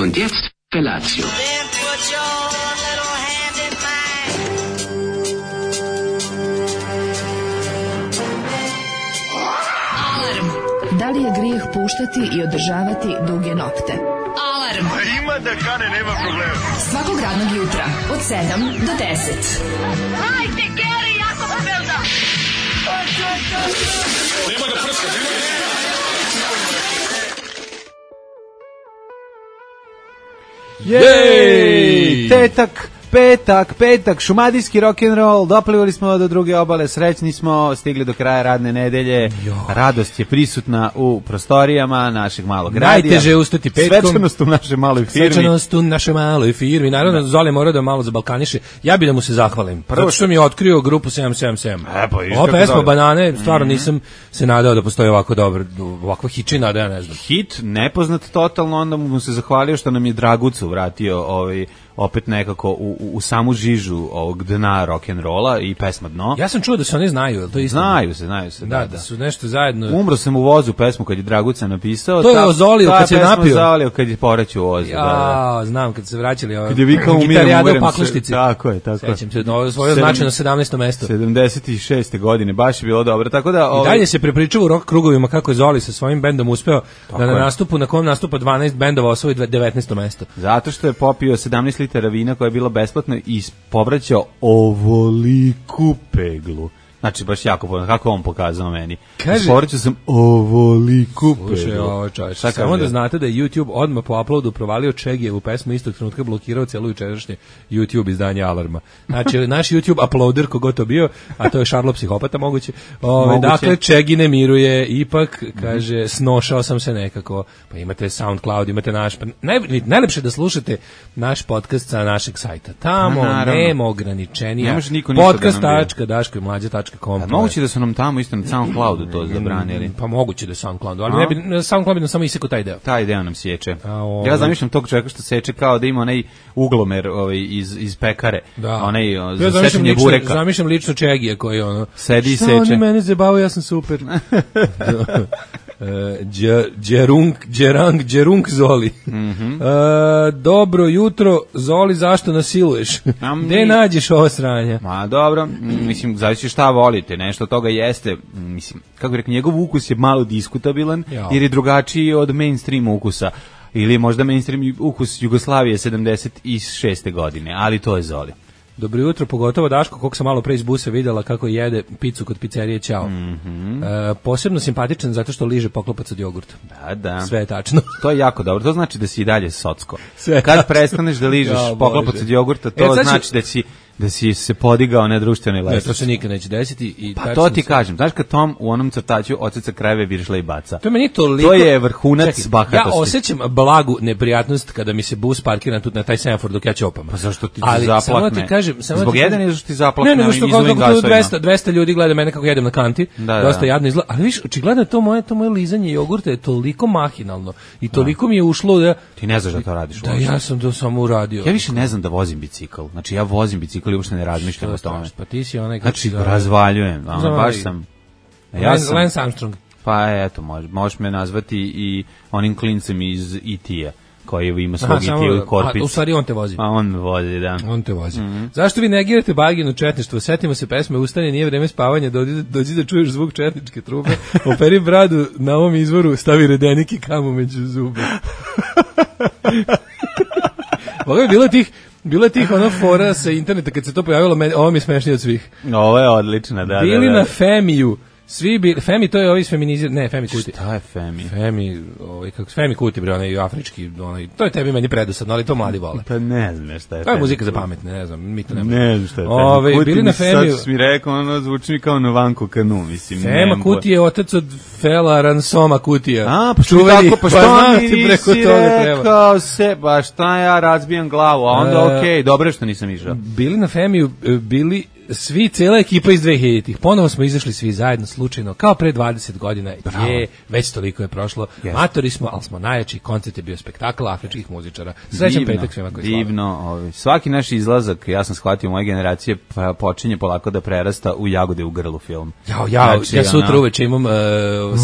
Und jetzt Felatio. Da li je grijeh puštati i održavati duge nokte? Alarm! Ima da kane, nema problema. Svakog radnog jutra, od 7 do 10. Hajde, Geri, jako se velda! Nema da prska, Jej! Petak, šumadijski rock'n'roll, doplivali smo do druge obale, srećni smo, stigli do kraja radne nedelje, radost je prisutna u prostorijama našeg malog radija. Najteže je ustati petkom. Svečanost u našoj maloj firmi. Naravno, Zoli mora da malo zabalkaniše. Ja bih da mu se zahvalim. Zato što mi je otkrio grupu 777. Ova pesma Banane, stvarno nisam se nadao da postoji ovako dobro, ovakva hičina, da ja ne znam. Hit, nepoznat totalno, onda mu se zahvalio što nam je Dragucu vratio opet nekako u samu žižu ovog dna rock'n'rolla i pesma Dno. Ja sam čuo da se oni znaju, to je isto. Znaju se. Da su nešto zajedno. Umro sam u vozu pesmu kad je Draguca napisao. To je ozolio kad se napio. Ozolio kad je poreću u vozu. Ja, znam kad se vraćali kad je vikao umiram paklištici. Tako je. Sećam se, svoje značajno 17. mesto. 76. godine, baš je bilo dobro. Tako da i dalje se prepričava u rock krugovima kako je Zoli sa svojim bendom uspeo da na nastupu, na kom nastupa 12 bendova osvoji 19. mesto. Zato što je popio 17 litara vina koja je bila besplatna i povraćao peglu. Znači, baš jako povrano. Kako on pokazao meni? Povraćao sam ovoliku peglu. Slušaj, ovo čovječ. Samo da znate da je YouTube odmah po uploadu provalio Čegijevu pesmu, istog trenutka blokirao celu jučerašnje YouTube izdanje Alarma. Znači, naš YouTube uploader, kogo to bio, a to je Šarlo psihopata moguće. Dakle, Čegi ne miruje, ipak, kaže, snošao sam se nekako. Pa imate SoundCloud, imate naš... Najlepše da slušate naš podcast sa našeg sajta. Tamo nema ograničenija. Podcast.daškomlađa.com. Moguće da su nam tamo isto na SoundCloudu to zabranili. Pa moguće da je SoundCloudu, ali ne bi, SoundCloud bi nam samo isekao taj deo. Taj deo nam sječe. Ja zamišljam tog čovjeka što seče kao da ima onaj uglomer iz pekare. Onaj za sečenje bureka. Zamišljam lično Čegija koji sedi i seče. Šta oni mene zabavaju, ja sam super. Džerung Zoli. Dobro jutro, Zoli, zašto nasiluješ? Gde nađeš ovo sranja? Ma dobro, mislim, zavisi šta volite, nešto toga jeste, mislim, kako bih rekao, njegov ukus je malo diskutabilan, jer je drugačiji od mainstream ukusa. Ili možda mainstream ukus Jugoslavije 76. godine, ali to je Zoli. Dobro jutro, pogotovo Daško, koliko sam malo pre iz busa videla kako jede picu kod pizzerije Ćao. Posebno simpatičan zato što liže poklopac od jogurta. Da. Sve je tačno. To je jako dobro, to znači da si i dalje socko. Kad prestaneš da ližeš poklopac od jogurta, to znači da si se podigao na društvenoj lestvici. To se nikad neće desiti. Pa to ti kažem, znaš kad Tom u onom crtaću oceca krajeve viršla i baca. To je meni toliko... To je vrhunac bahatosti. Ja osjećam blagu neprijatnost kada mi se bus parkira tu na taj semafor dok ja ćopam. Pa zašto ti zaplakne? Samo ti kažem, zbog jedan je zašto ti zaplakne. Ne, što 200 ljudi gleda mene kako jedem na kanti. Dosta jadno izgleda. Ali viš, očigledno to moje lizanje jogurta je toliko mahinalno i toliko mi je ušlo da... Ti ne znaš da to radiš. Da, ja sam to samo uradio. Ja više ne znam da vozim bicikl. Znači ja vozim bicikl i uopšte ne razmišljam o tome. Pa ti si onaj... Znači, razvaljujem. Baš sam... Lance Armstrong. Pa eto, možeš me nazvati i onim klincem iz E.T.a koji ima svog E.T. u korpicu. U stvari on te vozi. A on me vozi, da. On te vozi. Zašto vi negirate baginu četništvo? Setimo se pesme Ustani, nije vreme spavanja, dođi da čuješ zvuk četničke trupe, operi bradu na ovom izvoru, stavi redenik i kamu među zube. Ovo je bilo je tih fora sa interneta kad se to pojavilo, ovo mi je smešnije od svih. Ovo je odlična, da. Bili na Femiju. Femi, to je ovi feminizir, ne, Femi Kuti. Šta je Femi? Femi Kuti, bre, onaj afrički, to je tebi meni predosadno, ali to mladi vole. Pa ne znam šta je Femi. To je muzika za pametne, ne znam, mi to ne znam šta je Femi Kuti. Bili na Femiju. Sad mi rekao, zvuči mi kao Novanko Kanu, mislim. Fema Kuti je otac od Fela Ransoma Kutija. A, pa što mi nisi rekao se, pa šta ja razbijam glavu, a onda okej, dobro što nisam išao. Bili na Femiju, bili svi, cela ekipa iz 2000-ih, ponovo smo izašli svi zajedno, slučajno, kao pre 20 godina, već toliko je prošlo, matori smo, ali smo najjači, koncert je bio spektakl afričkih muzičara. Srećan petak svima koji slave. Divno, svaki naš izlazak, ja sam shvatio, moje generacije počinje polako da prerasta u Jagode u grlu film. Ja sutra uveče imam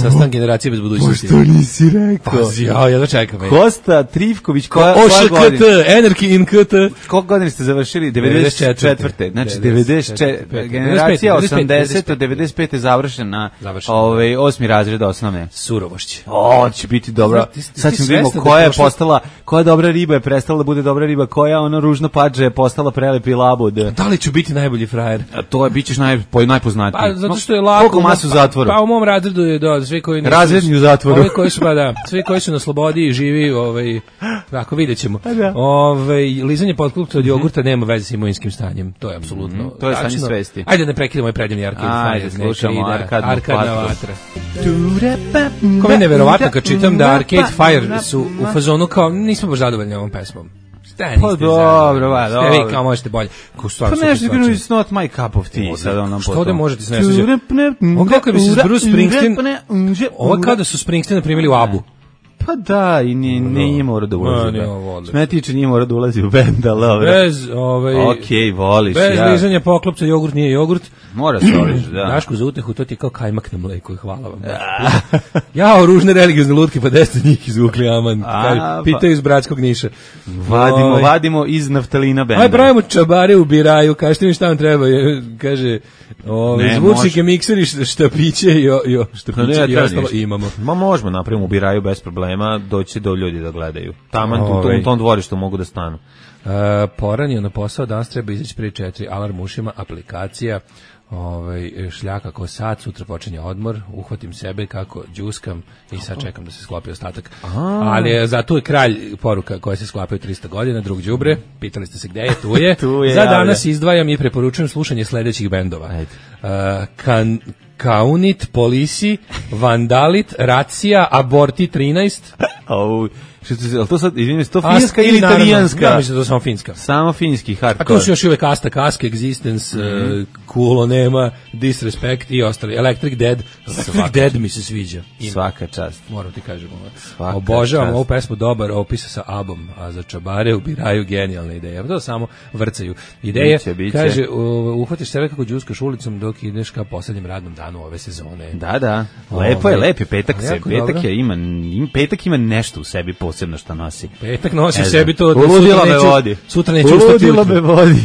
sastan generacije bez budućnosti. Što nisi rekao? Ja da čekam. Kosta Trifković, koja OŠKT, Energy in KT. Koliko godina ste završili? 94. Znači 94. Generacija 80. 95. je završena 8. razred osnovne. Surovošće. Će biti dobra. Sad ćemo vidimo koja je postala, koja dobra riba je prestala da bude dobra riba, koja ona ružna pađa je postala prelepi labud. Da li ću biti najbolji frajer? To je, bit ćeš najpoznatiji. Pa, zato što je lako. Koliko masu u zatvoru? Pa u mom razredu je, svi koji nisu... Razredni u zatvoru. Ovi koji su, svi koji su na slobodi i živi, tako vidjet ćemo. Lizanje potklupca od jogurta nema veze s imovinskim stanjem. To je apsolutno. To je stanje svesti. Ajde ne prekidamo ovaj predivni Arcade Fire. Slušamo Arkadna vatra. Ko je neverovatno kad čitam da Arcade Fire su u fazonu kao, nismo baš zadovoljni ovom pesmom. Pa dobro. Vi kao možete bolje. Pa nešto it's not my cup of tea. Što da možete se ne sviđa? On kako bi se Bruce Springsteen, ovo kao da su Springsteen primili u Abu. Pa da, i nije morao da ulazi. Sme tiče nije morao da ulazi u bend, ali dobro. Bez, okej, voliš. Bez lizanja poklopca, jogurt nije jogurt. Mora se voliš, da. Daško za utehu, to ti je kao kajmak na mleku, hvala vam. Ružne religiozne lutke, pa desto njih izvukli, aman. Pitaju iz Bratskog Niša. Vadimo iz naftalina benda. Aj, pravimo čabare u biraju, kažete mi šta vam treba, kaže... zvučnike, mikseri, štapiće i ostalo imamo. Možemo napravimo u biraju bez problema, doći do ljudi da gledaju. Taman u tom dvorištu mogu da stanu. Poranio na posao, danas treba izaći prije 4, alarm ušima, aplikacija, šljaka ko sat, sutra počinje odmor, uhvatim sebe kako džuskam i sad čekam da se sklopi ostatak. Ali zato je kralj poruka koja se sklapaju 300 godina, drug đubre, pitali ste se gde je, tu je. Za danas izdvajam i preporučujem slušanje sledećih bendova. Kaunit, Polisi, Vandalit, Racija, Aborti 13. To sad, izvinim, to finska ili italijanska? Ja mislim da to samo finska. Samo finski, hardcore. A tu su još uvek Asta, Kask, Existence, Kulo nema, Disrespect i ostali. Electric Dead. Electric Dead mi se sviđa. Svaka čast. Moram ti kažem. Obožavam ovu pesmu, dobar opis sa Abom, a za čabare ubiraju genijalne ideje. To samo vrcaju ideje. Kaže, uhvatiš sebe kako džuskaš ulicom dok ideš ka poslednjem radnom danu ove sezone. Da. Lep je petak se. Petak ima nešto u sebi posebno što nosi. Petak nosi sebi to da uludila me vodi. Sutra neću ustati. Uludila me vodi.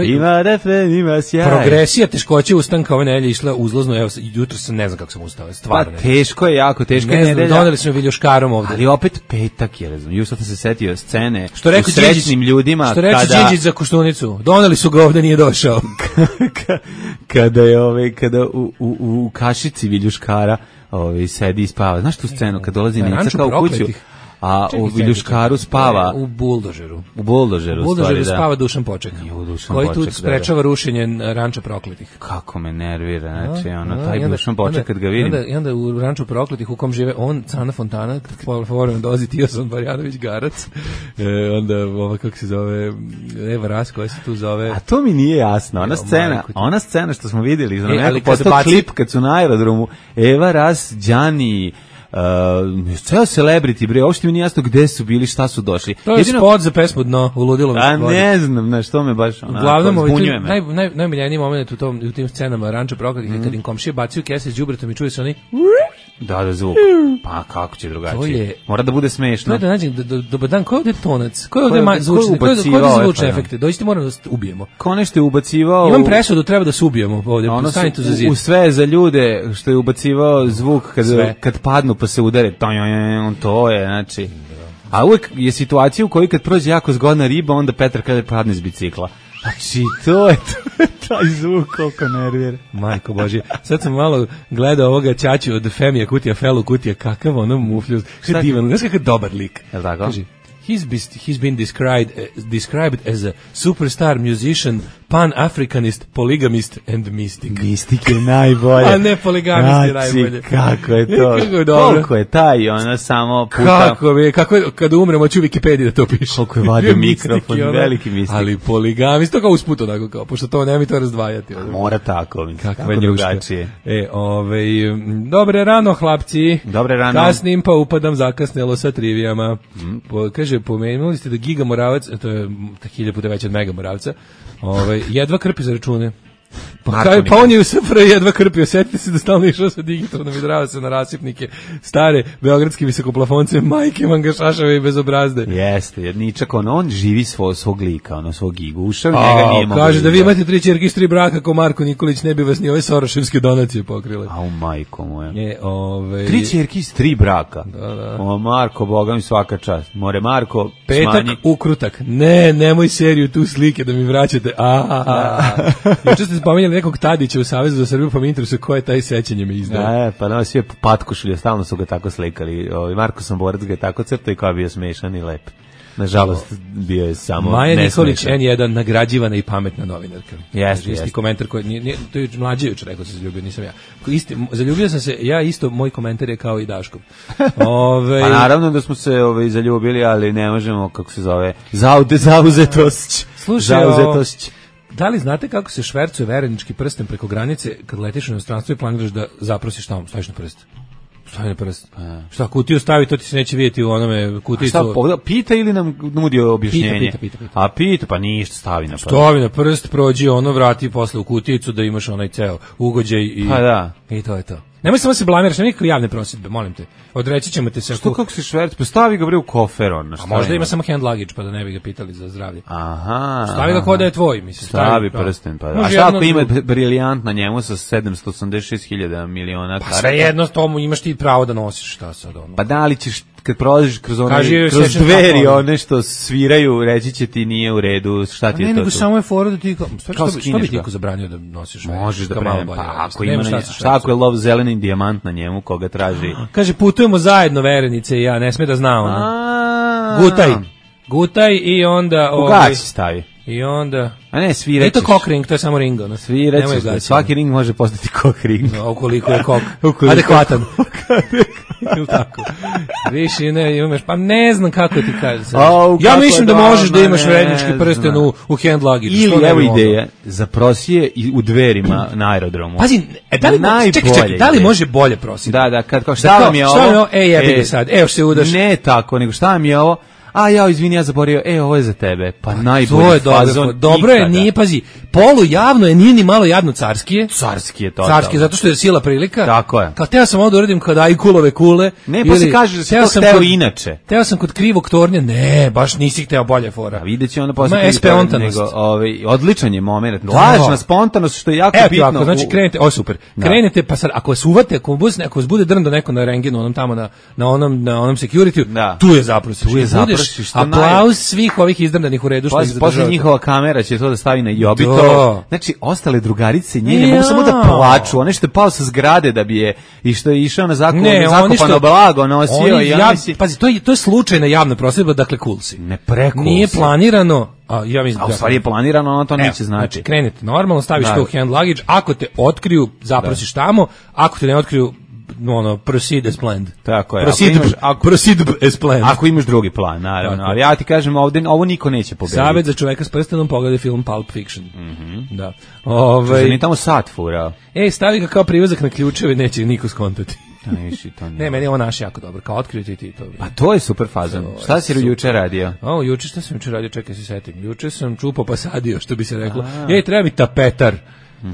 Ima refren, ima sjaj. Progresija teškoće ustanka ove nedelje išla uzlazno. Evo, jutro sam ne znam kako sam ustao. Stvarno. Pa teško je, jako teško je nedelja. Doneli smo viljuškarom ovde. Ali opet petak je, razum. Juče sam se setio scene u srećnim ljudima. Što reče Đinđić za Koštunicu. Doneli su ga ovde, nije došao. Kada u kašici viljuškara sedi i spava. Znaš tu scenu kad dolazi Nica kao u kuću? A u viljuškaru spava u buldožeru. U buldožeru spava Dušan Poček. Koji tu sprečava rušenje ranča prokletih. Kako me nervira, znači taj Dušan Poček kad ga vidim. I onda u ranču prokletih u kom žive on, Cana Fontana, povremeno dolazi Tiosan Barjanović Garac. Onda kako se zove Eva Ras koja se tu zove. A to mi nije jasno. Ona scena što smo videli, znači postao klip kad su na aerodromu Eva Ras, Đani, ceo celebrity, bre, uopšte mi nije jasno gde su bili, šta su došli. To je spot za pesmu Dno, uludilo me. A ne znam, što me baš zbunjuje me. Najmiljeniji moment u tim scenama ranča prokletih je kad im komšije bacaju kese s đubretom i čuje se oni da zvuk. Pa kako će drugačije? Mora da bude smešno. To je da nađem, dobar dan, ko je ovde tonac? Ko je ovde zvučni? Ko je zvučne efekte? Dođite, moramo da ubijemo. Ko nešto je ubacivao? Imam presudu, treba da se ubijemo ovde. Stanite za zid. U sve za ljude što je ubacivao zvuk kad padnu pa se udare. To je, znači. A uvek je situacija u kojoj kad prođe jako zgodna riba, onda Petar kada padne s bicikla. Znači, to je taj zvuk koliko nervira. Majko Božje. Sad sam malo gledao ovoga ćaću od Femija Kutija, Felu Kutija, kakav ono mufljuz. Šta divan, znaš kakav dobar lik. Je li tako? Kaži, he's been described as a superstar musician, Pan-Africanist, Polygamist and Mystic. Mystic je najbolje. A ne poligamist je najbolje. Kako je to? Koliko je taj, ona samo puta... Kako je, kada umremo, ću Wikipediji da to piše. Koliko je vadio mikrofon, veliki mistik. Ali poligamist, to kao usput onako kao, pošto to nema mi to razdvajati. Mora tako, kako drugačije. Dobre rano, hlapci. Dobre rano. Kasnim pa upadam zakasnelo sa trivijama. Kaže, pomenuli ste da Giga Moravac, to je 1000 puta veće od Mega Moravca, jedva krpi za račune. Pa on je u SFRJ jedva krpio, setite se da stalno išao sa digitalnom i drava se na rasipnike stare beogradske visokoplafonce, majke mangašašave i bezobrazde. Jeste, jedničak, on živi svog lika, svog Gigu, ušao njega nije mogu. Kaže da vi imate 3 ćerke iz 3 braka ko Marko Nikolić, ne bi vas ni ove soroševske donacije pokrile. Au majko moja. 3 ćerke iz 3 braka. Da. O Marko, boga mi svaka čast. More Marko, petak smanji. Ukrutak. Nemoj seriju tu slike da mi vraćate. Juče ste spomenjali nekog Tadića u Savezu za Srbiju, pa mi interesuje ko je taj, sećanje me izdaje. Pa nama svi je patkošulio, stalno su ga tako slikali. Marko Samborac ga je tako crtao i kao bio smešan i lep. Nažalost, bio je samo Maja Nikolić, N1, nagrađivana i pametna novinarka. Jeste. Komentar koji, to je mlađe juče rekao se zaljubio, nisam ja. Zaljubio sam se, ja isto, moj komentar je kao i Daškov. Pa naravno da smo se zaljubili, ali ne možemo, kako se zove, zauzetost. Slušaj, da li znate kako se švercuje verenički prsten preko granice kad letiš u inostranstvo i planiraš da zaprosiš tamo, staviš na prst? Stavi na prst. Šta, kutiju stavi, to ti se neće vidjeti u onome kuticu. Pita ili nam nudi objašnjenje? Pita. A pita, pa ništa, stavi na prst. Stavi na prst, prođi vrati posle u kuticu da imaš onaj ceo ugođaj i... Pa da. I to je to. Nemoj samo se blamiraš, nema nikakve javne prosjedbe, molim te. Odreći ćemo te se... Što kako se šverc? Pa stavi ga bre u kofer, A možda ima samo hand luggage, pa da ne bi ga pitali za zdravlje. Aha. Stavi ga kod da je tvoj, mislim. Stavi prsten, pa da. A šta ako ima briljant na njemu sa 786.000 miliona karata? Pa sve jedno, tomu imaš ti pravo da nosiš, šta sad ono. Pa da li ćeš, kad prolaziš kroz dveri, nešto sviraju, reći će ti nije u redu, šta ti je to? Ne, nego samo je fora da ti... Što bi ti ko zabranio da nosiš? Možeš da prema, pa ako ima, šta ako je lov zeleni dijamant na njemu, koga traži? Kaže, putujemo zajedno, verenice i ja, ne sme da zna ono. Gutaj i onda... Ugaći stavi. I onda... A ne, sviraćeš. To je cock ring, to je samo ring, ono. Sviraćeš, svaki ring može postati cock ring. Ukoliko je cock adekvatan. Ili tako. Više ne imaš, pa ne znam kako ti kažeš. Ja mislim da možeš da imaš verenički prsten u hand luggage. Ili evo ideja, zaprosi je u dverima na aerodromu. Pazi, čekaj, da li može bolje prositi? Da, kao šta vam je ovo? Jebi ga sad, evo se udaš. Ne tako, nego šta vam je ovo? Izvini, ja zaboravio, ovo je za tebe. Pa najbolji fazon. Dobro je, nije, pazi, polu javno je, nije ni malo jadno carskije. Carskije, to. Carskije, zato što je sila prilika. Tako je. Kao teo sam ovdje uradim kod Ajkulove kule. Ne, pa se kaže da se to hteo inače. Teo sam kod krivog tornja, ne, baš nisi hteo bolje fora. A vidjet će onda posle odličan je moment. Lažna spontanost, što je jako bitno. Ako, znači krenete, super. Krenete, pa sad, ako vas uvate, ako vas bude drndo neko na rengenu, onom tamo na onom security, tu je zaprosiš. Aplauz svih ovih izdrdanih u redu što ih zadržavate. Posle njihova kamera će to da stavi na Jobito. Znači, ostale drugarice njene mogu samo da plaču. One što je pao sa zgrade da bi je i što je išao na zakopano blago nosio. Pazi, to je slučajna javna prosjedba, dakle cool si. Ne precool si. Nije planirano. U stvari je planirano, ono to neće znači. Krenete normalno, staviš to u hand luggage, ako te otkriju, zaprosiš tamo, ako te ne otkriju, proceed as planned. Tako je. Proceed as planned. Ako imaš drugi plan, naravno. Ali ja ti kažem, ovo niko neće pobediti. Savjet za čoveka s prstenom, pogledaj film Pulp Fiction. Da. Nije tamo sat furao. Stavi ga kao privezak na ključeve, neće niko skontati. Ne, meni je ovo naš jako dobro, kao otkrio ti to. Pa to je super fazon. Šta si juče radio? Šta sam juče radio, čekaj se setim. Juče sam čupao pa sadio, što bi se reklo. Treba mi tapetar.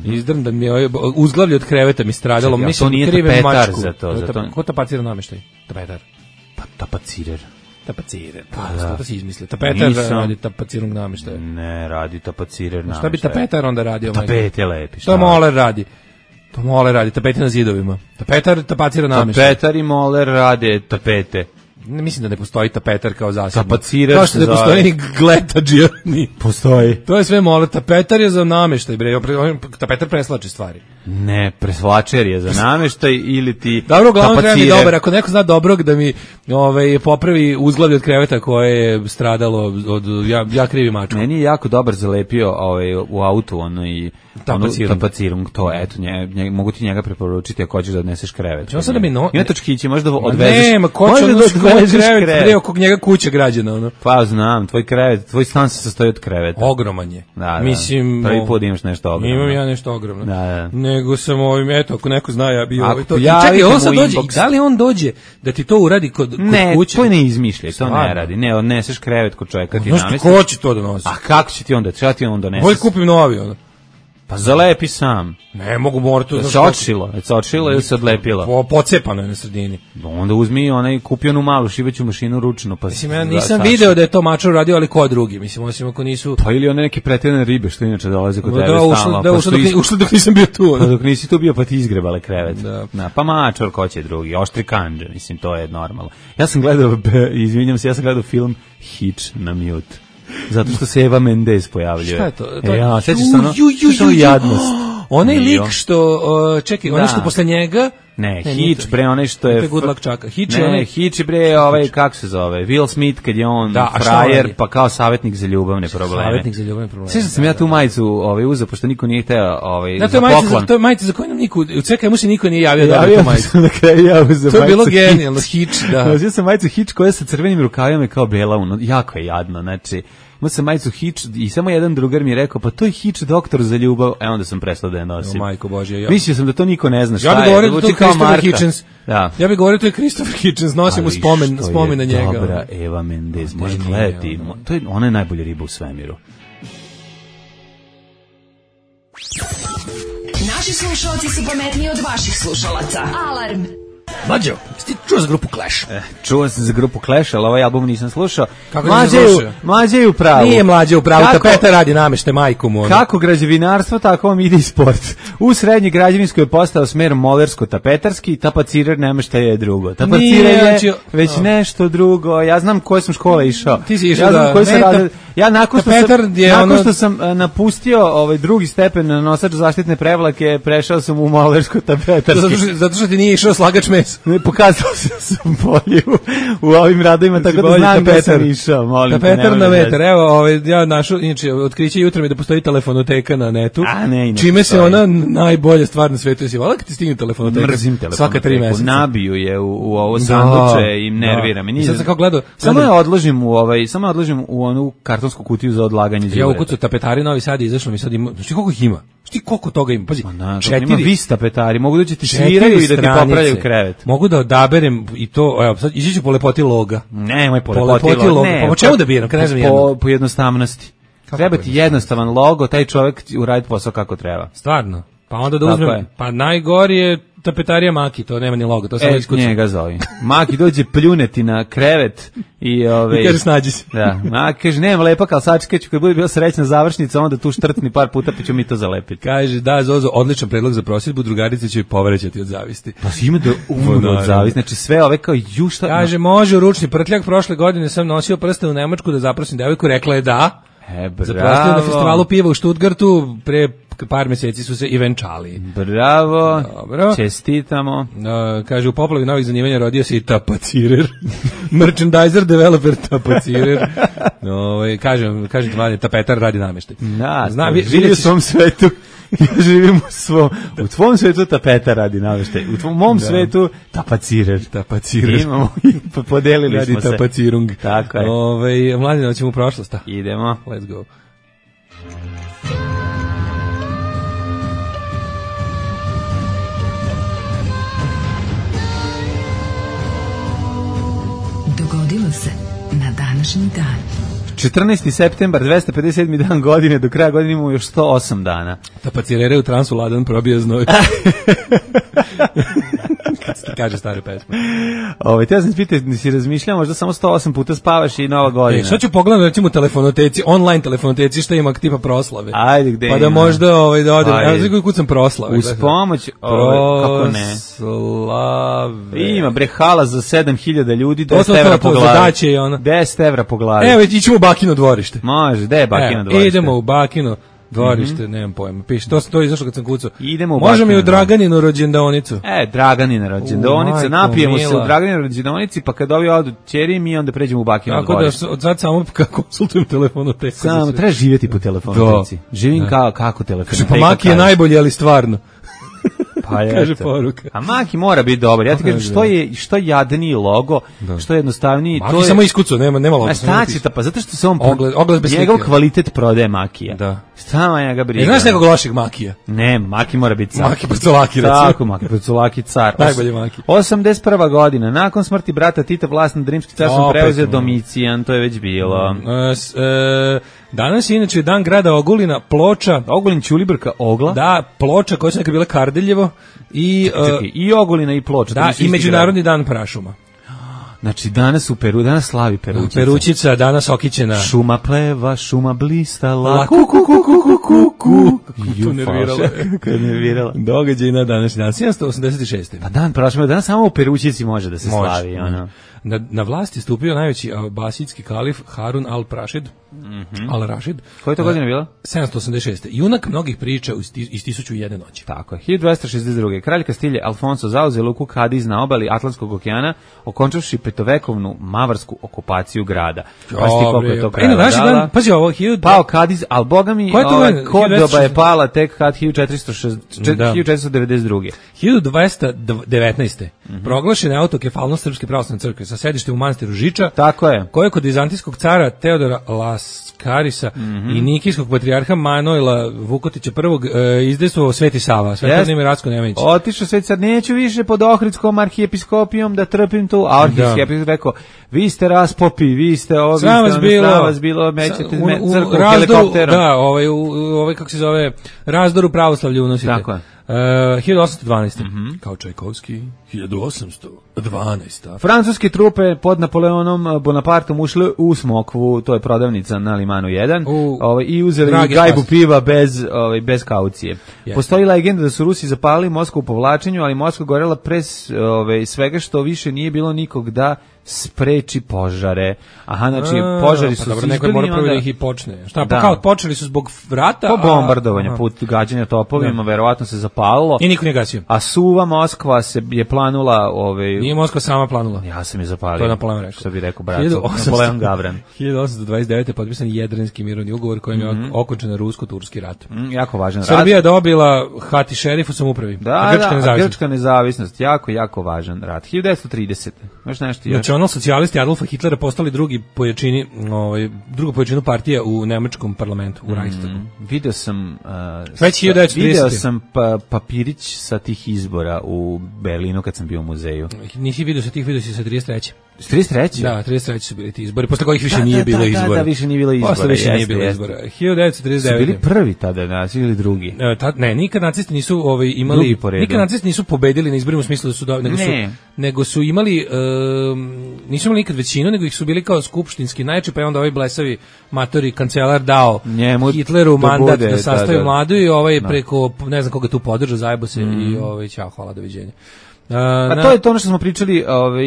Izdrndan mi je uzglavlje od kreveta mi stradalo. To nije tapetar za to. Ko tapacira namještaj? Tapetar. Pa tapacirer. Tapacirer, to si izmislio. Tapetar radi tapacirnog namještaja. Ne, radi tapacirer namještaja. Šta bi tapetar onda radio? Tapet je lepi. To moler radi. Tapete na zidovima. Tapetar tapacira namještaj. Tapetar i moler rade tapete. Ne, mislim da ne postoji tapetar kao zasebno. Tapacirer kao što ne postoji ni gletadžija. Postoji. To je sve mole. Tapetar je za nameštaj, bre. Tapetar preslači stvari. Ne, preslačer je za nameštaj ili ti dobro, uglavnom treba mi dobar. Ako neko zna dobrog da mi popravi uzglavlje od kreveta koje je stradalo od ja krivi mačku. Meni je jako dobar zalepio u autu i tapacirung, to eto, mogu ti njega preporučiti ako hoćeš da odneseš krevet. Ja sam da mi ima točkići, možda odvezeš. Nema, ko će odvezeš krevet, bre, oko njega kuća građana, ono. Pa znam, tvoj krevet, tvoj stan se sastoji od kreveta. Ogroman je. Da, mislim, prvi put imaš nešto ogromno. Imam ja nešto ogromno. Da. Nego sam eto, ako neko zna, ja bi to. Čekaj, on sad dođe, da li on dođe da ti to uradi kod kuće? Ne, to ne izmišljaj, to ne radi. Ne, odneseš krevet kod čovjeka, ti namestiš. Ko će to da nosi? A kako će ti onda? Šta ti onda doneseš? Bolje kupim novi, onda. Pa zalepi sam. Ne mogu morati. Se odšilo ili se odlepilo? Pocepano je na sredini. Onda uzmi kupi onu malu šiveću mašinu ručno. Pa mislim, ja nisam video da je to mačar radio, ali ko drugi? Mislim, osim ako nisu... Pa ili one neke pretjerane ribe što inače dolaze kod tebe stalno. Da, ušli dok nisam bio tu. Pa dok nisi tu bio, pa ti izgrebale krevet. Da. Pa mačar, ko će drugi? Oštri kanđe, mislim, to je normalno. Ja sam gledao film Hitch na mute. Zato što se Eva Mendes pojavljuje. Šta je to? Ja, sećaš se ono jadnost. Onaj lik što, čekaj, onaj što posle njega... Ne, Hitch, bre, onaj što je... Hitch, bre, kako se zove, Will Smith, kad je on frajer, pa kao savjetnik za ljubavne probleme. Savjetnik za ljubavne probleme. Sjećam sam ja tu majicu uzeo, pošto niko nije hteo za poklon. To je majica za koju nam niko, u CKM-u se niko nije javio da tu majicu. To je bilo genijalno, Hitch, da. Ja sam majicu Hitch koja sa crvenim rukavima kao bela, jako je jadno, znači... Imao sam majicu Hitch i samo jedan drugar mi je rekao, pa to je Hitch doktor za ljubav, onda sam prestao da je nosim. Majko Božje, mislio sam da to niko ne zna šta je. Ja bih govorio da to je Christopher Hitchens. Da. Ja bih govorio da to je Christopher Hitchens, nosim u spomen na njega. Dobra, Eva Mendes, može gledati. Ona je najbolja riba u svemiru. Naši slušalci su pametniji od vaših slušalaca. Alarm! Mlađo, ti čuo za grupu Clash? Čuo sam za grupu Clash, ali ovaj album nisam slušao. Mlađe je u pravu. Nije Mlađe u pravu, tapeta radi namešte majku mu. Kako građevinarstvo, tako vam ide i sport. U srednji građevinskoj je postao smer molersko-tapetarski, tapacirer nameštaj je drugo. Tapacirer je već nešto drugo. Ja znam koje sam škole išao. Ti si išao da... Ja nakon što sam napustio drugi stepen na nosač zaštitne prevlake, prešao sam u molersko-tapetarski. Zato što ti nije išao slagač mesa. Ne, pokazao sam bolje u ovim radovima, tako da znam da sam išao. Tapetar na vetar. Evo, ja našao, inače, otkriće jutro mi da postoji telefonoteka na netu. Čime se ona najbolja stvar na svetu. Jesi volao kad ti stigne telefonoteka? Mrzim telefonoteku. Svaka 3 meseca. Nabiju je u ovo sanduče i nervira me. Sad sam kao gledao. Samo je odložim u onu kartonsku kutiju za odlaganje đubreta. Ja ukucao tapetari Novi Sad, izašlo mi sad ima. Znaš ti koliko ih ima? Znaš ti koliko toga ima? Pazi, 4. Ima vis tapetari, mogu da će ti sviraju i da ti popravljaju krevet. Mogu da odaberem i to, evo, sad ići ću po lepoti loga. Nemoj po lepoti loga. Pa po čemu da biram, kad ne znam jedno? Po jednostavnosti. Treba ti jednostavan logo, taj čovjek uradi posao kako treba. Stvarno? Pa onda da uzmem, pa najgori je tapetarija Maki, to nema ni logo, to samo iskucam. Njega zove. Maki dođe pljuneti na krevet i i kaže snađi se. Da, Maki kaže nema lepak, al sačekaću kad bude bila srećna završnica, onda tu štrtni par puta pa ću mi to zalepiti. Kaže da Zozo, odličan predlog za prosjedbu, drugarice će joj povrećati od zavisti. Pa ima da umru od zavisti, znači sve ove kao šta. Kaže može u ručni prtljak, prošle godine sam nosio prste u Nemačku da zaprosim devojku, rekla je da. Zaprostio na festivalu piva u Stuttgartu, pre par meseci su se i venčali. Bravo, dobro. Čestitamo. Kaže, u poplavi novih zanimanja rodio se i tapacirer. Merchandiser, developer, tapacirer. Kažem ti manje, tapetar radi nameštaj. Da, živi u svom svetu. Ja živim u tvom svetu tapeta radi nameštaj. U mom svetu tapacirer. Imamo i podelili radi smo se. Tapacirung. Tako je. Mladine, ćemo u prošlost. Idemo. Let's go. Dogodilo se na današnji dan. 14. septembar, 257. dan godine, do kraja godine imamo još 108 dana. Tapacirere u transu ladan probija znoj. kad se ti kaže stare pesme. Te sam pitao, da si razmišljao, možda samo 108 puta spavaš i Nova godina. Sad ću pogledati recimo telefonoteci, online telefonoteci, šta ima tipa proslave. Ajde, gde pa da možda da odem. Ja znam kucam proslave. Uz pomoć, kako ne? Proslave. Ima bre hala za 7000 ljudi, 10 evra po glavi. 10 evra po glavi. Evo, ićemo u Bakino dvorište. Može, gde je Bakino dvorište? Idemo u Bakino dvorište, nemam pojma. Piše, to je izašlo kad sam kucao. Idemo u Možemo i u Draganinu rođendonicu. Draganina rođendonica, napijemo se u Draganinu rođendonici, pa kad ovi odu ćeri, mi onda pređemo u Bakino dvorište. Tako da od sad samo konsultujem telefonoteku. Samo, treba živjeti po telefonoteci. Živim kako telefonoteka. Pa Maki je najbolje, ali stvarno. Kaže poruka. A Maki mora biti dobar. Ja ti kažem što jadniji logo, što jednostavniji, Maki to je samo iskucao, nema logo. Pa zato što se on ogled bez njegov kvalitet prodaje Makija. Da. Stava njega briga. Znaš nekog lošeg Makija? Ne, Maki mora biti car. Maki Pacolaki, recimo. Tako, Maki Pacolaki car. Najbolji Maki. 81. godina, nakon smrti brata Tita, vlast nad Rimskim carstvom preuzeo Domicijan, to je već bilo. Danas je inače dan grada Ogulina, Ploča. Ogulin Ćulibrka, Ogla. Da, Ploča koja su nekad bila Kardeljevo. Čekaj, i Ogulina i Ploča. Da, i Međunarodni dan prašuma. Znači, danas u Peru, danas slavi Perućica. Perućica, danas okićena. Šuma pleva, šuma blistala. Nervirala. Događaj na današnji dan, 786. Pa dan prašuma, danas samo u Perućici može da se slavi. Na vlast je stupio najveći abasidski kalif Harun al-Rašid. Al-Rašid. Koja je to godina bila? 786. Junak mnogih priča iz 1001 noći. Tako je. 1262. Kralj Kastilje Alfonso zauzeo luku Kadiz na obali Atlantskog okeana, okončavši petovekovnu mavarsku okupaciju grada. Koliko je to kralj dala? Pazi ovo, pao Kadiz, ali boga mi Kordoba je pala tek kad 1492. 1219. Proglašena je autokefalnost Srpske pravoslavne crkve sa sedištem u manastiru Žiča. Tako je. Koje kod vizantijskog cara Teodora Laskarisa i nikijskog patrijarha Manojla Vukotića I izdejstvovao Sveti Sava, Svetovni ime Racko Nemanić. Otišao Sveti, sad neću više pod Ohridskom arhijepiskopijom da trpim tu, a arhijepiskop rekao, vi ste raspopi, vi ste ovi, sram vas bilo, mećete crkvu helikopterom. Da, kako se zove, razdoru pravoslavlje unosite. Tako je. 1812. Kao Čajkovski, 1812. Francuske trupe pod Napoleonom Bonapartom ušle u Smokvu, to je prodavnica na Limanu 1, i uzeli gajbu piva bez kaucije. Postoji legenda da su Rusi zapalili Moskvu u povlačenju, ali Moskva gorela pre svega što više nije bilo nikog da spreči požare. Znači požari su izbili. Neko je mora prvo da ih i počne. Šta, pa kao počeli su zbog vrata? Po bombardovanja, put gađanja topovima, verovatno se zapalilo. I niko nije gasio. A suva Moskva se je planula... Nije Moskva sama planula. Ja sam je zapalio. To je Napoleon rekao. Što bi rekao brat, Napoleon Gavran. 1829. potpisan Jedrenski mirovni ugovor kojim je okončen rusko-turski rat. Jako važan rat. Srbija je dobila hati šerif u samoupravi. Grčka nezavisnost. Jako važan rat. 1930. Još nešto još. Socijalisti Adolfa Hitlera postali druga pojačinu partije u nemačkom parlamentu, u Reichstagu. Video sam papirić sa tih izbora u Berlinu kad sam bio u muzeju. Nisi video sa tih, video si sa 33. 33? Da, 33 su bili ti izbori, posle kojih više nije bilo izbora. Da, više nije bilo izbora. Posle više nije bilo izbora. 1939. Su bili prvi tada, ili drugi? Ne, nikad nacisti nisu imali, nikad nacisti nisu pobedili na izborima u smislu da su, nego su imali, nisu imali nikad većinu, nego ih su bili kao skupštinski najjači, pa je onda ovaj blesavi matori kancelar dao Hitleru mandat da sastavi vladu i preko, ne znam koga tu podržao, zajebo se i ćao, hvala, doviđenja. To je to ono što smo pričali,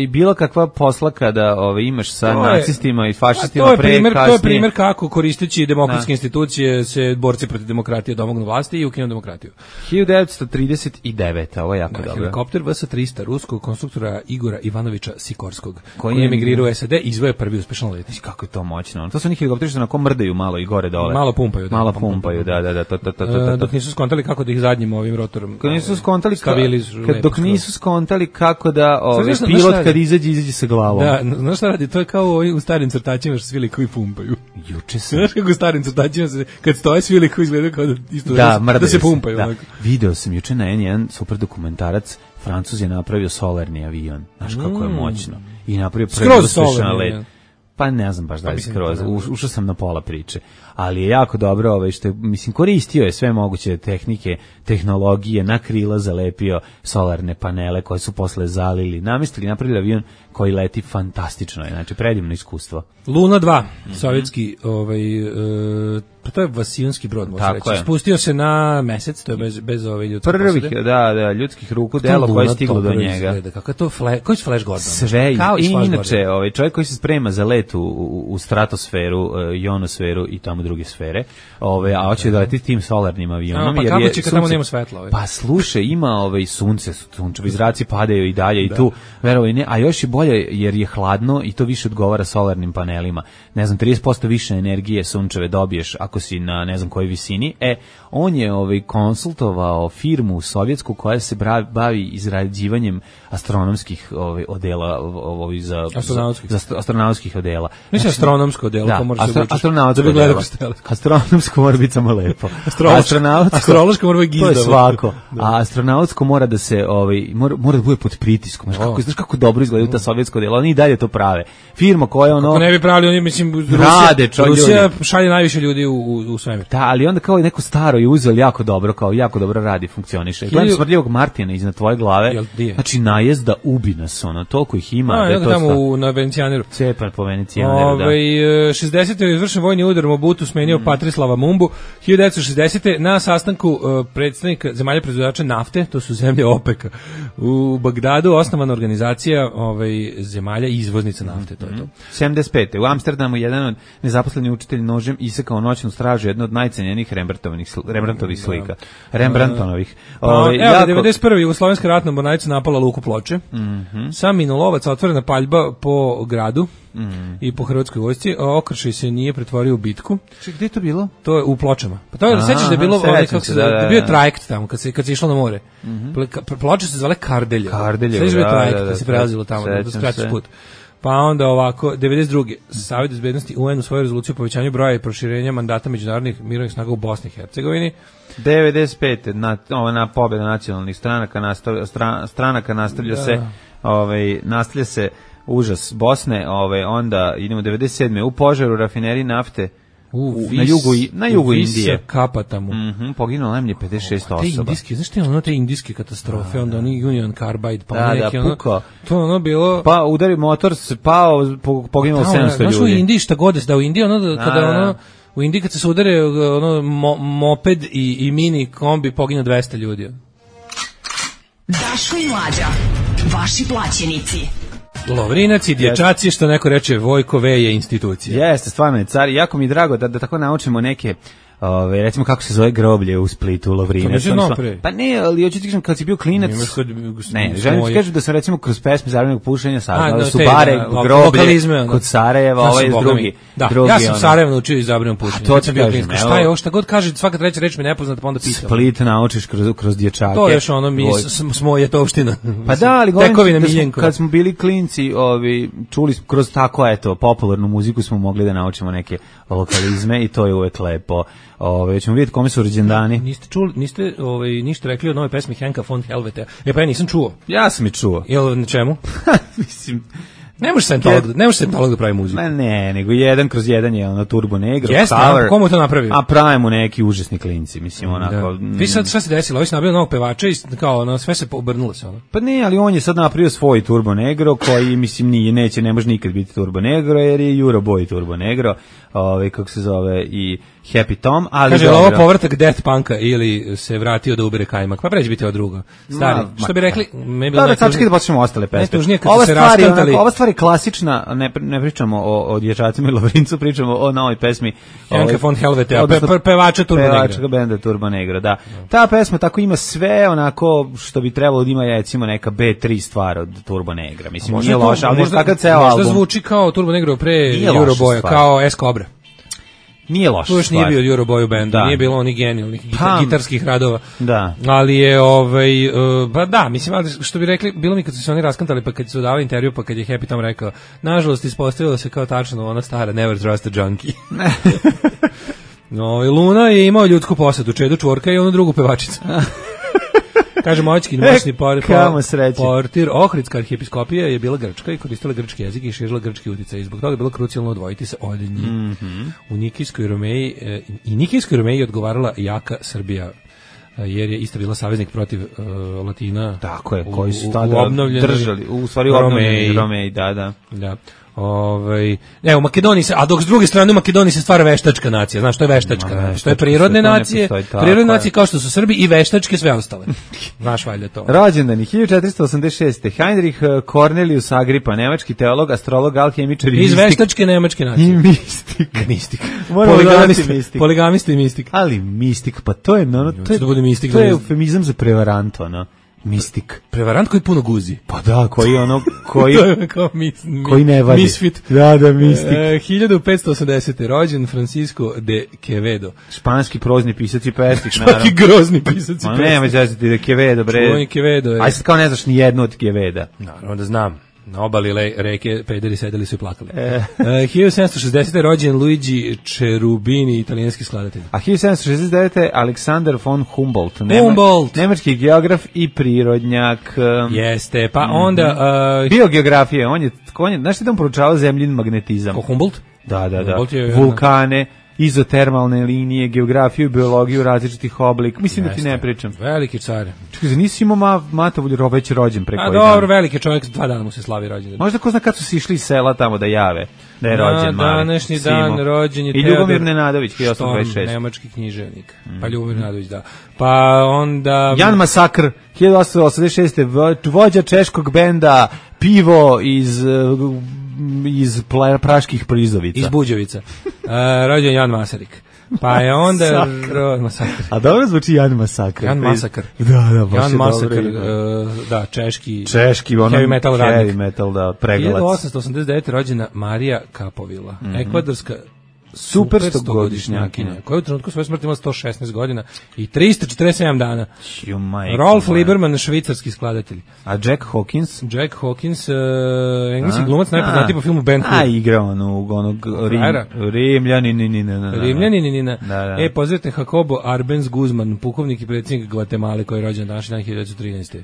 bilo kakva posla kada imaš sa nacistima i fašistima kasnije. To je primjer kako koristeći demokratske institucije se borci protiv demokratije domognu vlasti i ukinu demokratiju. 1939, ovo je jako dobro. Helikopter VS-300 ruskog konstruktora Igora Ivanovića Sikorskog, koji je emigrirao u SAD i izveo prvi uspešan let. Kako je to moćno. To su oni helikopteri što onako mrdaju malo i gore dole. Malo pumpaju. Da. Dok nisu skontali kako da ih zadnjim ovim rotorom. Dok nisu skontali kako da pilot kad izađe sa glavom. Da, znaš šta radi? To je kao u starim crtačima što svi likovi pumpaju. Juče sam. Znaš kako u starim crtačima kad stoje svi likovi izgledaju kao da isto da se pumpaju. Da. Video sam juče na N1 super dokumentarac, Francuz je napravio solarni avion. Znaš kako je moćno. I napravio prvi uspešan let. Pa ne znam baš da li skroz, ušao sam na pola priče, ali je jako dobro, što je, mislim, koristio je sve moguće tehnike, tehnologije, na krila zalepio solarne panele koje su posle zalili, namestili, napravili avion koji leti fantastično, znači predivno iskustvo. Luna 2, sovjetski, pa to je vasijonski brod, može reći. Spustio se na mesec, to je bez ove ljudske prvih, da, ljudskih ruku delo koje je stiglo do njega. Kako je to, koji su Flash Gordon? Sve, i inače, čovjek koji se sprema za let u stratosferu, ionosferu i tamo druge sfere, a hoće da leti tim solarnim avionom. Pa kako će kad tamo nema svetla? Pa slušaj, ima sunce, sunčevi zraci padaju i dalje i tu, verovaj ne, a još i bolje jer je hladno i to više odgovara solarnim panelima. Ne znam, 30% više energije sunčeve dobiješ ako si na ne znam kojoj visini. On je konsultovao firmu sovjetsku koja se bavi izrađivanjem astronomskih odela za astronautskih odela. Mislim astronomsko odelo, da, to može se astronautsko odelo. Astronomsko mora biti samo lepo. Astrološko mora biti to je svako. A astronautsko mora da se mora da bude pod pritiskom. Znaš kako dobro izgledaju ta sovjetska odela, oni i dalje to prave. Firma koja kako ne bi pravili, oni mislim Rusija šalje najviše ljudi u svemir. Da, ali onda kao neko staro je uzeo jako dobro radi, funkcioniše. Gledam Smrdljivog Martina iznad tvoje glave. Znači najezda ubi nas, toliko ih ima. Da je to tamo na Venecijaneru. Cepan po Venecijaneru, da. 60. je izvršen vojni udar Mobutu, smenio Patrislava Mumbu. 1960. na sastanku predstavnika zemalja proizvođača nafte, to su zemlje OPEC-a, u Bagdadu osnovana organizacija zemalja izvoznica nafte, to je to. 75. u Amsterdamu jedan od nezaposlenih učitelj nožem isekao noćnu stražu, jedno od najcenjenijih Rembrandtovih slika. Rembrandtovih. 91. Jugoslovenska ratna mornarica napala luku Ploče. Sam minulovac, otvorena paljba po gradu i po hrvatskoj vojsci, okršaj se nije pretvorio u bitku. Gdje je to bilo? To je u Pločama. Pa to je, sećaš da je bilo, bio je trajekt tamo, kad se išlo na more. Ploče se zvale Kardelje. Sećaš da je trajekt, kad se prelazilo tamo, da skraćiš put. Pa onda ovako, 92. Savjet bezbednosti UN u svojoj rezoluciji o povećanju broja i proširenja mandata međunarodnih mirovnih snaga u Bosni i Hercegovini. 95. na pobjeda nacionalnih stranaka nastavlja se užas Bosne, onda idemo 97. u požaru rafinerije nafte na jugu Indije. Kapatamu. Poginulo najmanje 56 osoba. Te indijske, znaš te indijske katastrofe, onda oni Union Carbide, pa neki to bilo... Pa udari motor, se pao, poginulo 700 ljudi. Znaš u Indiji šta god da u Indiji, u Indiji kad se udare moped i mini kombi, pogine 200 ljudi. Daško i Mlađa, vaši plaćenici. Lovrinac i dječaci, što neko reče, Vojko V je institucija. Jeste, stvarno je car. Jako mi je drago da tako naučimo neke, recimo kako se zove groblje u Splitu, Lovrinac. Pa ne, ali hoću ti kažem, kad si bio klinac, želim ti kažem da sam recimo kroz pesme Zaravenog pušenja saznao su bare, groblje, kod Sarajeva, ovaj drugi. Da, ja sam Sarajevo naučio iz Zaravenog pušenja. To ti kažem. Šta je ovo, šta god kaže, svaka treća reč mi nepoznata, pa onda pitam. Split naučiš kroz dječake. To je još mi smo je to opština. Pa da, ali kad smo bili klinci, čuli kroz tako, popularnu muziku smo mogli da naučimo neke lokalizme i to je uvek lepo. Ćemo vidjeti kome su rođendani. Niste ništa rekli o novoj pesmi Henka von Helvete. Pa ja nisam čuo. Ja sam i čuo. Jel na čemu? Mislim... Ne može Scientolog da pravi muziku. Ne, nego 1/1 je ono Turbo Negro. Jeste, komu to napravio? A pravimo neki užasni klinci, mislim, onako. Vi sad šta se desilo? Ovi se nabio novog pevača i kao, sve se obrnulo se ono. Pa ne, ali on je sad napravio svoj Turbo Negro, koji, mislim, ne može nikad biti Turbo Negro, jer je Euroboy Turbo Negro, kako se zove, i Happy Tom, ali... Kaže, ovo povratak Death Punka ili se vratio da ubere kajmak, pa pređe biti ovo drugo. Stari, što bi rekli... Da, sačekaj da počnemo ostale pesme. Najtužnije kad su se raskantali... Ova stvar je klasična, ne pričamo o dječacima i Lovrincu, pričamo o novoj pesmi. Henka von Helvete, pevača Turbo Negro. Pevača benda Turbo Negro, da. Ta pesma tako ima sve onako što bi trebalo da ima, recimo, neka B3 stvar od Turbo Negra. Mislim, nije loša, ali možda ceo album. Možda zvuči kao Turbo Negro pre Euroboya, kao S Cobra. Nije loša stvar. To još nije bio Euroboy bendu, nije bilo onih genijalnih gitarskih radova. Da. Ali je, pa da, mislim, ali što bi rekli, bilo mi kad su se oni raskantali, pa kad su davali intervju, pa kad je Happy Tom rekao, nažalost, ispostavilo se kao tačno ona stara Never Trust a Junkie. Luna je imao ljudsku posadu, Čedu Čvorka i onu drugu pevačicu. Kaže moćki moćni portir Ohridska arhijepiskopija je bila grčka i koristila grčki jezik i širila grčki uticaj. I zbog toga je bilo krucijalno odvojiti se od njih. U Nikijskoj Romeji i Nikijskoj Romeji odgovarala jaka Srbija, jer je isto bila saveznik protiv Latina. Tako je, koji su tada držali, u stvari Romeji, da. U Makedoniji se, a dok s druge strane u Makedoniji se stvara veštačka nacija, znaš što je veštačka, što je prirodne nacije, prirodne nacije kao što su Srbi i veštačke sve ostale. Znaš valjda to. Rođendani 1486. Heinrich Cornelius Agrippa, nemački teolog, astrolog, alhemičar i mistik. Iz veštačke nemačke nacije. I mistik. Poligamista i mistik. Ali mistik, pa to je to je eufemizam za prevarant, ono. Mistik. Prevarant koji puno guzi. Pa da, koji to je kao koji ne vadi. Misfit. Da, mistik. 1580. rođen Francisco de Quevedo. Španski prozni pisac i pesnik, naravno. Španski grozni pisac i pesnik. Nema zezati de Quevedo, bre. Čuveni Quevedo je. Aj sad kao ne znaš ni jednu od Queveda. Naravno da znam. Na obali reke pederi sedeli su i plakali. 1760. rođen Luigi Cherubini, italijanski skladatelj. A 1769. Aleksandar von Humboldt, nemački geograf i prirodnjak. Jeste, pa onda... Biogeografija, on je znaš ti da on proučavao zemljin magnetizam? Ko Humboldt? Da. Vulkane, izotermalne linije, geografiju, biologiju različitih oblika. Mislim da ti ne pričam. Veliki car. Čekaj, nisi imao Matovolj već rođen preko. A dobro, veliki čovjek, 2 dana mu se slavi rođendan. Možda ko zna kad su si išli iz sela tamo da jave da je rođen mali. Današnji dan rođen je i Ljubomir Nenadović, 1826. Nemački književnik. Pa Ljubomir Nenadović, da. Pa onda... Jan Masakr, 1886. Vođa češkog benda Pivo iz praških prizovica. Iz Buđevica. Rođen Jan Masarik. Pa je onda... Masakr. A dobro zvuči Jan Masakr. Jan Masakr. Da, baš Jan Masakr, da, češki heavy metal radnik. Heavy metal, da, pregalac. 1889. rođena Marija Kapovila, ekvadorska super 100-godišnjakinja, koja u trenutku svoje smrti imala 116 godina i 347 dana. Rolf Lieberman, švicarski skladatelj. A Jack Hawkins, engleski glumac, najpoznatiji po filmu Ben Hur. A igra onog Rimljaninina. Pozdravite Jacobo Arbenz Guzman, pukovnik i predsjednik Gvatemale, koji je rođen današnji dan 1913.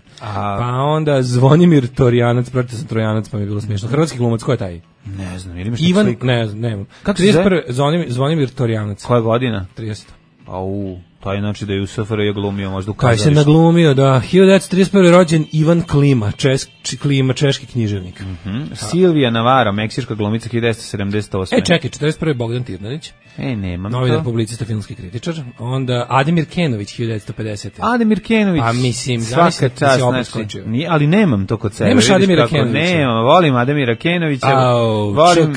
Pa onda Zvonimir Torjanac, pročitao sam Trojanac, pa mi je bilo smiješno. Hrvatski glumac, ko je taj? Ne znam, ili imaš Ivan, ne. Kako se zove? Zvonimir Torjanac. Koja godina? 30. Taj znači da je u SFRJ glumio možda u kazalištu. Kaj se naglumio, da. 1931. rođen Ivan Klima, češki književnik. Silvija Navarro, meksička glumica, 1978. Čekaj, 41. Bogdan Tirnanić. Nemam novinar, publicista, filmski kritičar. Onda Ademir Kenović, 1950. Ademir Kenović. Pa mislim, svaka čast, ali nemam to kod sebe. Nemaš Ademira Kenovića? Nemam, volim Ademira Kenovića.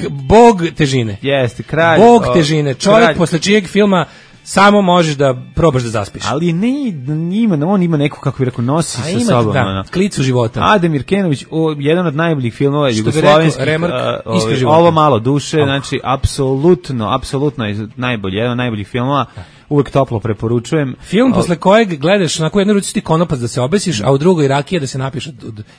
Bog težine. Jeste, kralj. Bog težine, čovjek posle čijeg filma samo možeš da probaš da zaspiš. Ali on ima neku, kako bih rekao, nosi sa sobom. Da, klicu života. Ademir Kenović, jedan od najboljih filmova jugoslovenskih, ovo malo duše, znači apsolutno je najbolji, jedan od najboljih filmova. Uvijek toplo preporučujem. Film posle kojeg gledaš, onako jednu ruci ti konopac da se obesiš, a u drugoj rakija da se napiš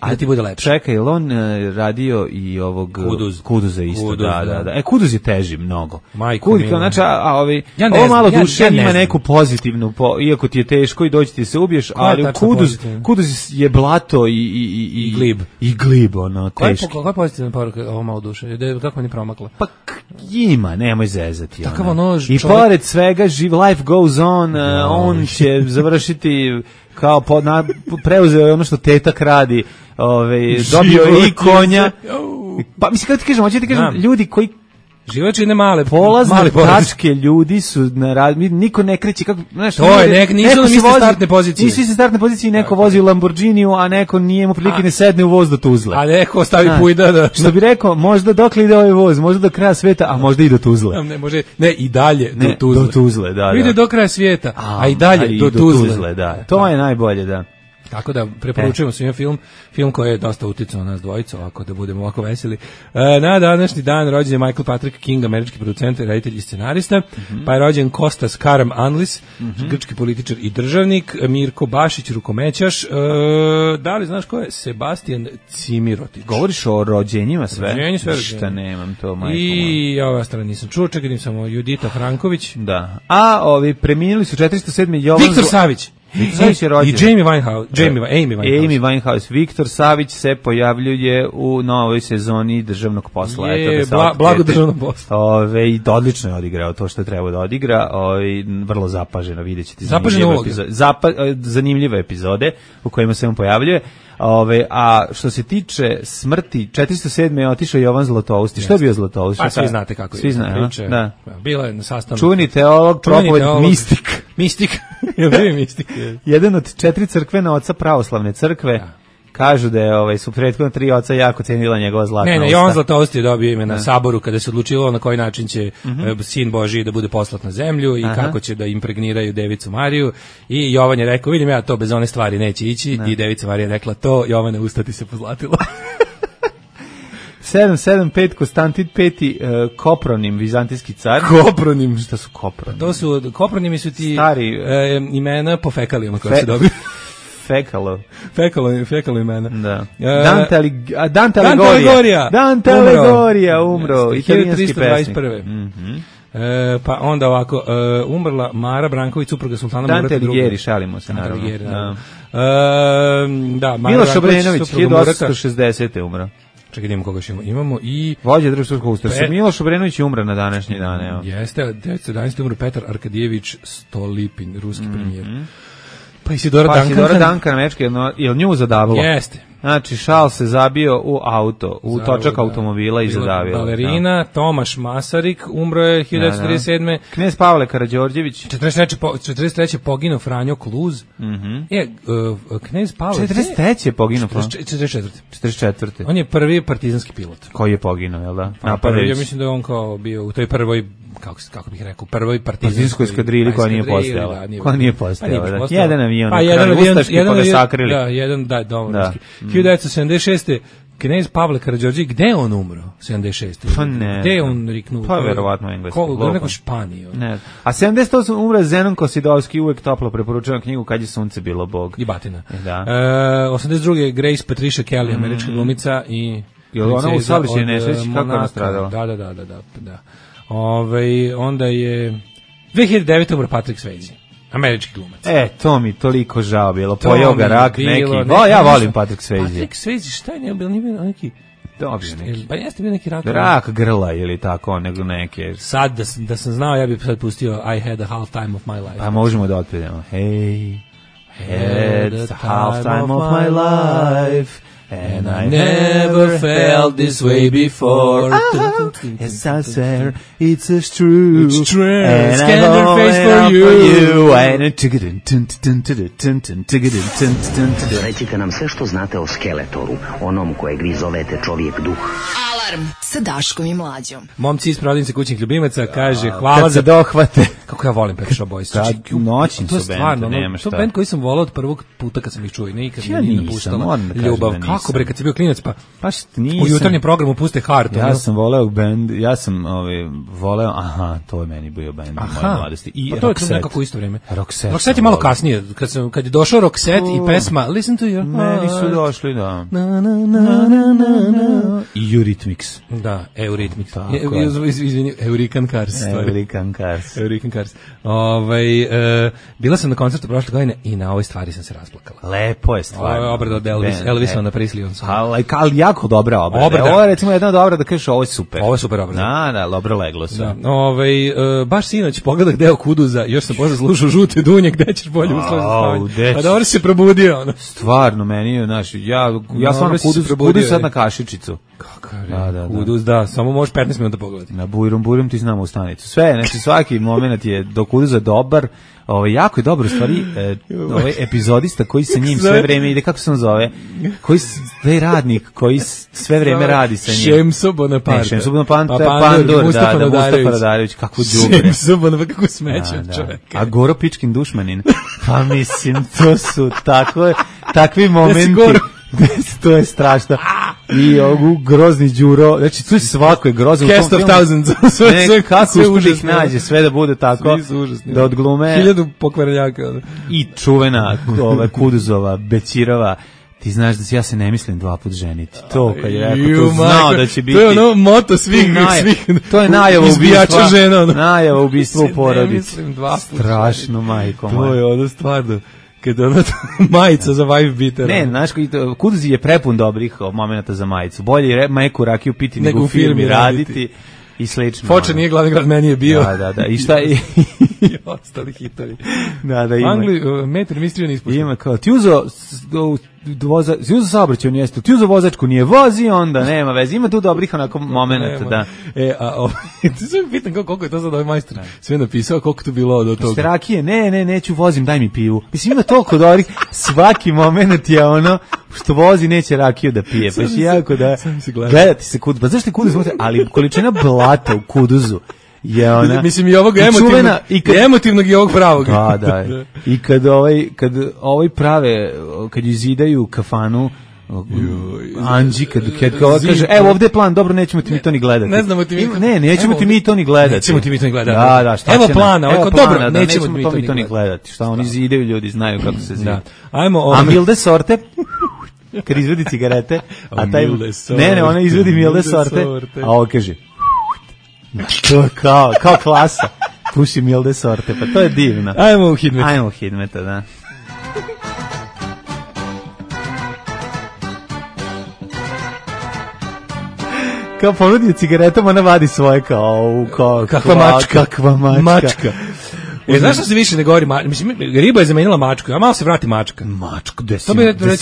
da ti bude lepše. Čekaj, on radio i ovog Kuduza isto, da. Kuduz je teži mnogo. Znači, ovo malo duše ima neku pozitivnu, iako ti je teško i doći ti se ubiješ, ali Kuduz je blato i glib. I glib, ono, teški. Koja je pozitivna poruka ovo malo duše? Kako mi je promakla? Pa ima, nemoj zezati. I pored svega life goes on, on će završiti kao preuzeo je ono što tetak radi, dobio je i konja. Pa mislim, kako ti kažem, hoću ti kažem, ljudi koji život čine male polazne tačke ljudi su na rad, niko ne kreće kako, znaš, to je nisu na iste startne pozicije. Nisu iste startne pozicije, neko vozi u Lamborghiniju, a neko nije mu prilike ne sedne u voz do Tuzle. A neko stavi pujda da što bi rekao, možda dokle ide ovaj voz, možda do kraja sveta, a možda i do Tuzle. Ne, i dalje do Tuzle, da. Ide do kraja svijeta, a i dalje do Tuzle, da. To je najbolje, da. Tako da preporučujemo svima film koji je dosta uticao na nas dvojicu, ako da budemo ovako veseli. Na današnji dan rođen je Michael Patrick King, američki producent, reditelj i scenarista, pa je rođen Kostas Karamanlis, grčki političar i državnik, Mirko Bašić, rukomećaš, da li znaš ko je? Sebastian Cimirotić. Govoriš o rođenjima sve? Šta nemam to, majko. I ova strana nisam čuo, čekaj samo Judita Franković. Da. A ovi preminuli su 407. Viktor Savić. Viktor Savić je rođen. I Amy Winehouse. Viktor Savić se pojavljuje u novoj sezoni državnog posla. Blago državnog posla. I odlično je odigrao to što treba da odigra. Vrlo zapaženo, vidjet ćete zanimljive epizode u kojima se on pojavljuje. A što se tiče smrti, 407. je otišao Jovan Zlatousti. Što je bio Zlatousti? Pa svi znate kako je. Svi znaju, da. Bila je na sastanku. Čuveni teolog, propovednik, mistik. Mistik. Je li mistik? Jedan od 4 crkvena oca pravoslavne crkve. Da. Kažu da je su prethodno 3 oca jako cenila njegova zlatna usta. Ne, Jovan Zlatousti je dobio ime na saboru kada se odlučilo na koji način će sin Božiji da bude poslat na zemlju i kako će da impregniraju Devicu Mariju. I Jovan je rekao, vidim ja to bez one stvari neće ići. I Devica Marija je rekla to, Jovane, usta ti se pozlatilo. 775 Konstantin V, Kopronim, vizantijski car. Kopronim? Šta su Kopronim? To su, Kopronimi su ti stari imena po fekalijama koje se dobiju. Fekalo imena. Da. Dante Aligorija umro. Italijanski pesnik. 1321. Pa onda ovako, umrla Mara Branković, supruga sultana Murata II. Dante Alighieri, šalimo se naravno. Da, Miloš Obrenović, 1860. umro. Čekaj, idemo koga imamo i... Vođa Državskog ustaša. Miloš Obrenović je umra na današnji dan, evo. Jeste, 1911. umro Petar Arkadijević Stolipin, ruski premijer. Pa Isidora Duncan, američki, je li nju zadavilo? Jeste. Znači, Šal se zabio u auto, u točak automobila i zadavio. Balerina, Tomaš Masarik, umro je 1937. Knez Pavle Karađorđević. 43. poginuo Franjo Kluz. Knez Pavle... 43. je poginuo Franjo? 44. On je prvi partizanski pilot. Koji je poginuo, jel da? Ja mislim da je on kao bio u toj prvoj, kako bih rekao, prvoj partizanskoj eskadrili koja nije postojala. Koja nije postojala. Jedan avion. Pa jedan avion, domovinski. 1976. Knez Pavle Karađorđević, gde on umro? 76. Pa ne. Gde on riknuo? Pa verovatno engleski. Neko Španiju. Ne. A 78. umre Zenon Kosidovski, uvek toplo preporučujem knjigu Kad je sunce bilo Bog. I batina. Da. 82. Grace Patricia Kelly, američka glumica i... Je li ona u saobraćajnoj nesreći? Kako ona stradala? Da. Onda je... 2009. umre Patrick Swayze. Američki glumac. To mi toliko žao bilo. Pojao ga rak neki. Ja volim Patrick Swayze. Patrick Swayze, šta je nije bilo neki... Dobio neki. Pa jeste bio neki rak. Rak grla ili tako, nego neke. Sad, da sam znao, ja bih sad pustio I had a half time of my life. Pa možemo da otpredemo. Hey, had a half time of my life. And I never felt this way before. Yes, I swear it's true. It's true. And Scan their face for you. Recite nam sve što znate o Skeletoru, onom kojeg vi zovete čovjek duh. Alarm sa Daškom i Mlađom. Momci iz prodavnice kućnih ljubimaca kaže hvala kad za dohvate. Kako ja volim Pet Shop Boys. Noćni su bend, nema šta. To je bend koji sam volao od prvog puta kad sam ih čuo i nikad me nije napuštala ljubav. Kako bre, kad si bio klinac pa nisam. U jutarnjem programu puste Heart. Ja sam voleo bend, voleo, to je meni bio bend u mojoj mladosti. I to je nekako isto vrijeme. Roxette je malo kasnije, kad je došao Roxette i pesma Listen to Your Heart. Meni su došli, da. I Eurythmics. Da, Eurythmics. Izvini, Eurican Cars. Eurican Cars. Bila sam na koncertu prošle godine i na ovoj stvari sam se rasplakala. Lepo je stvar. Ovo je obrada od Elvisa na Prisley. Ali jako dobra obrada. Ovo je recimo jedna od obrada da kažeš ovo je super. Ovo je super obrada. Da, dobro leglo se. Baš sinoć pogledah deo Kuduza, još sam posle slušao Žute dunje, gde ćeš bolje uslove za spavanje. Pa dobro se probudio. Stvarno, meni je, ja sam Kuduz sad na kašičicu. Kakav je Kuduz, da, samo možeš 15 minuta pogledati. Na Bujrum ti znamo u stanicu. Sve, znači svaki moment je do Kuduza dobar. Jako je dobro, u stvari, epizodista koji sa njim sve vreme ide, kako se on zove, taj radnik koji sve vreme radi sa njim. Šemso Bonaparte. Šemso Bonaparte, Pandur, Mustafa Radarević, kako džubre. Šemso Bonaparte, kako smeće od čoveka. A Goro Pičkin dušmanin. Pa mislim, to su takvi momenti. To je strašno. I ovu grozni Đuro, znači tu svako je grozno. Cast of Thousands. Kako ušte ih nađe, sve da bude tako, da odglume. 1000 pokvarenjaka. I čuvena Kuduzova, Bećirova, ti znaš da ja se ne mislim 2 puta ženiti. To kad je rekao, to znao da će biti. To je ono moto svih. To je najava ubistva. Žena. Najava ubistva u porodici. Ne mislim 2 puta. Strašno, majko moja. To je ono stvarno. kad ono majica za wife beater. Ne, znaš, Kuduz je prepun dobrih momenata za majicu. Bolje je meku rakiju piti nego u firmi raditi. I slično. Foča nije glavni grad, meni je bio. Da. I šta je? I ostali hitovi. Da, ima. Angli, metar mistrija ne ispušta. Ima kao, ti uzo saobraćaj, on jeste, ti uzo vozačku, nije vozi, onda nema veze. Ima tu dobrih onako momenata, da. Ti se pitan koliko je to sad ovaj majstor sve napisao, koliko tu bilo od toga. Rakije, neću, vozim, daj mi pivu. Mislim, ima toliko dobrih, svaki moment je ono, što vozi neće rakiju da pije, pa je jako da gledati se Kuduz, pa zašto je Kuduz, ali količina blata u Kuduzu je ona. Mislim i ovog emotivnog i ovog pravog. Da. I kad prave, kad izidaju kafanu, Anđi, kad kaže, evo ovde je plan, dobro, nećemo ti mi to ni gledati. Ne znamo ti mi. Nećemo ti mi to ni gledati. Nećemo ti mi to ni gledati. Da, šta evo plana, dobro, nećemo mi to ni gledati. Šta oni zidaju, ljudi znaju kako se zida. A Milde sorte, kad izvedi cigarete, a taj, ona izvedi Milde sorte, a ovo kaže, to je kao klasa, puši Milde sorte, pa to je divno. Ajmo u Hidmeta, da. Kao ponudi cigaretom, ona vadi svoje kakva mačka. Znaš što se više ne govori, mislim, riba je zamenila mačku, a malo se vrati mačka. Mačku, gde si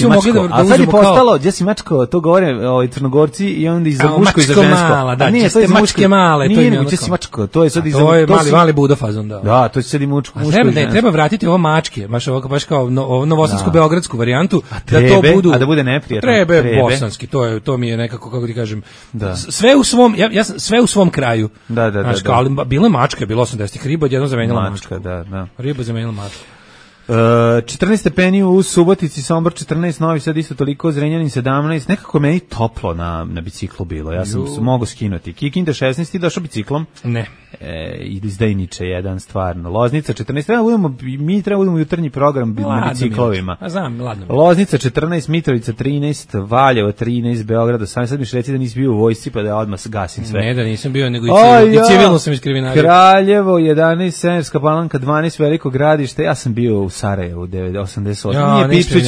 mačko? A sad je postalo, gdje si mačko, to govore Crnogorci i onda i za muško i za žensko. Mala, da, čiste mačke male. Nije nego gdje si mačko, to je sad i za... To je mali budofazon, da. Da, to će sad i muško i žensko. Treba vratiti ovo mačke, baš kao novosadsku-beogradsku varijantu, da to budu... A da bude neprijatno. Treba bosanski, to mi je nekako, kako ti kažem, sve u svom kraju. Da. Ali bila je mačka, bilo 80-ih, riba odjednom zamenila mačku. Da. Riba zamenila mačku. 14 stepeni u Subotici, Sombor 14, Novi Sad isto toliko, Zrenjanin 17, nekako meni toplo na biciklu bilo, ja sam mogao skinuti. Kikinda 16, ti došao biciklom? Ne. Izdajniče jedan, stvarno. Loznica 14, mi treba budemo jutarnji program na biciklovima. Znam, ladno. Loznica 14, Mitrovica 13, Valjevo 13, Beograd 18, sad mi reci da nisi bio u vojsci pa da odmah gasim sve. Ne, da nisam bio, nego i civilno sam iskriminario. Kraljevo 11, Severska Palanka 12, Veliko Gradište, ja sam bio u Sarajevu 88. Nije Pipčić.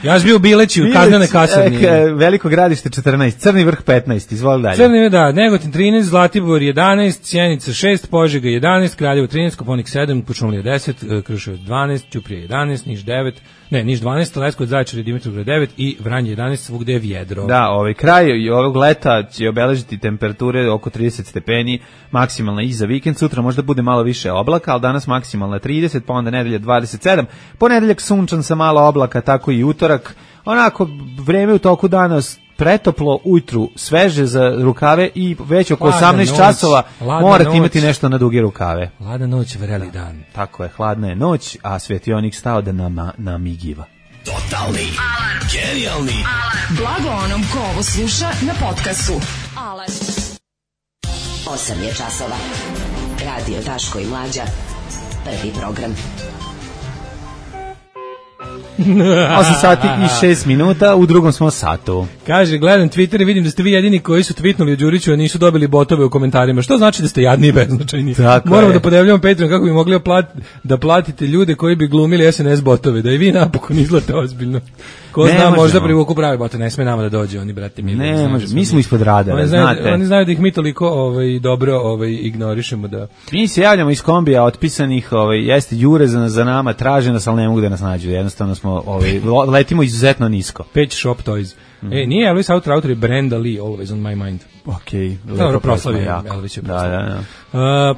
Ja sam bio u Bileći, u kaznene kasarni. Veliko Gradište 14, Crni Vrh 15, izvoli dalje. Crni, da, Negotin 13, Zlatibor 11, Sjenica 6, Požega 11, Kraljevo 13, Koponik 7, Kuršumlija 10, Kruševac 12, Ćuprija 11, Niš 9, Niš 12, Leskovac, Zaječar i Dimitrovgrad 9 i Vranje 11, svugde je vjedro. Da, kraj ovog leta će obeležiti temperature oko 30 stepeni, maksimalna i za vikend, sutra možda bude malo više oblaka, ali danas maksimalna 30, pa onda nedelja 27, ponedeljak sunčan sa malo oblaka, tako i utorak, onako vreme u toku dana pretoplo, ujutru sveže za rukave i već oko 18 časova morate imati nešto na duge rukave. Hladna noć, vreli dan. Tako je, hladna je noć, a svetionik stao da namigiva. Totalni alarm. Genijalni alarm. Blago onom ko ovo sluša na podcastu. Alarm. 8 je časova. Radio Daško i Mlađa. Prvi program. 8 sati i 6 minuta, u drugom smo satu. Kaže, gledam Twitter i vidim da ste vi jedini koji su tweetnuli od Đuriću, a nisu dobili botove u komentarima. Što znači da ste jadni i beznačajni? Moramo da podjavljamo Patreon kako bi mogli da platite ljude koji bi glumili SNS botove, da i vi napokon izlate ozbiljno. Ko zna, možda privuku pravi bote, ne sme nama da dođe, oni, brate, ne može, mi smo ispod radara, znate. Oni znaju da ih mi toliko dobro ignorišemo da... Mi se javljamo iz kombija otpisanih, jeste jure za nama, traže nas, ali ne mogu da nas nađu, jednostavno smo, letimo izuzetno nisko. Page Shop Toys. Nije Elvis autor je Brenda Lee, Always on my mind. Okej. Dobro, proslavio Elvis je proslavio.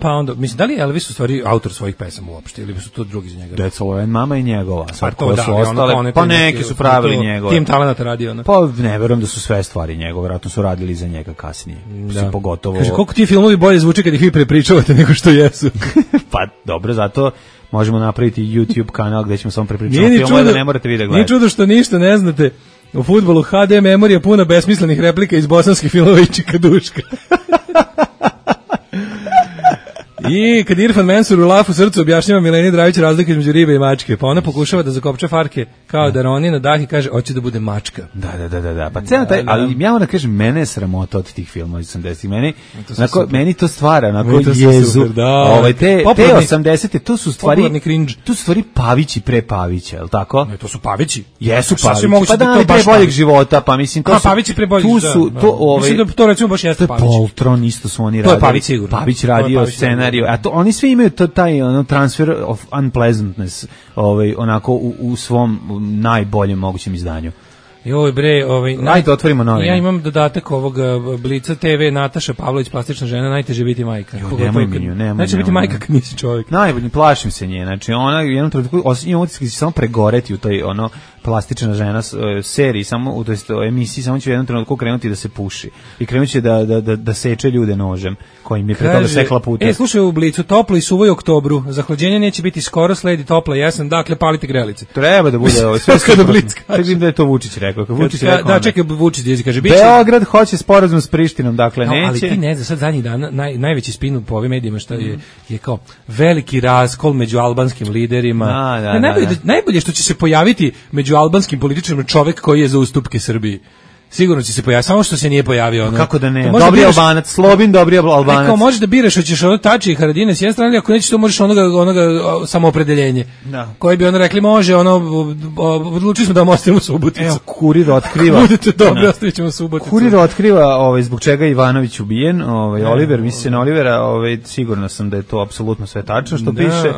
Pa onda, mislim, da li je Elvis u stvari autor svojih pesama uopšte, ili su to drugi za njega? Deca Loren, mama i njegova. Pa to da, pa neki su pravili njegove. Tim talenata radio. Pa ne verujem da su sve stvari njegove, vjerojatno su radili za njega kasnije. Da. Pogotovo... Kaže, koliko ti filmovi bolje zvuče kad ih vi prepričavate nego što jesu? Pa dobro, zato možemo napraviti YouTube kanal gdje ćemo samo prepričavati filmove da ne morate vi da gledate. Nije čudo što ništa ne znate. U fudbalu HD memorija puna besmislenih replika iz bosanskih filmova i Čikaduška. I kad Irfan Mensur u Lafu srcu objašnjava Mileni Dravić razliku između ribe i mačke, pa ona pokušava da zakopče farke kao da roni na dah i kaže hoće da bude mačka. Da. Pa ceo taj, ali ja moram da kažem, mene je sramota od tih filmova iz 80-ih. Meni to stvara onako jezu. Te 80-te, to su stvari Pavići pre Pavića, je li tako? Ne, to su Pavići. Jesu Pavići. Pa da, pre boljeg života, pa mislim to su Pavići pre boljeg života. Mislim da to recimo baš jeste Pavić. Poltron isto su oni radili. To je Pavić sigurno. Pavić radio scenariju. A to oni svi imaju taj transfer of unpleasantness, onako u svom najboljem mogućem izdanju. Joj bre, ajde otvorimo novine. Ja imam dodatak ovog Blica TV, Nataša Pavlović, plastična žena, najteže biti majka. Najteže biti majka kad nisi čovjek. Najbolje, plašim se nje. Znači ona u jednom trenutku imam utisak da će samo pregoreti u toj plastična žena seriji, samo u toj emisiji, samo će u jednom trenutku krenuti da se puši i krenuće da seče ljude nožem kojim je pre toga sekla puta. Slušaj u Blicu, toplo i suvo u oktobru, zahlađenje neće biti skoro, sledi topla jesen, dakle palite grelice. Treba da bude sve kada Blic kaže. Vidim da je to Vučić rekao. Da, čekaj, Vučić kaže biće. Beograd hoće sporazum s Prištinom, dakle neće. Ali ti ne znaš, sad zadnjih dana najveći spin po ovim medijima što je kao veliki raskol među albanskim liderima. Najbolje što će se pojaviti među albanskim političarima čovjek koji je za ustupke Srbiji. Sigurno će se pojaviti, samo što se nije pojavio. Kako da ne? Dobri Albanac, Slobin, dobri Albanac. Neko možeš da biraš, hoćeš Tači i Haradine s jedne strane, ako nećeš to možeš onoga samoopredeljenje. Da. Koji bi rekli može, odlučili smo da vam ostavimo Suboticu. Evo, Kurir otkriva. Budete dobri, ostavit ćemo Suboticu. Kurir otkriva zbog čega je Ivanović ubijen, Oliver, misli se na Olivera, sigurno sam da je to apsolutno sve tačno što piše.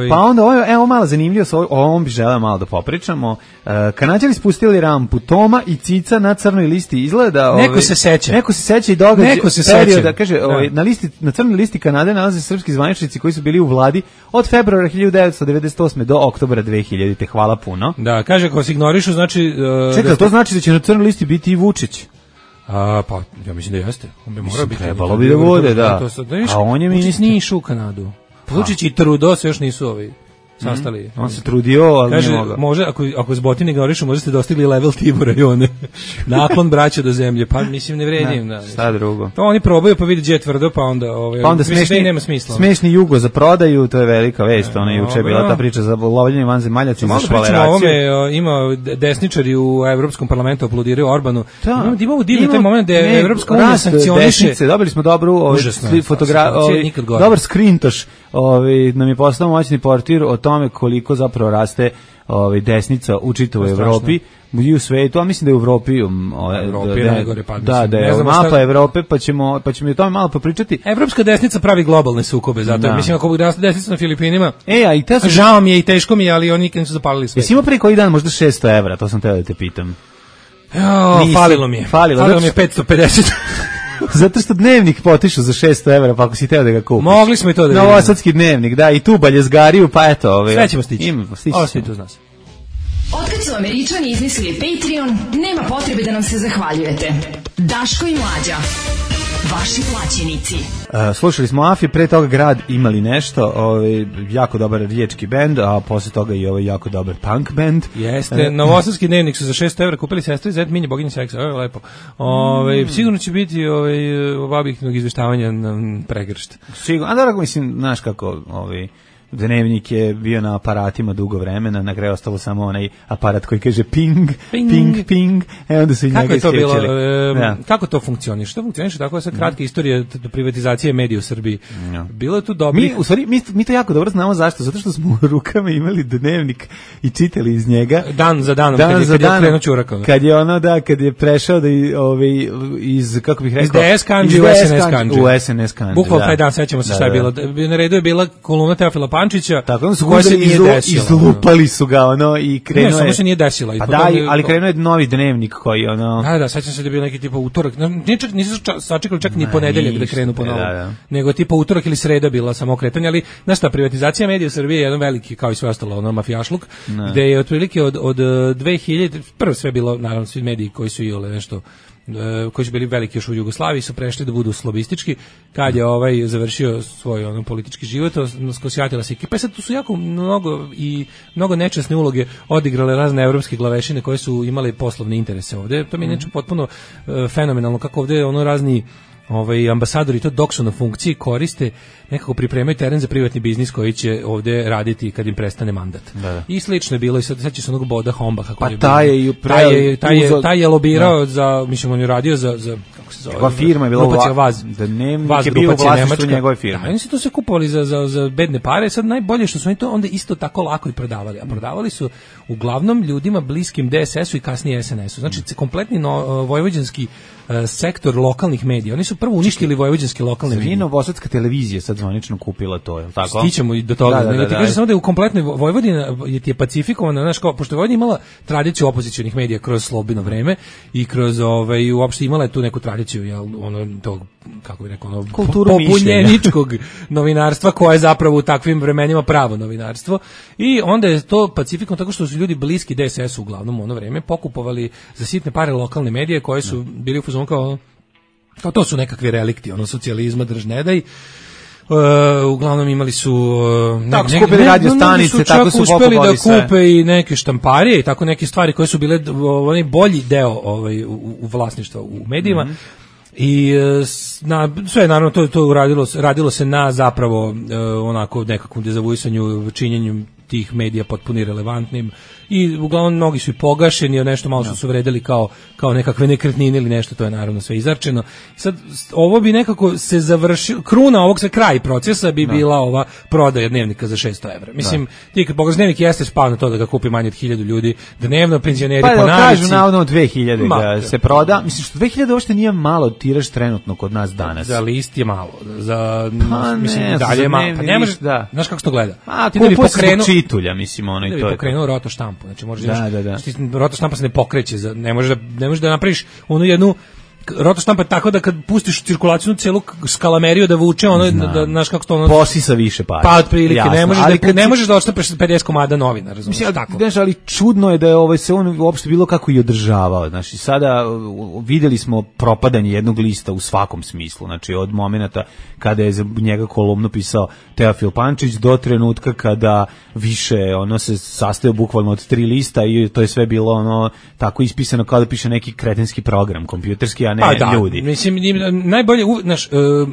Pa onda, evo malo zanimljivo, o ovom bi želeo malo da popričamo. Kanađani spustili rampu Toma i Cica na crnoj listi, izgleda neko se seća i događa perioda, kaže, na crnoj listi Kanade nalaze srpski zvaničnici koji su bili u vladi od februara 1998. do oktobra 2000. Hvala puno. Da, kaže, ako se ignorišu, znači... Čekaj, to znači da će na crnoj listi biti i Vučić? Pa, ja mislim da jeste. On bi morao biti. Trebalo bi da bude, da. A on je ministar. Vučić nije išao u Kanadu. Vučić i Trudeau se još nisu sastali. On se trudio, ali kaže, nije mogao. Može, ako s Botine govorišu, možda ste dostigli level Tibora i one. Naklon braća do zemlje, pa mislim ne vredim. Da, šta drugo? To oni probaju pa vidi gdje je tvrdo, pa onda smešni, nema smisla. Smešni Jugo za prodaju, to je velika vest. Ona juče je bila ta priča za lovljenje vanzemaljaca za švaleraciju. Ima desničari u Evropskom parlamentu aplodiraju Orbanu. Imamo divni taj moment da je Evropska unija sankcioniše. Dobili smo dobru fotografiju, dobar skrintoš. Nam je postao moćni portir o tome koliko zapravo raste desnica u čitavoj Evropi i u svetu, a mislim da je u Evropi najgore da je mapa Evrope, pa ćemo o tome malo popričati. Evropska desnica pravi globalne sukobe, zato mislim ako bi rasla desnica na Filipinima, a žao mi je i teško mi je, ali oni nikad nisu zapalili sve. Jesi imao pre koji dan možda 600 evra, to sam teo da te pitam. Falilo mi je 550. Zato što dnevnik potišu za 600 evra, pa ako si teo da ga kupiš. Mogli smo i to da vidimo. Novosadski dnevnik, da, i tu baljezgariju, pa eto. Sve ćemo stići. Ovo svi tu nas. Otkad su Američani izmislili Patreon, nema potrebe da nam se zahvaljujete. Daško i Mlađa. Vaši plaćenici. Slušali smo Afi, pre toga Grad imali nešto, jako dobar riječki bend, a posle toga i jako dobar punk bend. Jeste, novosadski dnevnik su za 600 evra kupili sestri Zed Minje, boginje seksa, lepo. Sigurno će biti objektivnog izveštavanja na pregršt. Sigurno, a da mislim, znaš kako, dnevnik je bio na aparatima dugo vremena, na kraju ostalo samo onaj aparat koji kaže ping, ping, ping, onda su i njega isključili. Kako to funkcioniše? To funkcioniše tako da sad kratka istorija privatizacije medija u Srbiji. Bilo je tu dobrih... Mi to jako dobro znamo zašto, zato što smo u rukama imali dnevnik i čitali iz njega. Dan za danom, kad je krenuo Ćurakov. Kad je prešao da iz, kako bih rekao... Iz DS kanđi u SNS kanđi. Bukvalno taj dan, sećamo se šta je bilo. Na redu je bila kolumna Teofila Pančića, tako su koja se nije desila. Izlupali su ga i krenuo je. Samo se nije desila. Pa da, ali krenuo je novi dnevnik koji Da, sećam se da je bio neki tipa utorak. Nisu sačekali čak ni ponedeljak da krenu ponovo. Nego tipa utorak ili sreda bila samo kretanje, ali znaš šta, privatizacija medija u Srbiji je jedan veliki, kao i sve ostalo, mafijašluk, gde je otprilike od 2000, prvo sve bilo, naravno, svi mediji koji su nešto koji su bili veliki još u Jugoslaviji su prešli da budu slobistički, kad je završio svoj politički život, skosjatila se ekipa. Sad tu su jako mnogo nečasne uloge odigrale razne evropske glavešine koje su imale poslovne interese ovde. To mi je potpuno fenomenalno kako ovde razni ambasadori to dok su na funkciji koriste, nekako pripremaju teren za privatni biznis koji će ovde raditi kad im prestane mandat. Da. I slično je bilo i sad će se onog Boda Hombaha koji taj je lobirao za, mislim on je radio za kako se zove. Njegova firma je bila Vaz, da Dnevnik je bio u vlasništvu njegove firme. Da, oni su to sve kupovali za bedne pare, sad najbolje što su oni to onda isto tako lako i prodavali, a prodavali su uglavnom ljudima bliskim DSS-u i kasnije SNS-u. Znači kompletni vojvođanski sektor lokalnih medija. Oni su prvo uništili vojvođanske lokalne medije. Novosadska televizija sad zvanično kupila to, je li tako? Stićemo i do toga. Da, ti kažeš samo da je u kompletnoj Vojvodina je pacifikovana, znaš, kao, pošto je Vojvodina imala tradiciju opozicionih medija kroz slobodno vreme i kroz uopšte imala je tu neku tradiciju, jel, ono tog, kako bih rekao, pobunjeničkog novinarstva koje je zapravo u takvim vremenima pravo novinarstvo. I onda je to pacifikovano tako što su ljudi bliski DSS-u uglavnom u ono vreme pokupovali za sitne pare lokalne medije koje su bili u fazonu kao to su nekakvi relikti socijalizma, drž ne daj. Uglavnom imali su tako skupili radio stanice, tako su uspeli da kupe i neke štamparije i tako neke stvari koje su bile onaj bolji deo u vlasništva u medijima. I sve naravno to radilo se na zapravo onako nekakvom dezavuisanju, činjenju tih medija potpuno irelevantnim i uglavnom mnogi su i pogašeni, nešto malo su vredeli kao nekakve nekretnine ili nešto, to je naravno sve izarčeno. Sad ovo bi nekako se završilo, kruna ovog kraj procesa bi bila ova prodaja dnevnika za 600 evra. Mislim, ti kad pogledaš dnevnik jeste spao na to da ga kupi manje od 1000 ljudi, dnevno penzioneri po navici. Pa kažu navodno 2000 da se proda. Mislim što 2000 uopšte nije malo tiraž trenutno kod nas danas. Za list je malo. Mislim dalje je malo. Pa ne možeš, znaš kako se to gleda. Ti da bi pokrenuo čitulja, mislim, ono i to je. Pokrenuo roto štampu. Znači možeš roto štampa se ne pokreće, ne možeš da napraviš onu jednu roto štampa tako da kad pustiš u cirkulaciju celu skalameriju da vuče da znaš kako to posisa više para. Pa otprilike ne možeš da odštampaš 50 komada novina, razumiješ tako. Znaš, ali čudno je da je se on uopšte bilo kako i održavao. Znači sada videli smo propadanje jednog lista u svakom smislu. Znači od momenata kada je za njega kolumnu pisao Teofil Pančić do trenutka kada više se sastojao bukvalno od 3 lista i to je sve bilo tako ispisano kao da piše neki kretenski program kompjuterski, a ne ljudi. Mislim, najbolje,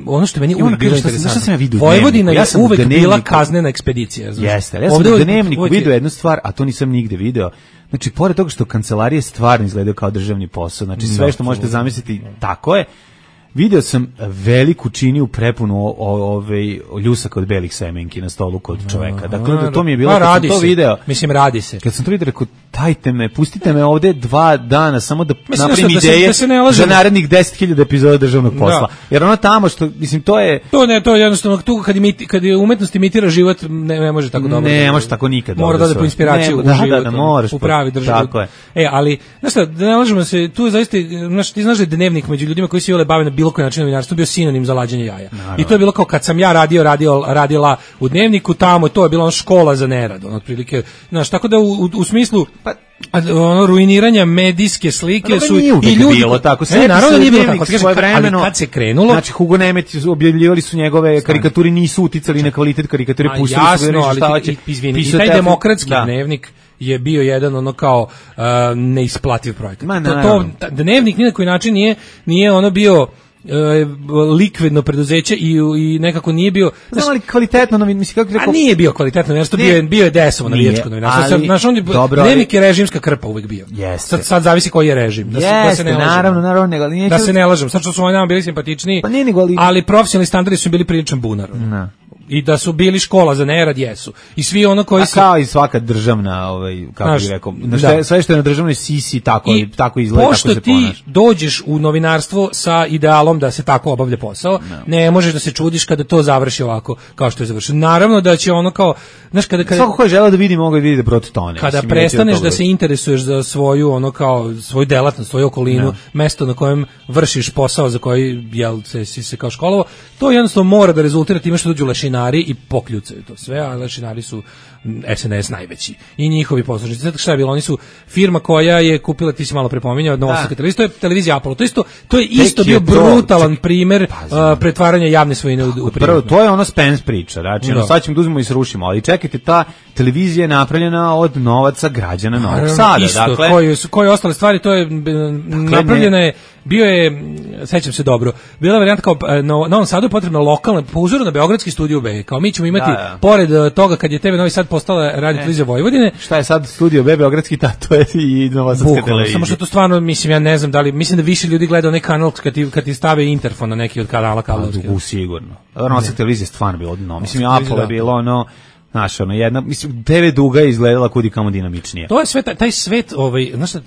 ono što meni uvijek bilo interesantno, Vojvodina je uvijek bila kaznena ekspedicija. Jeste, ja sam u Dnevniku vidio jednu stvar, a to nisam nigde video. Znači, pored toga što kancelarije stvarno izgledaju kao državni posao, znači sve što možete zamisliti, tako je. Video sam veliku činiju prepunu ljusaka od belih semenki na stolu kod čoveka. Dakle, to mi je bilo kad sam to video. Mislim, radi se. Kad sam to vidio, rekao, dajte me, pustite me ovde 2 dana, samo da napravim ideje za narednih 10.000 epizoda državnog posla. Jer ono tamo što, mislim, to je... To je jednostavno, tu kad je umetnost imitira život, ne može tako dobro. Ne može tako nikad. Mora da po inspiraciju u život, u pravi državi. Tako je. Ali, znaš šta, da ne lažemo se, tu je zaista, ti znaš da je Dnevnik među ljudima koji se bave na bilo koji način novinarstvo bio sinonim za lađenje jaja. Naravno. I to je bilo kao kad sam ja radila u Dnevniku, tamo to je bila škola za nerad, otprilike, znaš, tako da u smislu ruiniranja medijske slike su i ljudi bilo tako. Naravno nije bilo tako. Ali kad se krenulo, znači Hugo Nemec objavljivali su njegove karikaturi, nisu uticali na kvalitet karikature, pustili su ga šta hoće. I taj demokratski Dnevnik je bio jedan kao neisplativ projekat. Dnevnik ni na koji način nije bio likvidno preduzeće i nekako nije bio, ali kvalitetno mislim kako rekao, nije bio kvalitetno novinarstvo, bio je desovo navijačko novinarstvo. Dnevnik je režimska krpa uvek bio. Sad zavisi koji je režim, da se ne lažemo. Naravno, da se ne lažemo. Sad što su oni nama bili simpatičniji, ali profesionalni standardi su bili priličan bunar. I da su bili škola za nerad, jesu. I svi koji su... kao i svaka državna, kako bih rekao, sve što je na državnoj sisi, tako izgleda, tako se ponaš. Pošto ti dođeš u novinarstvo sa idealom da se tako obavlja posao, ne možeš da se čudiš kada to završi ovako, kao što je završeno. Naravno da će kao... Svako ko je želeo da vidi, mogu da vidi da protone. Kada prestaneš da se interesuješ za svoju, svoju delatnost, svoju okolinu, mesto na kojem vršiš posao za koji si se kao školovo, to jednostavno mora da rezultira time što dođu lešinari i pokljucaju to sve, a lešinari su SNS najveći i njihovi poslušnici. Znate šta je bilo? Oni su firma koja je kupila, ti si malo prepominjao, Novosadska televizija, to je televizija Apollo. To je isto bio brutalan primer pretvaranja javne svojine u privatno. To je Spence priča, znači sad ćemo da uzmemo i srušimo, ali čekajte, ta televizija je napravljena od novaca građana Novog Sada. Isto, koje ostale stvari, to je napravljena je bio je, sećam se dobro, bila varijanta kao na Novom Sadu je potrebna lokalna, po uzoru na beogradski Studio B, kao mi ćemo imati, pored toga kad je TV Novi Sad postala radio televizija Vojvodine. Šta je sad Studio B beogradski, to je i novosadska televizija. Samo što to stvarno, mislim, ja ne znam da li, mislim da više ljudi gleda onaj kanal kad ti stave interfon na neki od kanala kablovskih. Sigurno. Novosadska televizija stvarno bilo odno. Mislim, Apple je bilo ono, znaš, ono, jedna, mislim, TV Duga je izgledala kudi kamo dinamičnije. To je sve, taj svet, znaš šta,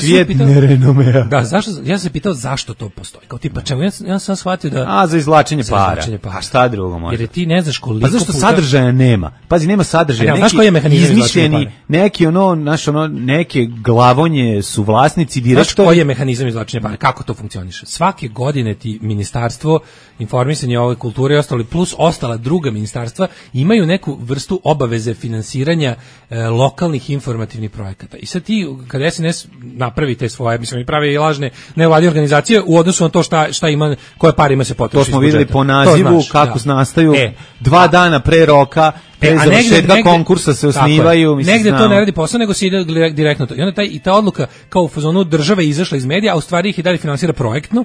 svijet nerenomea. Da, zašto, ja sam se pitao zašto to postoji. Kao tipa, čemu, ja sam shvatio da... za izvlačenje para. A šta drugo može? Jer ti ne znaš koliko Pa zašto sadržaja nema? Pazi, nema sadržaja. Znaš koji je mehanizam izlačenja para? Neki neke glavonje su vlasnici direktori. Znaš koji je mehanizam izlačenja para? Kako to funkcioniše? Svake godine ti ministarstvo informisanja ove kulture i ostali, plus ostala druga ministarstva, imaju neku vrstu obaveze finansiranja lokalnih informativnih projekata. I sad ti, kada SNS napravi te svoje, mislim, pravi i lažne nevladine organizacije u odnosu na to šta ima, koje pare ima se potroši. To smo videli po nazivu kako nastaju 2 dana pre roka, pre završetka konkursa se osnivaju. Negde to ne radi posao, nego se ide direktno to. I onda ta odluka kao u fazonu države izašla iz medija, a u stvari ih i dalje finansira projektno.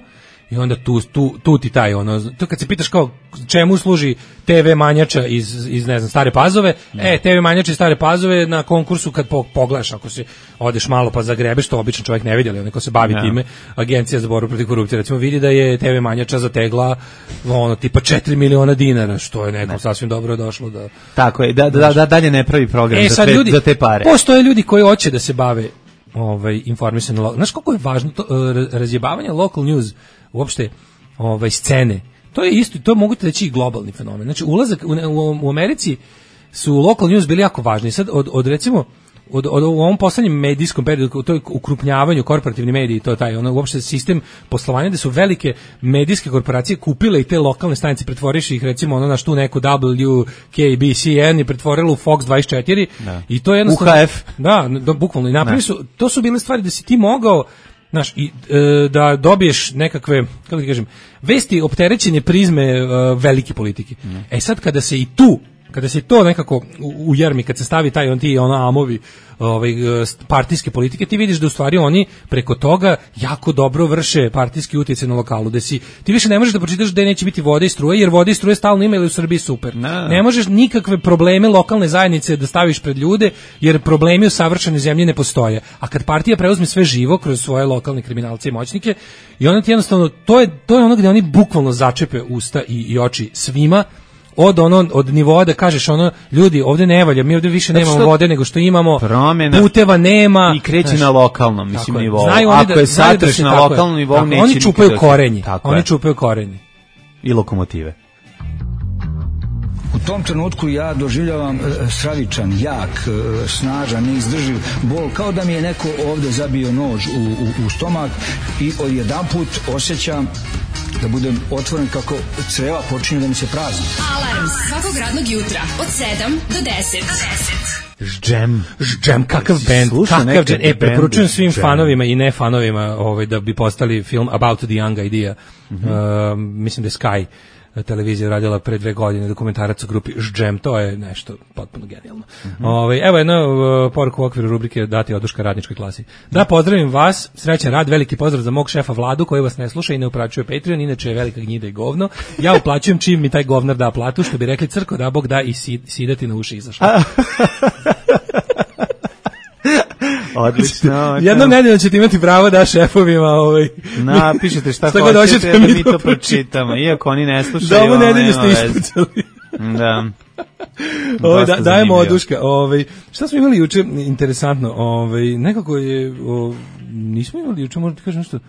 I onda tu ti taj to kad se pitaš kao čemu služi TV Manjača iz ne znam Stare Pazove, TV Manjača iz Stare Pazove na konkursu kad pogledaš, ako se odeš malo pa zagrebeš, to obično čovjek ne vidi, ali neko se bavi time, Agencija za borbu protiv korupcije recimo vidi da je TV Manjača zategla tipa 4 miliona dinara, što je nekom sasvim dobro došlo da. Tako je, da dalje ne pravi program za te pare. Postoje ljudi koji hoće da se bave informisanjem. Znaš koliko je važno to razjebavanje local news, uopšte scene. To je isto, to mogu te reći i globalni fenomen. Znači ulazak u Americi su local news bili jako važni. Sad recimo u ovom poslednjem medijskom periodu, to je ukrupnjavanju korporativni mediji, to je taj uopšte sistem poslovanja da su velike medijske korporacije kupile i te lokalne stanice, pretvoriše ih recimo na tu neku WKBCN i pretvorilo u Fox 24 i to je jednostavno UHF. Da, bukvalno i napravili su, to su bile stvari da si ti mogao da dobiješ nekakve, kako ti kažem, vesti opterećenje prizme velike politike. Sad kada se to nekako ujarmi, kad se stavi taj amovi partijske politike, ti vidiš da u stvari oni preko toga jako dobro vrše partijski utjecaj na lokalu, da ti više ne možeš da pročitaš da neće biti vode i struje, jer vode i struje stalno imaju u Srbiji super. Ne možeš nikakve probleme lokalne zajednice da staviš pred ljude, jer problemi u savršenoj zemlji ne postoje. A kad partija preuzme sve živo kroz svoje lokalne kriminalce i moćnike, i onda ti jednostavno, to je ono gde oni bukvalno začepe usta i oči svima, od nivoa da kažeš ljudi, ovdje ne valja, mi ovdje više nemamo vode nego što imamo, puteva nema i kreće na lokalnom nivou. Ako je satreš na lokalnom nivou, neće oni čupaju korenje. Oni čupaju korenje i lokomotive. U tom trenutku ja doživljavam stravičan, jak, snažan, neizdrživ bol, kao da mi je neko ovdje zabio nož u stomak i odjedanput osjećam da budem otvoren kako creva počinju da mi se prazni. Alarm svakog radnog jutra od 7 do 10. Ždžem, kakav band, kakav džem. Preporučujem svim fanovima i ne fanovima da bi postali film About the Young Idea. Mislim da je Sky televizija radila pre 2 godine dokumentarac o grupi Ždžem, to je nešto potpuno genijalno. Evo jedna poruka u okviru rubrike Dati oduška radničkoj klasi. Da, pozdravim vas, srećan rad, veliki pozdrav za mog šefa Vladu koji vas ne sluša i ne uplaćuje Patreon, inače je velika gnjida i govno. Ja uplaćujem čim mi taj govnar da platu, što bi rekli crko da Bog da i sidati na uši izašao. Odlično. Jednom nedeljom ćete imati pravo da šefovima napišete šta hoćete da mi to pročitamo, iako oni ne slušaju. Da, ovu nedelju ste ispucali. Da. Dajemo oduška. Šta smo imali juče interesantno? Nekako je nismo imali juče, možda ti kažem nešto.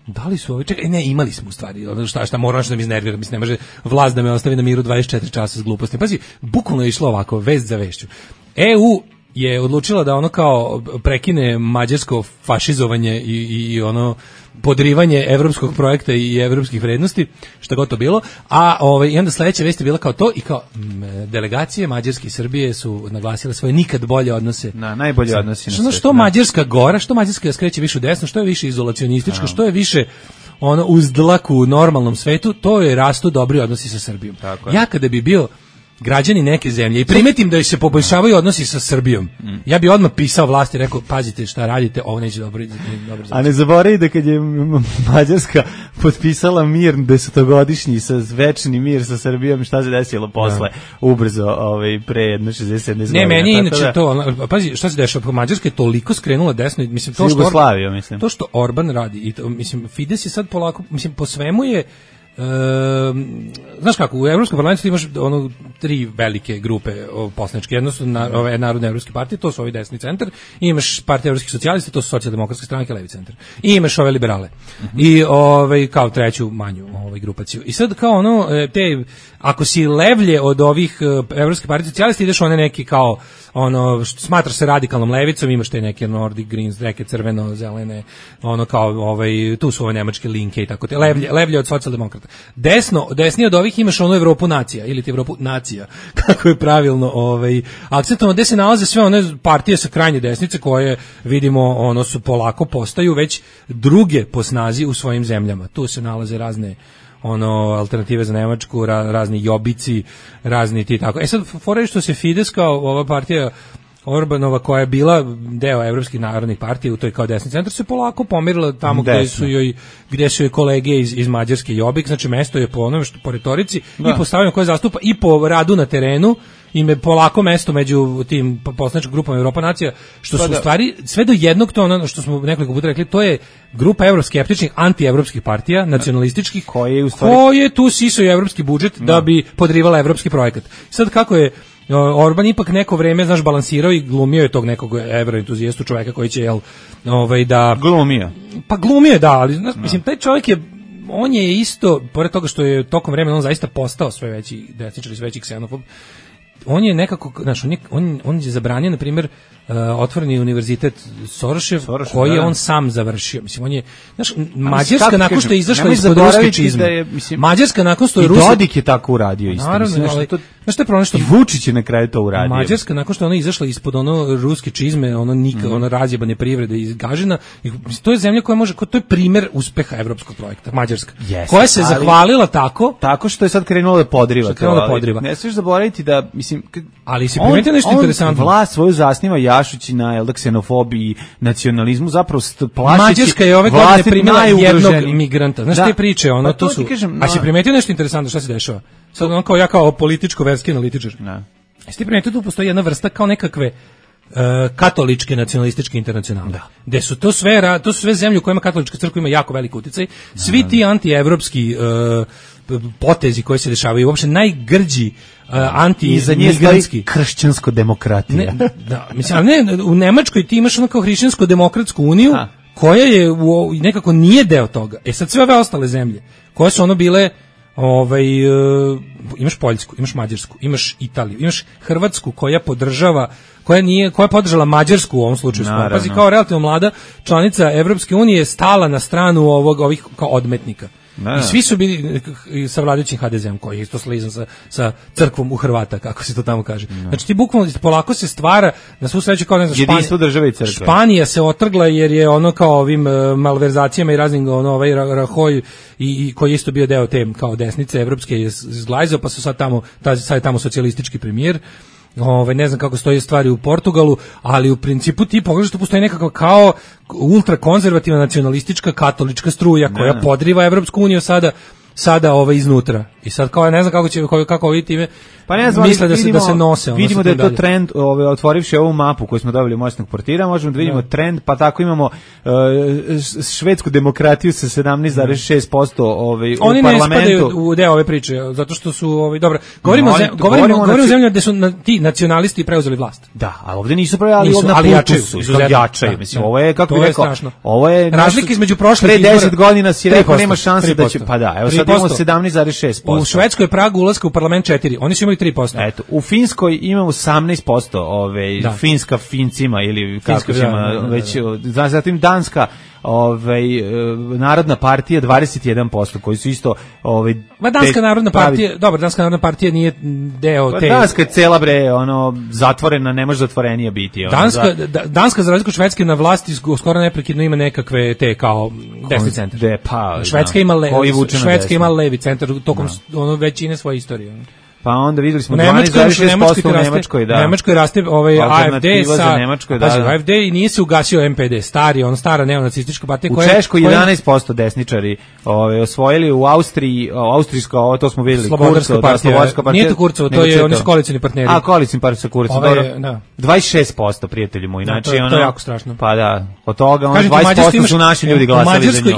Da li su čekaj, ne, imali smo u stvari. Šta moram što da mi iznervira, mislim ne može vlast da me ostavi na miru 24 časa s glupostima. Pazi, bukvalno je išlo ovako, vest za vešću. EU je odlučila da kao prekine mađarsko fašizovanje i podrivanje evropskog projekta i evropskih vrednosti, šta god to bilo, a i onda sledeća vest je bila kao to i kao delegacije Mađarske i Srbije su naglasile svoje nikad bolje odnose. Najbolje odnosi na svijet. Što Mađarska gora, što Mađarska skreće više u desno, što je više izolacionistička, što je više uz dlaku u normalnom svetu, to je rastu dobri odnosi sa Srbijom. Ja kada bi bio građani neke zemlje i primetim da se poboljšavaju odnosi sa Srbijom, ja bi odmah pisao vlasti i rekao, pazite šta radite, ovo neće dobro. A ne zaboravi da kad je Mađarska potpisala mir 10-godišnji sa večni mir sa Srbijom, šta se desilo posle, ubrzo, pre jedno 60-70 godina. Ne, meni inače to, pazi, šta se dešava, Mađarska je toliko skrenula desno, mislim, to što Jugoslavija, mislim. To što Orban radi, i to, mislim, Fides je sad polako, mislim, po svemu je, znaš kako, u Evropskom parlamentu imaš ono 3 velike grupe poslaničke. Jedno su ove Narodne evropske partije, to su ovi desni centar, i imaš Partija evropskih socijalista, to su socijaldemokratske stranke, levi centar. I imaš ove liberale. I kao treću manju grupaciju. I sad kao ono, ako si levlje od ovih evropske partije socijalista, ideš one neki kao ono, smatraš se radikalnom levicom, imaš te neke Nordic Greens, neke crveno, zelene, ono kao tu su ove nemačke linke i tako te, levlje od socijaldemokrata. Desnije od ovih imaš onu Evropu nacija, ili ti Evropu nacija, kako je pravilno akcentovano, gde se nalaze sve one partije sa krajnje desnice koje vidimo, ono su polako postaju već druge po snazi u svojim zemljama. Tu se nalaze razne alternative za Nemačku, razni jobici, razni ti tako. Sad, fora je što se Fides kao ova partija Orbanova koja je bila deo evropskih narodnih partija u toj kao desni centar se polako pomerila tamo gde su joj kolege iz Mađarske Jobbik, znači mesto je po onome što po retorici i po stavljanju koje zastupa i po radu na terenu im je polako mesto među tim poslaničkim grupama Evropa nacija, što su u stvari sve do jednog, to ono što smo nekoliko puta rekli, to je grupa evroskeptičnih, antievropskih partija, nacionalističkih, koje tu sisaju evropski budžet da bi podrivala evropski projekat. Sad kako je Orban ipak neko vreme, znaš, balansirao i glumio je tog nekog evroentuzijastu čoveka koji će, da... Glumio. Pa glumio, da, ali, mislim, taj čovjek on je isto, pored toga što je tokom vremena on zaista postao sve veći desničar i sve veći ksenofob, on je nekako, znaš, on je zabranio, na primjer, otvoreni univerzitet Sorošev, koji je on sam završio. Mislim, on je, znaš, Mađarska nakon što je izašla ispod ruske čizme, Mađarska nakon što je Ruska... I Dodik je tako uradio isto. Naravno, znaš što je problem što... I Vučić je na kraju to uradio. Mađarska nakon što je ona izašla ispod ruske čizme, razjebane privrede iz Gažina, to je zemlja koja može, to je primjer uspeha evropskog projekta, Mađarska, koja se zahvalila tako što je sad krenulo da podriva. Ne smiješ zaboraviti da, mislim, ali se primetio nešto interesantno. Vlast svoju zasniva jašući na ksenofobiji, nacionalizmu, zapravo plašeći. Mađarska je ove godine primila jednog migranta. Znaš te priče, to su... A si primetio nešto interesantno, šta se dešava? Sad ono kao ja kao političko-verski analitičar. Jesi ti primetio tu postoji jedna vrsta kao nekakve katoličke nacionalističke internacionale. Gde su to sve zemlje u kojima katolička crkva ima jako velik uticaj. Svi ti antievropski potezi koji se dešavaju, uopšte najgrđi anti-migrantski. Kršćansko demokratija. Mislim, u Nemačkoj ti imaš ono kao hrišćansko-demokratsku uniju, koja je nekako nije deo toga. Sad sve ove ostale zemlje, koje su bile imaš Poljsku, imaš Mađarsku, imaš Italiju, imaš Hrvatsku koja podržava, koja je podržala Mađarsku u ovom slučaju. Pazi, kao relativno mlada članica Evropske unije stala na stranu ovih kao odmetnika. I svi su bili sa vladajućim HDZ-om, koji je isto slizan sa crkvom u Hrvata, kako se to tamo kaže. Znači ti bukvalno polako se stvara, na svu sreću kao jedinstvo države i crkve. Španija se otrgla jer je ono kao ovim malverzacijama i raznim Rahoj i koji je isto bio deo te kao desnice evropske je zglajzao, pa su sad je tamo socijalistički premijer. Ne znam kako stoje stvari u Portugalu, ali u principu ti pogledaš, tu postoji nekako kao ultrakonzervativna nacionalistička katolička struja koja podriva Evropsku uniju sada iznutra. I sad kao ne znam kako ovi time misle da se nose. Vidimo da je to trend, otvorivši ovu mapu koju smo dobili moćnog portira, možemo da vidimo trend, pa tako imamo švedsku demokratiju sa 17,6% oni u parlamentu. Oni ne spadaju u deo ove priče, zato što su dobro. Govorimo o zemljama gde su ti nacionalisti preuzeli vlast. Da, a ovde nisu preuzeli, ali jačaju. Mislim, ovo je, kako bih rekao, ovo je razlika između prošlih pre 10 godina si rekao nema šanse da će, pa da, evo sad imamo 17,6%. U Švedskoj je prag ulaska u parlament 4, oni su imali 3%. Eto, u Finskoj imamo 18%, Finska Fincima ili kako se ima već, zatim Danska, Narodna partija 21%, koji su isto Danska narodna partija, dobro, Danska narodna partija nije deo te. Danska je cela zatvorena, ne može zatvorenija biti. Danska za razliku od Švedske na vlasti skoro neprekidno ima nekakve te kao desni centar. Švedska ima levi centar tokom većine svoje istorije. Pa onda videli smo u 12,6% u Nemačkoj, da. U Nemačkoj raste AFD sa Nemačkoj, da. AFD i nije se ugasio MPD, stara neonacistička partija koja u Češkoj 11% desničari osvojili, u Austriji, austrijsko, to smo videli, Slobodarska partija. Nije to Kurcovo, to je oni su koalicioni partneri. A, koalicioni partneri sa Kurcom, da. 26%, prijatelji moji, znači to je jako strašno. Pa da, od toga 20% su naši ljudi glasali za nju.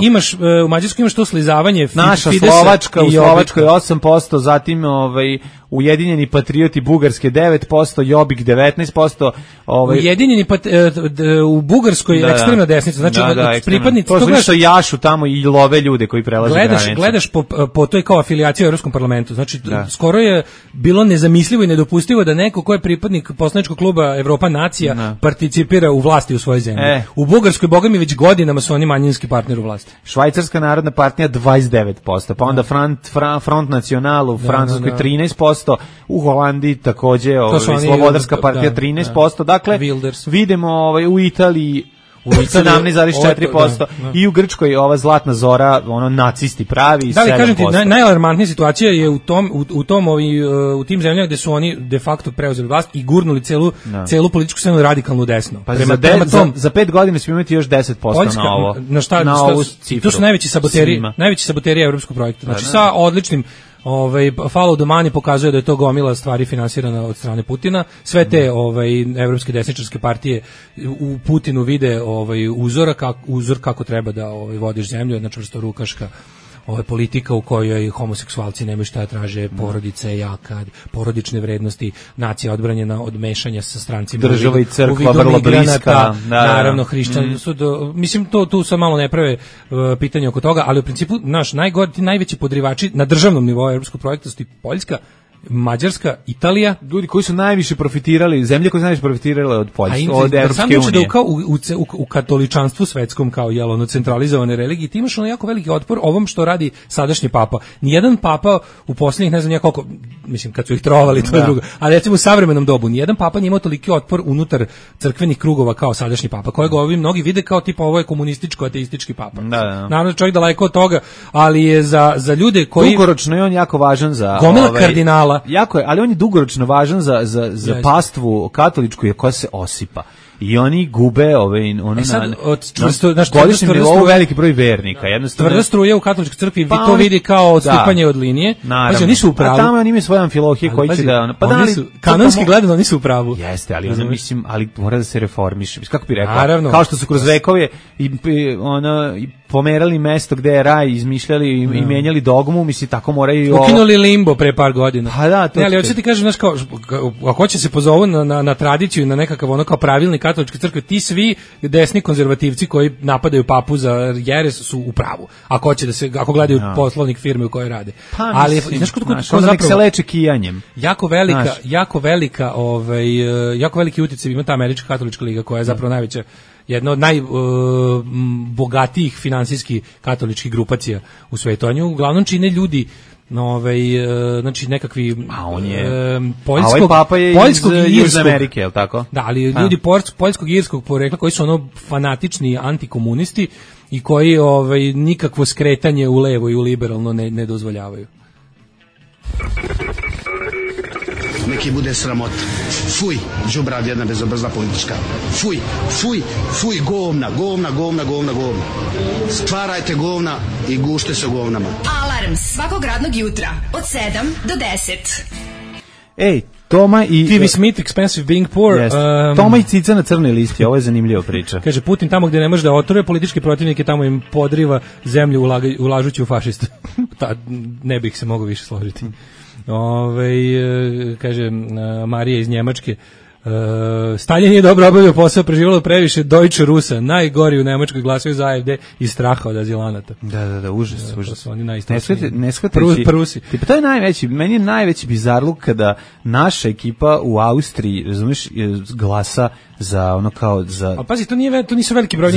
U Mađarskoj imaš to slizavanje naša Slovačka, u Slovačkoj 8%, zatim Ujedinjeni patrioti Bugarske 9%, Jobbik 19%. Ujedinjeni u Bugarskoj ekstremna desnica, znači pripadnici to su što jašu tamo i love ljude koji prelaze granice. Gledaš po toj kao afilijaciji u Evropskom parlamentu, znači skoro je bilo nezamislivo i nedopustivo da neko ko je pripadnik poslaničkog kluba Evropa nacija participira u vlasti u svojoj zemlji. U Bugarskoj, bogami, već godinama su oni manjinski partner u vlasti. Švajcarska narodna partija 29%, pa onda Front National u Francuskoj 13%, u Holandiji takođe Slobodarska partija 13%, dakle vidimo u Italiji 17,4% i u Grčkoj ova zlatna zora, nacisti pravi 7%. Da li kažem ti, najalarmantnija situacija je u tim zemljama gde su oni de facto preuzeli vlast i gurnuli celu političku scenu radikalno desno. Pa za 5 godina ćemo imati još 10% na ovo. Na ovu cifru. Tu su najveći saboteri evropskog projekta. Znači sa odličnim follow the money pokazuje da je to gomila stvari finansirana od strane Putina. Sve te evropske desničarske partije u Putinu vide uzor kako treba da vodiš zemlju, jedna čvrstorukaška politika u kojoj homoseksualci nemaju šta traže, porodica je jaka, porodične vrednosti, nacija odbranjena od mešanja sa strancima, država i crkva vrlo bliska, naravno hrišćani su mislim tu sam malo ne prave pitanje oko toga, ali u principu najveći podrivači na državnom nivou evropskog projekta su Poljska, Mađarska, Italija, ljudi koji su najviše profitirali, zemlje koje su najviše profitirale od Poljske, od Evropske unije. Da kao u katoličanstvu svetskom kao centralizovane religije, ti imaš jako veliki otpor ovom što radi sadašnji papa. Nijedan papa u posljednjih ne znam koliko, mislim kad su ih trovali to je drugo, ali recimo u savremenom dobu nijedan papa nije imao toliki otpor unutar crkvenih krugova kao sadašnji papa, kojeg mnogi vide kao tipa ovo je komunističko ateistički papa. Naravno čovjek daleko od toga, ali je za ljude koji dugoročno je on jako važan za gomila kardinala. Jako je, ali on je dugoročno važan za pastvu katoličku koja se osipa. I oni gube godišnjem nivou veliki broj vernika. Tvrda struja u katoličkoj crkvi, to vidi kao odstupanje od linije. Naravno. Oni su u pravu. A tamo oni imaju svoje amfilohije koji će da... Kanonski gledano oni su u pravu. Jeste, ali mora da se reformiše. Kako bi rekao? Kao što su kroz vekove pomerali mesto gde je raj, izmišljali i menjali dogmu, tako moraju... Ukinuli limbo pre par godina. Pa da, to... Ali hoće ti kažem, ako će se pozovu na tradiciju i na nekakav kao pravilnik katoličke crkve, ti svi desni konzervativci koji napadaju papu za jeres su u pravu. Ako gledaju poslovnik firme u kojoj rade. Ali znaš ko nek se leče kijanjem. Jako veliki utjecaj ima ta američka katolička liga koja je zapravo najveća, jedna od najbogatijih finansijskih katoličkih grupacija u svetu. Oni uglavnom čine ljudi znači nekakvi papa je iz Južne Amerike, je li tako? Da, ali ljudi poljskog i irskog porekla koji su fanatični antikomunisti i koji nikakvo skretanje u levo i u liberalno ne dozvoljavaju. Neki bude sramota. Fuj, đubrad jedna bezobrazna politička. Fuj, govna. Stvarajte govna i gušte se govnama. Alarm svakog radnog jutra od 7 do 10. Ej, Toma i... TV Smith, Expensive Being Poor. Toma i cica na crnoj listi, ovo je zanimljiva priča. Kaže, Putin tamo gdje ne može da otruje politički protivnike, tamo im podriva zemlju ulažući u fašiste. Ne bih se mogao više složiti. Kaže Marija iz Njemačke, Stalin je dobro obavio posao, preživjelo previše Deutsche Rusa, najgori u Nemačkoj, glasaju za AfD iz straha od azilanata. Da, užas. To su oni ne shvatajući. Prusi. To je meni je najveći bizarluk kada naša ekipa u Austriji, razumiješ, glasa za ono kao za. A pazi, to nisu veliki broj,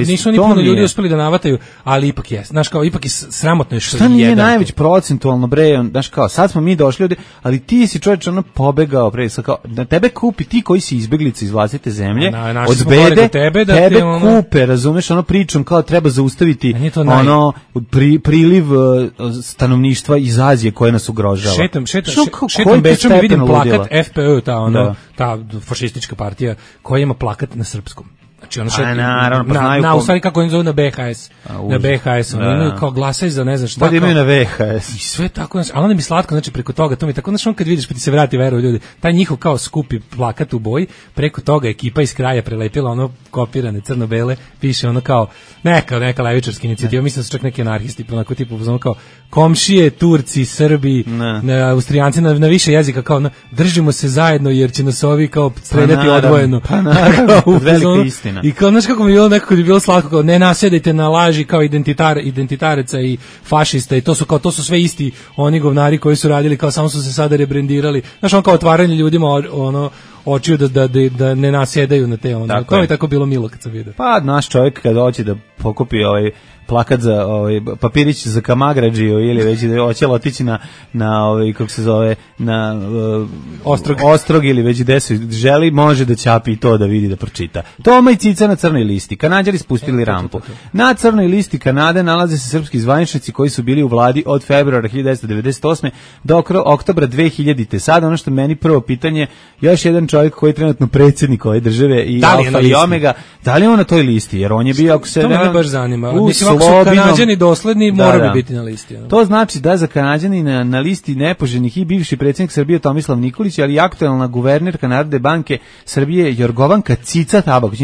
nisu ni puno ljudi uspeli da navataju, ali ipak je, znaš kao, ipak je sramotno što šta nije najveć procentualno bre, znaš kao, sad smo mi došli ovde, ali ti si čovjek ono pobegao pre, kao da tebe kupi ti koji si izbeglica iz vlastite zemlje, od bede, tebe kupe, razumeš, ono pričom kao treba zaustaviti ono priliv stanovništva iz Azije koje nas ugrožava. Šetam Bečom i vidim plakat FPÖ, ta fašistička partija koja ima plakat na srpskom. Znači ono što na u stvari kako oni zovu na BHS. Na BHS, oni imaju kao glasaj za ne znam šta. Da imaju na VHS. I sve tako, znači, ali onda mi slatko, znači preko toga, to mi tako, znači on kad vidiš pa ti se vrati veru ljudi, taj njihov kao skupi plakat u boji, preko toga ekipa iz kraja prelepila ono kopirane crno-bele, piše ono kao neka levičarska inicijativa, mislim da su čak neki anarhisti, onako tipu ono kao komšije, Turci, Srbi, Austrijanci na više jezika, kao držimo se zajedno jer će nas ovi kao streljati odvojeno. Velika istina. I kao, znaš kako mi je bilo nekako je bilo slatko, kao ne nasedajte na laži kao identitaraca i fašista i to su sve isti oni govnari koji su radili, kao samo su se sada rebrendirali. Znaš, on kao otvaranje ljudima ono očiju da ne nasjedaju na te ono. To je tako bilo milo kad sam vidio. Pa naš čovjek kad hoće da pokupi plakat za papirić za Kamagrađiju ili već da hoće otići na kako se zove na Ostrog ili već gde se želi, može da ćapi i to da vidi da pročita. Toma i Cica na crnoj listi. Kanađari spustili rampu. Na crnoj listi Kanade nalaze se srpski zvaničnici koji su bili u vladi od februara 1998. do oktobra 2000. Sad ono što meni prvo pitanje, još jedan čovjek koji je trenutno predsjednik ove države i Alfa i Omega, da li je on na toj listi? Jer on je bio, ako se to me baš zanima. Mislim, ako su Kanađani dosledni, mora bi biti na listi. To znači da za Kanađani na listi nepoželjnih i bivši predsjednik Srbije Tomislav Nikolić, ali i aktuelna guvernerka Narodne banke Srbije Jorgovanka Cica Tabaković.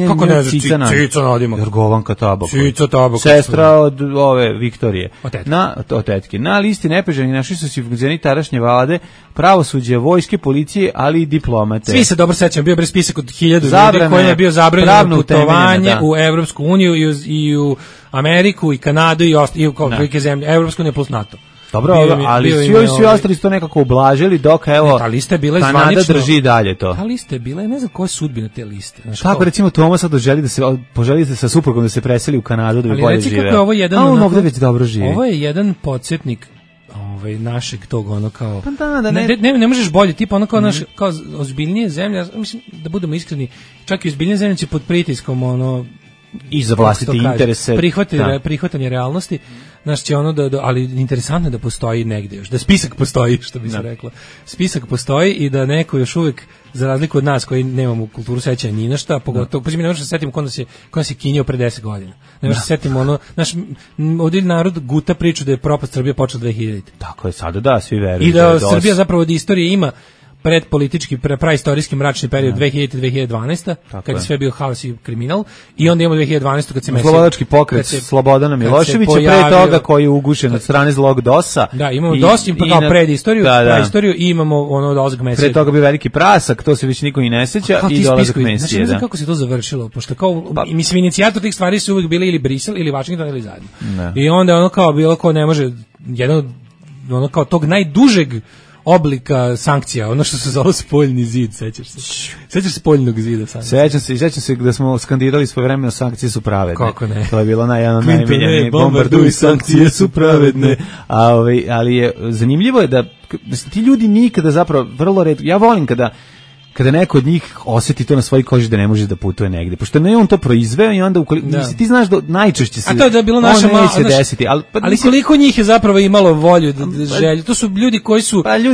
Kako ne znaš Cica nadimak? Jorgovanka Tabaković. Cica Tabaković. Sestra od ove Viktorije. Od tetke. Na listi nepoželjnih našli su se funkcioneri tadašnje vlade, pravosuđe, vojske, policije, ali i diplomate. Svi se dobro sećam, bio je spisak od 1000 ljudi koji je bio zabranjeno putovanje u Evropsku uniju i u Ameriku i Kanadu i velike zemlje, Evropsku uniju plus NATO. Dobro, ali svi ostali su to nekako ublažili, dok evo Kanada drži dalje to. Ta lista je bila, ne znam koja je sudbina te liste. Kako recimo Toma sad poželi sa suprugom da se preseli u Kanadu da bi bolje živeo. Ali ovo je jedan, on ovdje već dobro živi. Ovo je jedan podsjetnik našeg tog ono kao ne možeš bolje tipa ono kao naš kao ozbiljnije zemlje, mislim da budemo iskreni, čak i ozbiljnije zemlje će pod pritiskom ono i za vlastite interese prihvatanje realnosti, znaš će ono ali interesantno je da postoji negdje još, da spisak postoji, što bi se reklo. Spisak postoji i da neko još uvijek, za razliku od nas koji nemamo kulturu sećanja ni na šta, pogotovo, pa mi ne možemo se setiti ko nas je kinjao pre 10 godina. Ne možemo se setiti ono, naš ovdje narod guta priču da je propast Srbije počela 2000. Tako je, sada da, svi veruju. I da Srbija zapravo od istorije ima predpolitički, praistorijski mračni period 2000-2012, kad je sve bio haos i kriminal, i onda imamo 2012. kad se slobodački pokret Slobodana Miloševića, pre toga koji je ugušen od strane zlog DOS-a. Da, imamo DOS, pa kao predistoriju, praistoriju i imamo ono dolazak Mesije. Pre toga bio veliki prasak, to se već niko i ne seća, i dolazak Mesije. Znači, ne znam kako se to završilo, pošto kao, mislim, inicijator tih stvari su uvijek bili ili Brisel, ili Washington, ili zajedno. I onda ono kao bilo ko ne može, jedan ono kao tog najdužeg oblika sankcija, ono što se zove spoljni zid, sećaš se spoljnog zida sankcija? Sećam se da smo skandirali svojevremeno sankcije su pravedne. Kako ne? To je bilo najmiljenije, bombarduj, sankcije su pravedne. Ali je zanimljivo je da ti ljudi nikada zapravo vrlo redko, ja volim kada neko od njih osjeti to na svojoj koži da ne može da putuje negdje, pošto ne on to proizveo i onda ti znaš da najčešće se to je bilo naše neće desiti, ali koliko njih je zapravo imalo volju, želju, to su ljudi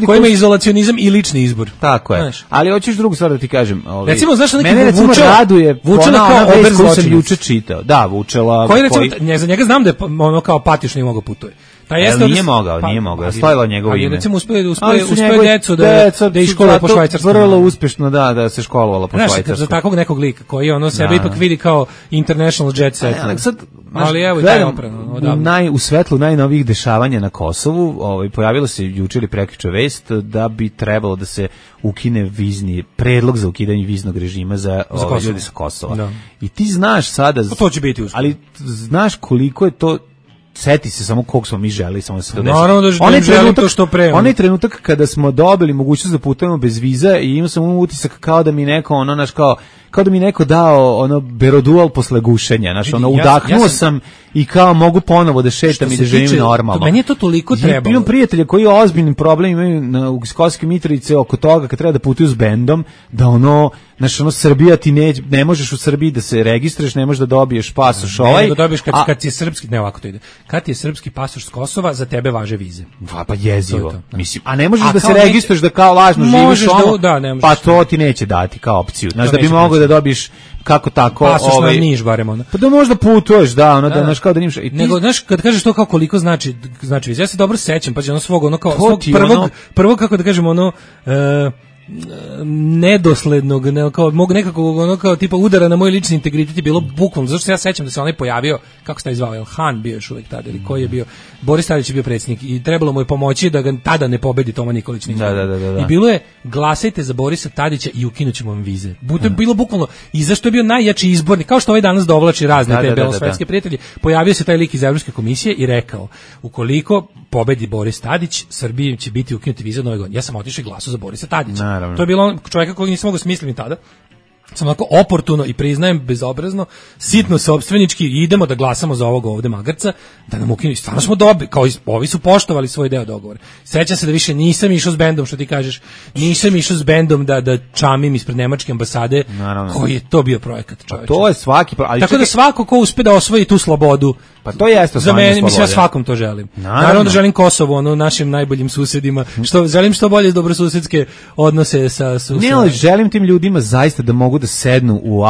koji imaju izolacionizam i lični izbor. Tako je, ali hoćeš drugu stvar da ti kažem. Recimo, znaš neki raduje Vučela kao ober koju sam juče čitao. Da, Vučela. Koji recimo, za njega znam da je ono kao patiš nije mogao putuje. Nije mogao, slavilo njegovo ime. Recimo uspeo decu da iškoluje po švajcarskom. Vrlo uspešno, da se školovalo po švajcarskom. Za takvog nekog lika koji ono sebe ipak vidi kao international jet set. Ali evo i taj oprano. U svetlu najnovijih dešavanja na Kosovu, pojavilo se juče ili prekjuče vest da bi trebalo da se ukine predlog za ukidanje viznog režima za ljudi sa Kosova. I ti znaš sada, to će biti uspjeh. Ali znaš koliko je to seti se samo koliko smo mi želeli, samo da se to desi. Naravno da želim to što pre. Onaj trenutak kada smo dobili mogućnost da putujemo bez viza i imao sam utisak kao da mi neko, ono, naš, kao da mi neko dao ono berodual posle gušenja, znači ono udahnuo sam i kao mogu ponovo da šetam i da živim normalno. Meni je to toliko trebalo. Imam prijatelje koji ozbiljnim problem imaju u Kosovskoj Mitrovici oko toga kad treba da putuju s bendom, da ono, znači ono Srbija ti ne možeš u Srbiji da se registruješ, ne možeš da dobiješ pasoš ovaj. Da dobiješ kad ti je srpski, ne ovako to ide. Kad ti je srpski pasoš s Kosova, za tebe važe vize. Pa jezivo. Mislim, a ne možeš da se registruješ da kao lažno živiš ono, pa to ti neće dati kao opciju. Znači da bi mogao da dobiješ kako tako pasoš na Niš barem ono. Pa da možda putuješ, da, ono da znaš kao da nimaš. Nego znaš kad kažeš to kao koliko znači viza, ja se dobro sećam, pa ono svog ono kao svog prvog kako da kažemo ono nedoslednog, kao mogu nekako ono kao tipa udara na moj lični integritet je bilo bukvalno, zato što ja sećam da se onaj pojavio, kako se taj zvao, El Han bio još uvek tada ili koji je bio, Boris Tadić je bio predsjednik i trebalo mu je pomoći da ga tada ne pobedi Toma Nikolić. Da. I bilo je glasajte za Borisa Tadića i ukinućemo vam vize. To je bilo bukvalno i zašto je bio najjači izbornik, kao što ovaj danas dovlači razne te belosvetske prijatelje, pojavio se taj lik iz Evropske komisije i rekao ukoliko pobedi Boris Tadić, Srbiji će biti ukinuti vize Nove godine. Ja sam otišao i glasao za Borisa Tadića. Naravno. To je bilo čovjeka kojeg nisam mogao smisliti tada. Sam onako oportuno i priznajem bezobrazno, sitno sopstvenički idemo da glasamo za ovog ovde magarca, da nam ukinu. Stvarno smo dobili, kao ovi su poštovali svoj deo dogovora. Sećam se da više nisam išao s bendom, što ti kažeš, nisam išao s bendom da čamim ispred nemačke ambasade. Naravno. Koji je to bio projekat, čoveče. To je svaki, ali tako da svako ko uspe da osvoji tu slobodu, pa to jeste za mene, mislim ja svakom to želim. Naravno da želim Kosovo, ono našim najboljim susedima, želim što bolje dobrosusedske odnose sa susedima. Ne, ali želim tim ljudima zaista da mogu da sednu u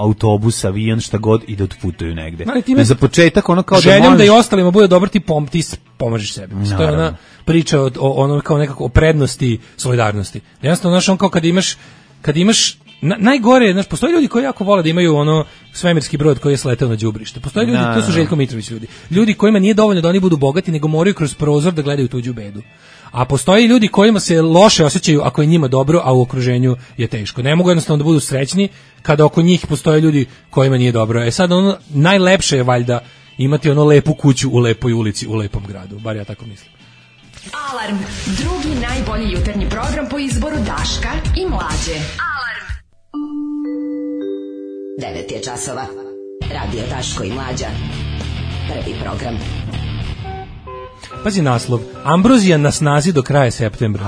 autobus, avion, šta god i da otputuju negde. Za početak ono kao želim da možeš... da i ostalima bude dobar, ti pomažeš sebi. To je ona priča o ono kao nekako o prednosti solidarnosti. Jednostavno, znaš, on kao kad imaš najgore, znaš, postoje ljudi koji jako vole da imaju ono svemirski brod koji je sleteo na đubrište. Postoje ljudi, to su Željko Mitrović ljudi kojima nije dovoljno da oni budu bogati, nego moraju kroz prozor da gledaju tuđu bedu. A postoje ljudi kojima se loše osjećaju ako je njima dobro, a u okruženju je teško. Ne mogu jednostavno da budu srećni kada oko njih postoje ljudi kojima nije dobro. Sad ono najlepše je valjda imati ono lepu kuću u lepoj ulici, u lepom gradu. Bar ja tako mislim. Alarm, drugi najbolji jutarnji program po izboru Daška i Mlađe. Alarm. 9 je časova. Radio Daško i Mlađa. Prvi program. Pazi naslov. Ambrozija na snazi do kraja septembra.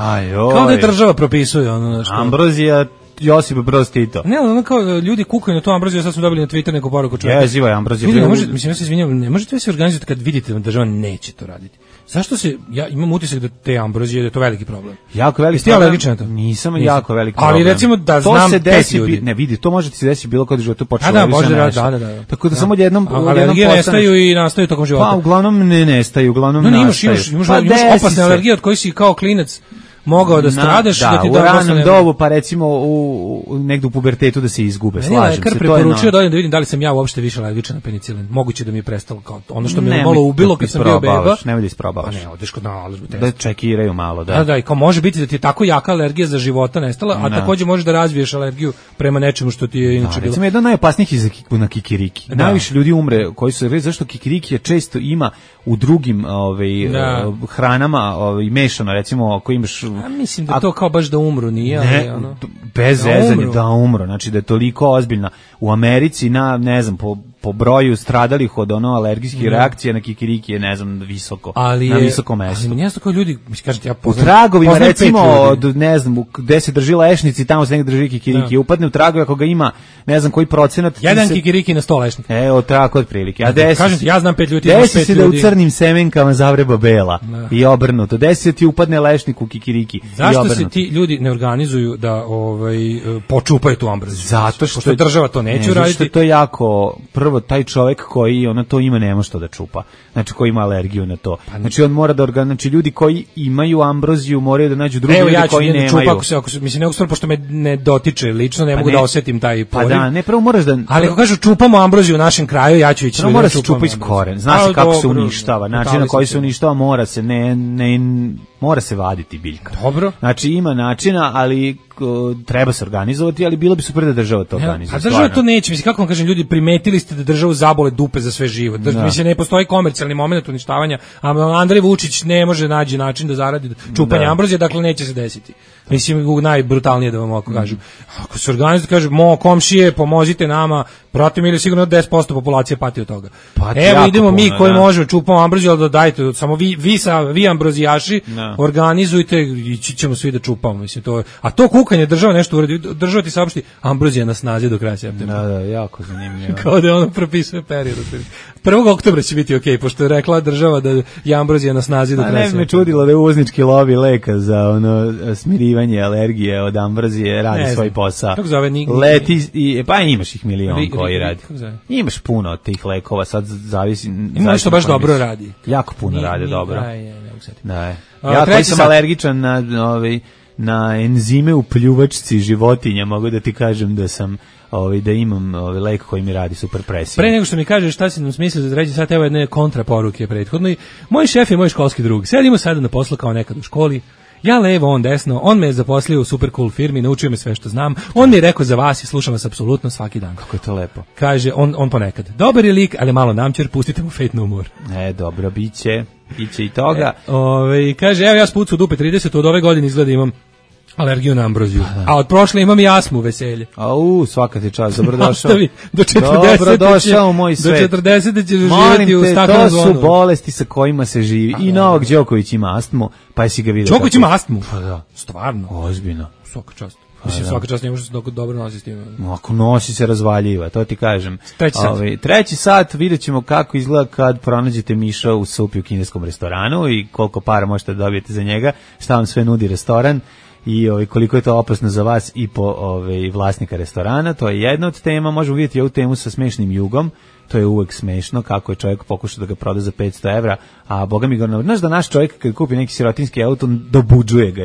Kao da je država propisuje ono što. Ambrozija Josip Broz Tito. Ne, ono kao ljudi kukaju na to Ambroziju, sad smo dobili na Twitter neku poruku čovjeka. Jeziva je Ambrozija. Mislim, ja se izvinjam, ne možete se organizovati kad vidite da država neće to raditi. Zašto se, ja imam utisak da te Ambrozije, da je to veliki problem. Jako veliki problem. Jesi ti alergičan na to? Nisam jako veliki problem. Ali recimo da to znam se desi, ljudi. Ne vidi, to može ti se desiti bilo kod života počelo. Da. Tako da samo jednom alergije nestaju i nastaju tokom života. Pa uglavnom ne nestaju, uglavnom nastaju. Imaš opasne alergije od kojih si kao klinac mogao da stradaš, da ti u ranom dobu, pa recimo negde u pubertetu da se izgube, slažem se. Lekar preporučio da vidim da li sam ja uopšte više alergičan na penicilin. Moguće da mi je prestalo kao ono što me malo ubilo kad sam bio beba. Nemoj da isprobavaš. Pa ne, odeš kod nalažbu test. Da čekiraju malo, da. Da, i kao može biti da ti je tako jaka alergija za života nestala, a takođe možeš da razviješ alergiju prema nečemu što ti je inače bilo. Recimo jedan najopasnijih je na kikiriki. Najviše ljudi umre koji su zašto kikiriki je često ima u drugim hranama mešano, recimo ako imaš. Mislim da to kao baš da umru, nije, ali ono bez zezanja da umru, znači da je toliko ozbiljna u Americi ne znam po broju stradalih od alergijskih reakcija na kikiriki je visoko, na visokom mestu. Ali mjesto kao ljudi, kažete ja poznam. U tragovima recimo od ne znam gde se drži lešnici, tamo se negde drži kikiriki, upadne u tragove ako ga ima ne znam koji procenat. Jedan kikiriki na 100 lešnika. Evo tako otprilike. A kažete ja znam 5 ljudi, desi se da u crnim semenkama zavreba bela i obrnuto. Desi se ti upadne lešnik u kikiriki. Zašto se ti ljudi ne organizuju da počupaju tu ambroziju? Zato što država to neće uraditi. Zato to je jako prvo taj čovjek koji to ima nema što da čupa. Znači koji ima alergiju na to. Znači on mora da znači ljudi koji imaju ambroziju moraju da nađu drugi ljudi koji nemaju. Evo ja ću mislim ne stvar pošto me ne dotiče lično, ne mogu da osetim taj poriv. Pa da, ne prvo moraš da. Ali ako kažu čupamo ambroziju u našem kraju, ja ću ići. Mora se čupa iz koren. Znaš kako se uništava, način na koji se uništava mora se Mora se vaditi biljka. Dobro. Znači ima načina, ali treba se organizovati, ali bilo bi super da država to organizuje. A država to neće, mislim, kako vam kažem, ljudi, primetili ste da državu zabole dupe za sve živo. Mislim, ne postoji komercijalni moment uništavanja, a Andrej Vučić ne može naći način da zaradi čupanje ambrozije, dakle neće se desiti. Mislim, najbrutalnije da vam ovako kažem. Ako se organizuje, kaže, komšije, pomozite nama, protiv ili sigurno 10% populacije pati od toga. Evo idemo mi koji možemo, čupamo ambroziju, ali da dajte, samo vi ambrozijaši, organizujte, ići ćemo svi da čupamo. Mislim, a to kukanje država nešto uradi, država ti saopšti, ambrozija na snazi do kraja septembra. Da, jako zanimljivo. Kao da ono propisuje period. 1. oktobra će biti okej, pošto je rekla država da je ambrozija na snazi do kraja septembra. Ne bi me čudilo da je uvoznički lobi leka za smirivanje alergije od ambrozije radi svoj posao. Kako zove? Leti, pa imaš ih milion koji radi. Imaš puno od tih lekova, sad zavisi. Ima nešto baš dobro radi. Jako puno rade dobro. Da. Ja koji sam alergičan na enzime u pljuvačci životinja, mogu da ti kažem da sam da imam lek koji mi radi super presiju. Pre nego što mi kažeš šta si nam smislio za 3. sat, evo jedne kontraporuke prethodno. Moj šef je moj školski drug. Sedimo sada na poslu kao nekad u školi. Ja levo, on desno, on me je zaposlio u super cool firmi, naučio me sve što znam, on mi je rekao za vas i slušam vas apsolutno svaki dan. Kako je to lepo. Kaže, on ponekad, dobar je lik, ali malo namćer, pustite mu Fate No More. Dobro, biće i toga. Kaže, evo ja spucu dupe 30, od ove godine izgleda imam alergiju na ambroziju. A od prošle imam i astmu, veselje. Svaka ti čast, dobrodošao. Do 40. Dobrodošao u moj svet. Do 40. ćeš živjeti u staklenom zvonu. To su bolesti sa kojima se živi. I Novak Đoković ima astmu, pa jesi ga vidio. Đoković ima astmu? Pa da. Stvarno? Ozbiljno. Svaka čast. Mislim, svaka čast ne može se dobro nosi s tim. Ako nosi se razvaljiva, to ti kažem. 3. sat vidjet ćemo kako izgleda kad pronađete miša u supi u kineskom restoranu i koliko para možete dobijete za njega, šta vam sve nudi restoran. I koliko je to opasno za vas i po vlasnika restorana, to je jedna od tema. Možemo vidjeti ovu temu sa smešnim jugom, to je uvek smešno kako je čovjek pokušao da ga proda za 500 evra, a boga mi ga, znaš da naš čovjek kad kupi neki sirotinski auto dobuđuje ga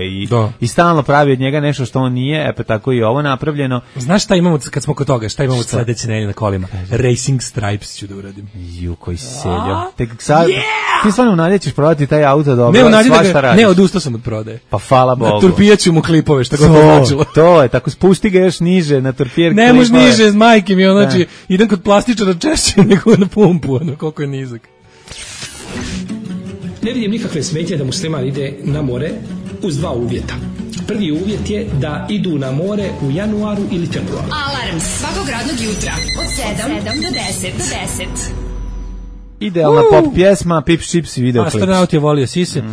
i stalno pravi od njega nešto što on nije, pa tako i ovo napravljeno. Znaš šta imamo kad smo kod toga, šta imamo sledeće nedelje na kolima? Racing Stripes ću da uradim. Koji seljo. Tek sad, ti stvarno nadjećeš prodati taj auto dobro, svašta radiš. Ne, odustao sam od prodaje. Pa hvala Bogu. Na turpijaću mu klipove, šta god to značilo. To je, tako spusti ga još niže na turpijer klipove. Ne može niže, s majke mi, znači idem kod plastičara češće nego na pumpu, koliko je nizak. Ne vidim nikakve smetnje da musliman ide na more uz 2 uvjeta. Prvi uvjet je da idu na more u januaru ili februaru. Alarm svakog radnog jutra od 7 do 10. Idealna pop pjesma, Pips Chips i videoklips. Astronaut je volio sise.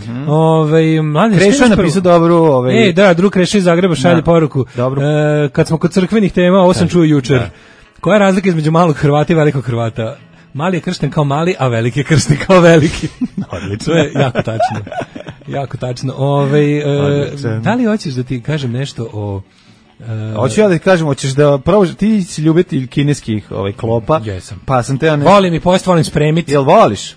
Krešo je napisao dobru... drug Krešo iz Zagreba šalje poruku. Kad smo kod crkvenih tema, ovo sam čuo jučer. Koja je razlika između malog Hrvata i velikog Hrvata? Mali je kršten kao mali, a veliki je kršten kao veliki. Odlično. To je jako tačno. Jako tačno. Da li hoćeš da ti kažem nešto o... Hoću ja da ti kažem, hoćeš da probaš, ti si ljubitelj kineskih klopa. Jesam. Pa sam te... Volim i post, volim spremiti. Jel voliš?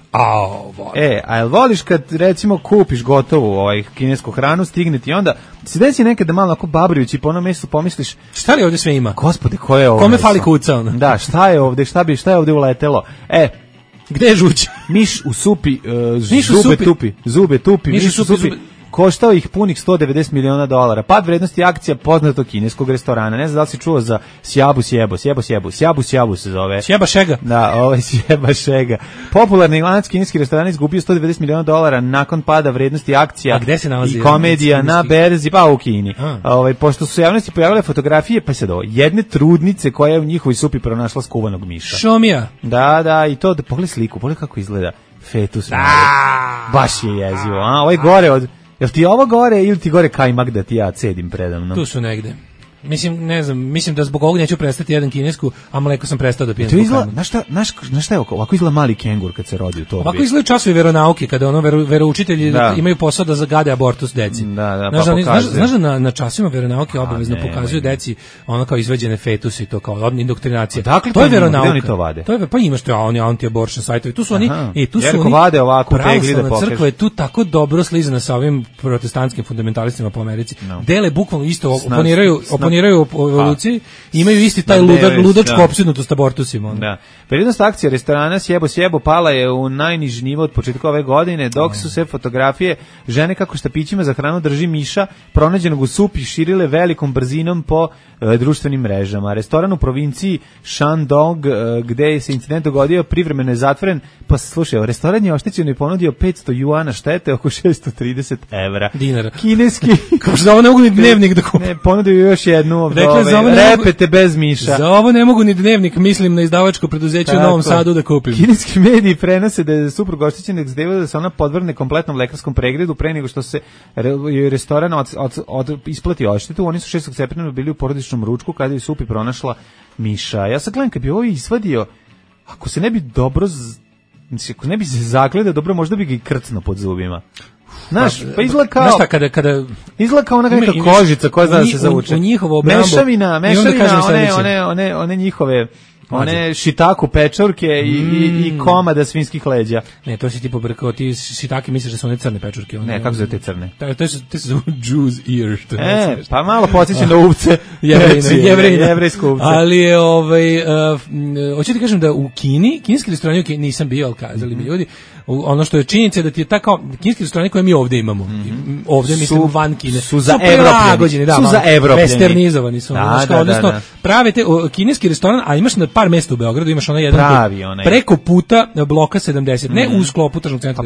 Volim. A jel voliš kad recimo kupiš gotovu kinesku hranu, stigne ti onda, se desi nekada malo ako babrijući po onom mjestu pomisliš, šta li ovdje sve ima? Gospode, ko je ovo? Kome fali kuca ono? Da, šta je ovdje, šta je ovdje uletelo? Gde je žuć? Miš u supi, zube tupi, miš u supi. Koštao ih punih $190 miliona. Pad vrednosti akcija poznatog kineskog restorana. Ne znam da li si čuo za Sjabu Sjabu se zove. Sjeba Šega. Da, Sjeba Šega. Popularni lanac kineski restoran izgubio $190 miliona nakon pada vrednosti akcija. A gde se nalazi? I komedija na berzi, pa u Kini. Pošto su se javnosti pojavile fotografije, pa se jedne trudnice koja je u njihovoj supi pronašla skuvanog miša. Šomija. Da, i to, pogledaj sliku, pogledaj kako izgleda fetus. Baš je jezivo. Ovo je gore od... Jel ti ovo gore ili ti gore kajmak da ti ja cedim predamno? Tu su negde. Mislim, ne znam, mislim da zbog ovog neću prestati jedan kinesku, a mleko sam prestao da pijem. Znaš šta je ovako izgleda mali kengur kad se rodi u to? Ovako izgleda časovi veronauke, kada veroučitelji imaju posao da zagade abortus deci. Znaš da na časovima veronauke obavezno pokazuju deci ono kao izveđene fetuse i to kao indoktrinacija. Dakle, to je veronauka. Oni to vade? Pa imaš to, oni anti-abortion sajtovi. Tu su oni, vade ovako tegli da pokažu. Crkva je tu tako dobro slizana sa ovim protestantskim fundamentalistima po Americi. Dele bukvalno isto, oponiraju oponiraju u evoluciji, imaju isti taj ludačku opsednutost abortusima. Da. Periodnost akcija restorana Sjebo pala je u najniži nivo od početka ove godine, dok su se fotografije žene kako štapićima za hranu drži miša pronađenog u supi širile velikom brzinom po društvenim mrežama. Restoran u provinciji Shandong, gde se incident dogodio, privremeno je zatvoren. Pa slušaj, restoran je oštećen i ponudio 500 juana štete, oko 630 evra. Dinara. Kineski. Kao što za ovo ne mogu ni dnevnik da kupim. Ne, ponudio još jednu repete bez miša. Za ovo ne mogu ni dnevnik, mislim na izdavačko preduzeće u Novom Sadu da kupim. Kineski mediji prenose da je suprug oštećenog zdevila da se ona podvrne kompletnom lekarskom pregledu pre nego što se restoran isplati odštetu. Oni su 6. septembra bili u porodičnom ručku kada je supi pronašla miša. Ja sad gledam, kad bi ovo izvadio, ako se ne bi dobro, ako ne bi se zagleda dobro, možda bi ga i krcno pod zubima. Znaš, pa izgleda kao... Znaš šta, kada izgleda kao ona neka kožica koja zna da se zavuče. U njihovo obrambu... Mešavina, one njihove... One šitaku pečurke i komada svinskih leđa. Ne, to si ti pobrkao, ti šitaki misliš da su one crne pečurke. Ne, kako zove te crne? Te se zove Jew's ear. Pa malo podsjećam na uvce. Jevrejsko uvce. Ali je, hoću ti kažem da u Kini, kineski restorani, nisam bio, ali kazali mi ljudi, ono što je činjenica da ti je tako, kineski restorani koje mi ovde imamo, ovde mislim van Kine, su za Evropljani. Su za Evropljani. Westernizovani su. Odnosno, prave te, kineski restoran, a imaš na par mesta u Beogradu, imaš onaj jedan preko puta bloka 70, ne u sklopu tržnog centra.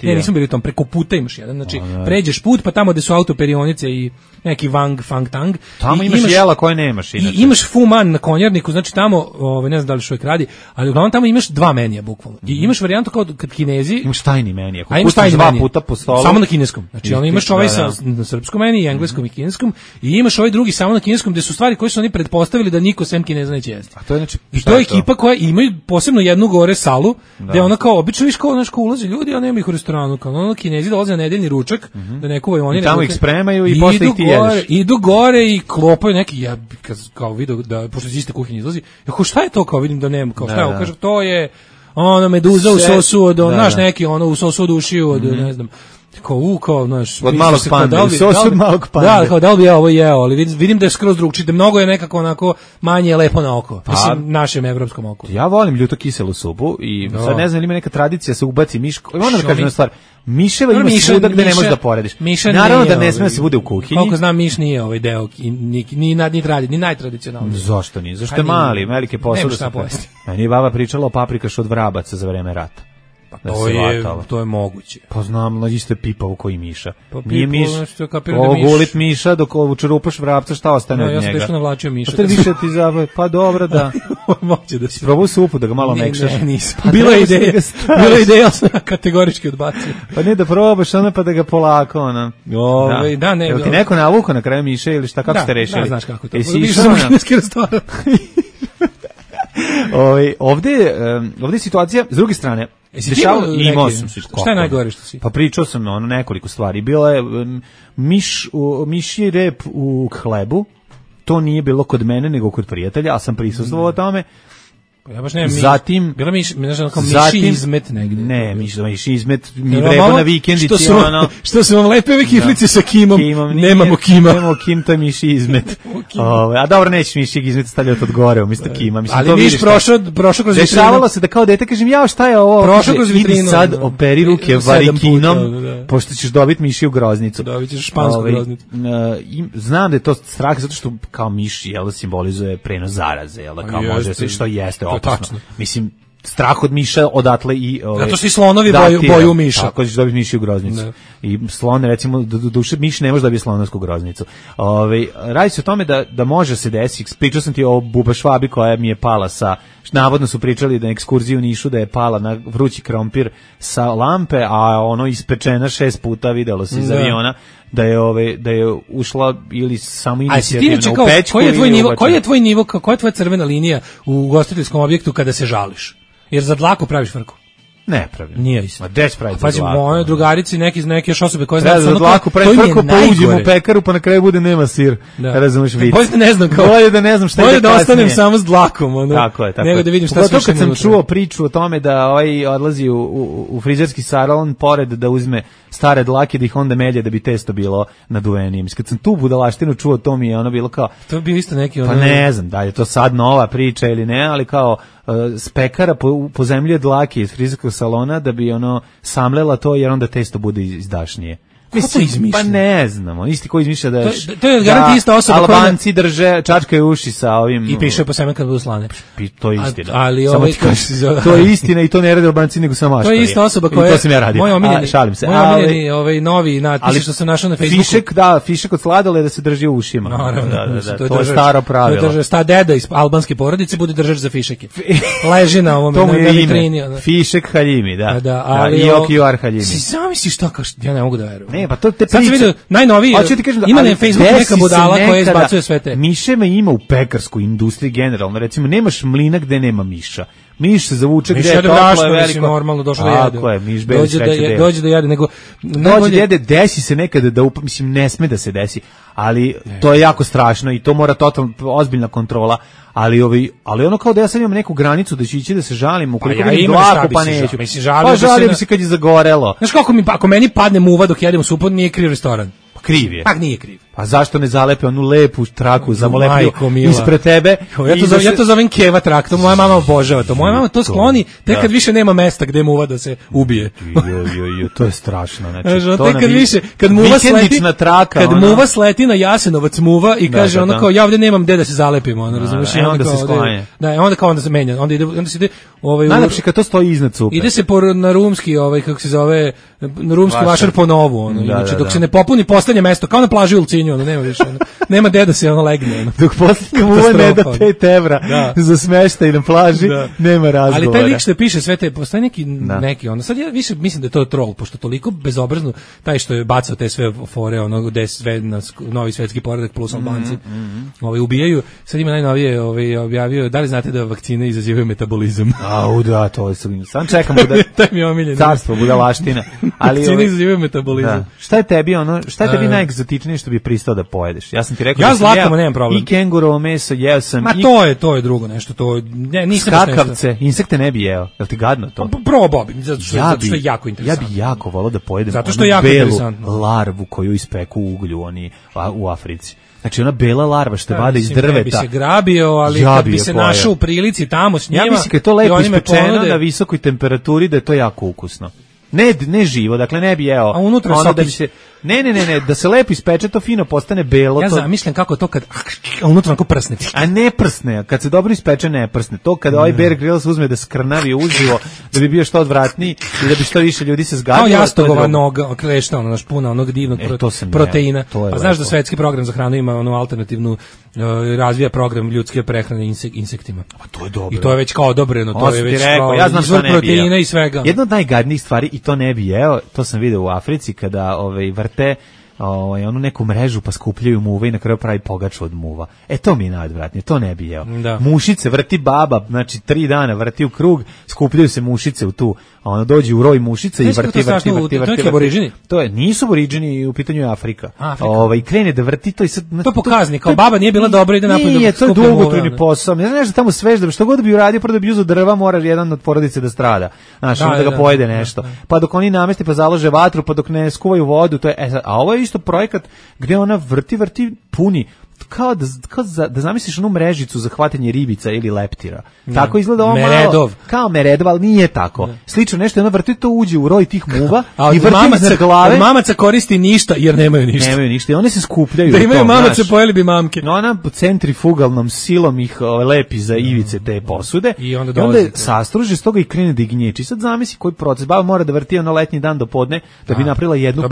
Ne, nisam bili u tom, preko puta imaš jedan, znači pređeš put, pa tamo gde su autoperionice i neki Fang Tang. Tamo imaš jela koje nemaš inače. I imaš Fu Man na konjarniku, znači tamo, ne znam da li još uvijek radi, ali uglavnom tamo imaš dva menija, bukvalno. I imaš varijantu kao kad Kinezi... Imaš tajni menija, ako pustiš dva puta po stolu. Samo na kineskom. Znači, ono imaš ovaj na srpskom meniji, engleskom i kineskom, i imaš ovaj drugi samo na kineskom, gde su stvari koje su oni pretpostavili da niko sem Kineza neće jesti. A to je znači... I to je ekipa koja imaju posebno jednu gore salu, gde ona kao, obično viš kao, znaš, ulazi ljudi, a nema ih u restoranu, kao ono Kinezi dolaze na nedeljni ručak, da ne kuvaju oni. I tamo ih spremaju i posle ih ti jedeš. Idu gore i klopaju neki, ja kao vidio da, pošto iz iste kuhinje izlazi, ja šta je to, kao vidim da nema, kao šta, kaže, to je ono meduza u sosu od, znaš, neki ono u sosu od ušiju od, ne znam, kao, znaš, od malog pande, sos od malog pande. Da, kao da li bi ja ovo jeo, ali vidim da je skroz drugčije, da mnogo je nekako onako manje lepo na oko, mislim, našem evropskom oku. Ja volim ljuto kiselu supu i sad ne znam ili ima neka tradicija se ubaci miš, onda da kažem stvar, miševa ima svuda gde ne možeš da porediš. Naravno da ne sme da se bude u kuhinji. Koliko znam, miš nije ovaj deo, ni najtradicionalniji. Zašto nije? Zašto je mali, velike posao. Meni je baba pričala o paprikašu od vrabaca za vreme rata. Pa to je moguće. Pa znam, isto je pipavo koji miša. Nije miš, gulit miša, dok učerupaš vrapca, šta ostane od njega? Ja sam teško navlačio miša. Pa više ti zabave, pa dobro da. Moće da si. Probao supu da ga malo mekšaš. Ne, nisam. Bila je ideja, sam kategorički odbacio. Pa ne da probaš ono pa da ga polako, ono. Da, ne. Jel ti neko navukao na kraju miša ili šta, kako ste rešili? Da, znaš kako to. Išao sam kineski restoran. Ovde je situacija, s druge strane, šta je najgore što si? Pa pričao sam nekoliko stvari. Bila je mišji rep u hlebu, to nije bilo kod mene nego kod prijatelja, a sam prisustvovao tome. Ja baš nemam zatim bila miši izmet negde. Ne, miši izmet mi vreba na vikendici što su vam lepe ove kiflice sa kimom. Nemamo kima. Nemamo kim, to je miši izmet. A dobro, nećeš miši izmet stavljati od gore, umjesto kima. Mislim, ali viš prošao kroz vitrinu. Dešavalo se da kao dete kažem, ja šta je ovo? Prošao kroz vitrinu. Idi sad operi ruke varikinom, pošto ćeš dobiti mišiju groznicu. Dobit ćeš špansku groznicu. Znam da je to strah, zato što kao miš simbolizuje prenos zaraze, kao može se što jeste opasno. Mislim, strah od miša odatle i... Zato što i slonovi boju miša. Tako ćeš dobiti mišiju groznicu. Ne. I slon, recimo, duše miš ne može dobiti slonovsku groznicu. Radi se o tome da može se desiti. Pričao sam ti o Buba Švabi koja mi je pala sa... Navodno su pričali da na ekskurziju u Nišu da je pala na vrući krompir sa lampe, a ono ispečena 6 puta, videlo se iz aviona, da je ušla ili samo inicijativno u pećku. Koji je tvoj nivo, koja je tvoja crvena linija u ugostiteljskom objektu kada se žališ? Jer za dlaku praviš frku. Ne pravi. Nije isto. Ma deć pravi. Pazi, moje drugarici, neke još osobe koje znaju dlaku, pre frko pa uđem u pekaru, pa na kraju bude nema sir. Razumeš vic. Bolje da ne znam kao. Bolje da ne znam šta je. Bolje da ostanem samo s dlakom, ono. Tako je. Nego da vidim šta se kad sam čuo priču o tome da odlazi u frizerski salon pored da uzme stare dlake da ih onda melje da bi testo bilo naduvenije. Kad sam tu budalaštinu čuo, to mi je ono bilo kao. To je bio isto neki ono. Pa ne znam da je to sad nova priča ili ne, ali kao spekara pozemljuje dlake iz frizerskog salona da bi ono samlela to jer onda testo bude izdašnije. Mislim, pa ne znamo, isti ko izmišlja da to je garanti ista osoba Albanci drže čačkaju uši sa ovim i piše po semen kad budu slane. To je istina. Ali to je istina i to ne rade Albanci nego samo mašta. To je ista osoba koja to sam ja radio. Moj omiljeni, šalim se. Moj omiljeni novi natpis što sam našao na Facebooku. Fišek od sladoleda se drži u ušima. Da, to je staro pravilo. To je sta deda iz albanske porodice bude držač za fišeke. Leži na ovom na vitrini. Fišek Haljimi, da. Ali Jokivar Haljimi. Zamisli šta ja ne mogu da verujem. Ne, pa to te priče. Najnoviji, ima na Facebooku neka budala koja izbacuje sve te. Miševa ima u pekarskoj industriji generalno, recimo nemaš mlina gde nema miša. Miš se zavuče gde je toplo je veliko. Normalno došlo da jede. Tako je, miš beli sreće. Dođe da jede, nego dođe da jede, desi se nekada da, mislim, ne sme da se desi, ali to je jako strašno i to mora totalno ozbiljna kontrola. Ali ono kao da ja sad imam neku granicu da ću ići da se žalim, ukoliko vidim dlaku pa neću. Pa žalim se kad je zagorelo. Znaš kako ako meni padne muva dok jedem u supot, nije kriv restoran. Kriv je. Pa nije kriv. Pa zašto ne zalepe onu lepu traku zamolepio ispred tebe? Ja to zovem keva trak, to moja mama obožava to. Moja mama to skloni tek kad više nema mesta gde muva da se ubije. To je strašno. Znači, to kad više, kad muva sleti na traka, kad muva sleti na Jasenovac muva i kaže ono kao ja ovde nemam gde da se zalepim, ono razumeš? Onda se sklanja. Da, onda se menja, onda se ide najlepše kad to stoji iznad cupe. Ide se na rumski, kako se zove, na rumski vašar po novu, ono. Znači dok se ne popuni poslednje mesto, kao na plaži u Ulcinju, ono nema više, nema gde da se ono legne. Ono. Dok poslednje muva ne da 5 evra za smeštaj na plaži, nema razgovora. Ali taj lik što piše sve te, postoji neki ono, sad ja više mislim da je to troll, pošto toliko bezobrazno, taj što je bacao te sve fore, ono, gde sve novi svetski poredak plus Albanci ubijaju, sad ima najnovije objavio, da li znate da vakcine izazivaju metabolizam? Da, to je sam čekamo da taj mi je omiljeni. Carstvo budalaština. Vakcine izazivaju metabolizam. Šta je tebi najegzotičnije što bi pristao da pojedeš? Ja sam ti rekao ja zlatkama nemam problem. I kengurovo meso jeo sam. Ma to je drugo nešto, to nisam skakavce, insekte ne bi jeo. Jel ti gadno to? Probao bi, zato što je jako interesantno. Ja bi jako volao da pojedem. Zato što je jako interesantno. Larvu koju ispeku u uglju oni u Africi. Znači ona bela larva što vade iz drveta. Ne bi se grabio, ali kad bi se našao u prilici tamo s njima. Ja mislim kad to lepo ispečeno na visokoj temperaturi da je to jako ukusno. Ne živo, dakle ne bi jeo. A unutra sokić. Ne, da se lepo ispeče, to fino postane belo. Ja zamišljam kako to kad unutra onako prsne. A ne prsne, kad se dobro ispeče ne prsne. To kada ovaj Bear Grylls uzme da skrnavi uživo, da bi bio što odvratniji i da bi što više ljudi se zgadilo. Kao jastogova noga, klešta, ono naš puna onog divnog proteina. A znaš da svetski program za hranu ima onu alternativnu, razvija program ljudske prehrane insektima. A to je dobro. I to je već kao odobreno, to je već ja znam šta ne bi proteina i svega. Jedna od najgadnijih stvari, i to ne bi jeo, to sam video u Africi kada vrte onu neku mrežu pa skupljaju muve i na kraju pravi pogaču od muva. To mi je najodvratnije, to ne bi jeo. Mušice vrti baba, znači 3 dana vrti u krug, skupljaju se mušice u tu, dođe u roj mušica i vrti. To je nisu aboriđini, u pitanju je Afrika. I krene da vrti to i sad to pokazni kao baba nije bila dobra ide napolje. Nije, to je dugotrajni posao. Ne znaš da tamo svežda, što god bi uradio, prvo da bi uzeo drva, mora jedan od porodice da strada. Znaš, da ga pojede nešto. Pa dok oni namesti pa založe vatru, pa dok ne skuvaju vodu, to je a ovo je isto projekat gdje ona vrti puni kao da zamisliš onu mrežicu za hvatanje ribica ili leptira. Tako izgleda ovo malo. Kao meredov, ali nije tako. Slično nešto, ona vrti to uđe u roj tih muva i vrti na glave. Mamaca koristi ništa jer nemaju ništa. Nemaju ništa i one se skupljaju. Da imaju mamaca, pojeli bi mamke. No ona centrifugalnom silom ih lepi za ivice te posude i onda sastruže s toga i krene da gnječi. Sad zamisli koji proces. Baba mora da vrti ono letnji dan do podne da bi napravila jednu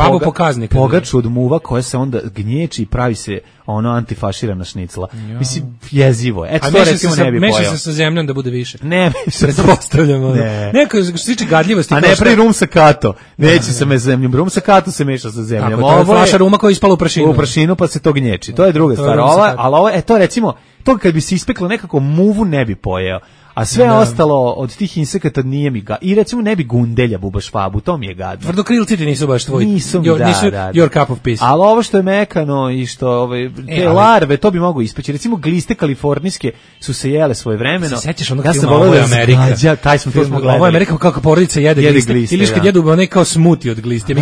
pogaču od muva koja se onda gnječi i pravi se ono antifaširana šnicla. Mislim, jezivo. To recimo ne bi pojao. Meša se sa zemljom da bude više. Ne, pretpostavljamo. Neko što se tiče gadljivosti. A ne pravi rum sa kato. Neće se me zemljom. Rum sa kato se meša sa zemljom. Ovo je flaša ruma koja je ispala u prašinu. U prašinu pa se to gnječi. To je druga stvar. Ali to recimo, to kad bi se ispeklo nekako muvu ne bi pojeo. A sve ostalo od tih insekata nije mi i recimo ne bi gundelja bubaš fabu, to mi je gadno. Tvrdokrilci ti nisu baš tvoji. Nisu your cup of peace. Ali ovo što je mekano i što te larve, to bi mogu ispeći. Recimo gliste kalifornijske su se jele svoje vremeno. Se sećaš onog filma Ovo je Amerika? Taj smo film gledali. Ovo je Amerika kako porodica jede gliste. Ili kad jedu onaj kao smuti od gliste.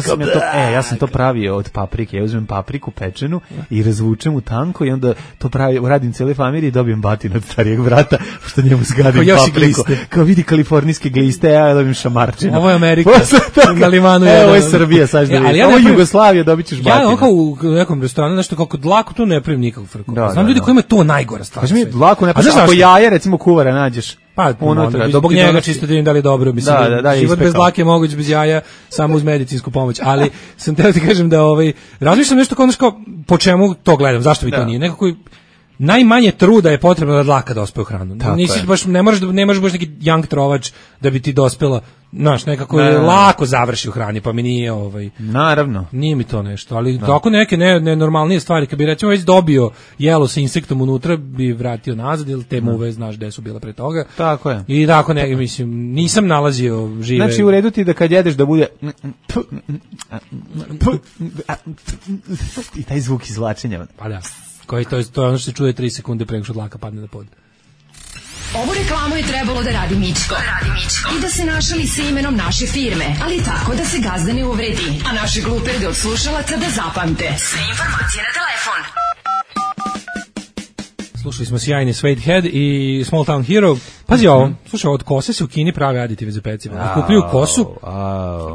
Ja sam to pravio od paprike. Ja uzmem papriku pečenu i razvučem u tanko i onda to radim cele familije i dobijem batinu od starijeg brata što njemu zgadim papriku. Kao vidi kalifornijske gliste, ja dobijem šamarčinu. Ovo je Amerika. Na limanu ovo je Srbija, sad da vidim. Ovo je Jugoslavija, dobit ćeš batinu. Ja kao u nekom restoranu, nešto kako dlako tu ne pravim nikakvu frku. Znam ljudi kojima je to najgora stvar. Kaži mi, dlako ne pravim. Ako jaje, recimo kuvara nađeš. Pa unutra, zbog njega čisto da im da li dobro, mislim, život bez dlake je moguć bez jaja, samo uz medicinsku pomoć, ali sam teo ti kažem da razmišljam nešto kao po čemu to gledam, zašto bi to nije, nekako najmanje truda je potrebno da dlaka dospe u hranu. Nisi baš, ne možeš baš neki jank trovač da bi ti dospela, znaš, nekako lako završi u hrani, pa mi nije naravno. Nije mi to nešto, ali tako neke nenormalnije stvari, kad bi recimo već dobio jelo sa insektom unutra, bi vratio nazad, ili te muve, znaš gde su bile pre toga. Tako je. I tako mislim, nisam nalazio žive. Znači u redu ti da kad jedeš da bude i taj zvuk izvlačenja. Pa da. To je ono što se čuje 3 sekunde pre nego što dlaka padne na pod. Ovu reklamu je trebalo da radi Mičko. I da se našali sa imenom naše firme, ali tako da se gazda ne uvredi, a naše gluperde od slušalaca da zapamte. Sve informacije na telefon. Slušali smo sjajni Suede Head i Small Town Hero. Pazi ovo, slušaj, od kose se u Kini prave aditive za pecivo. Kupuju kosu,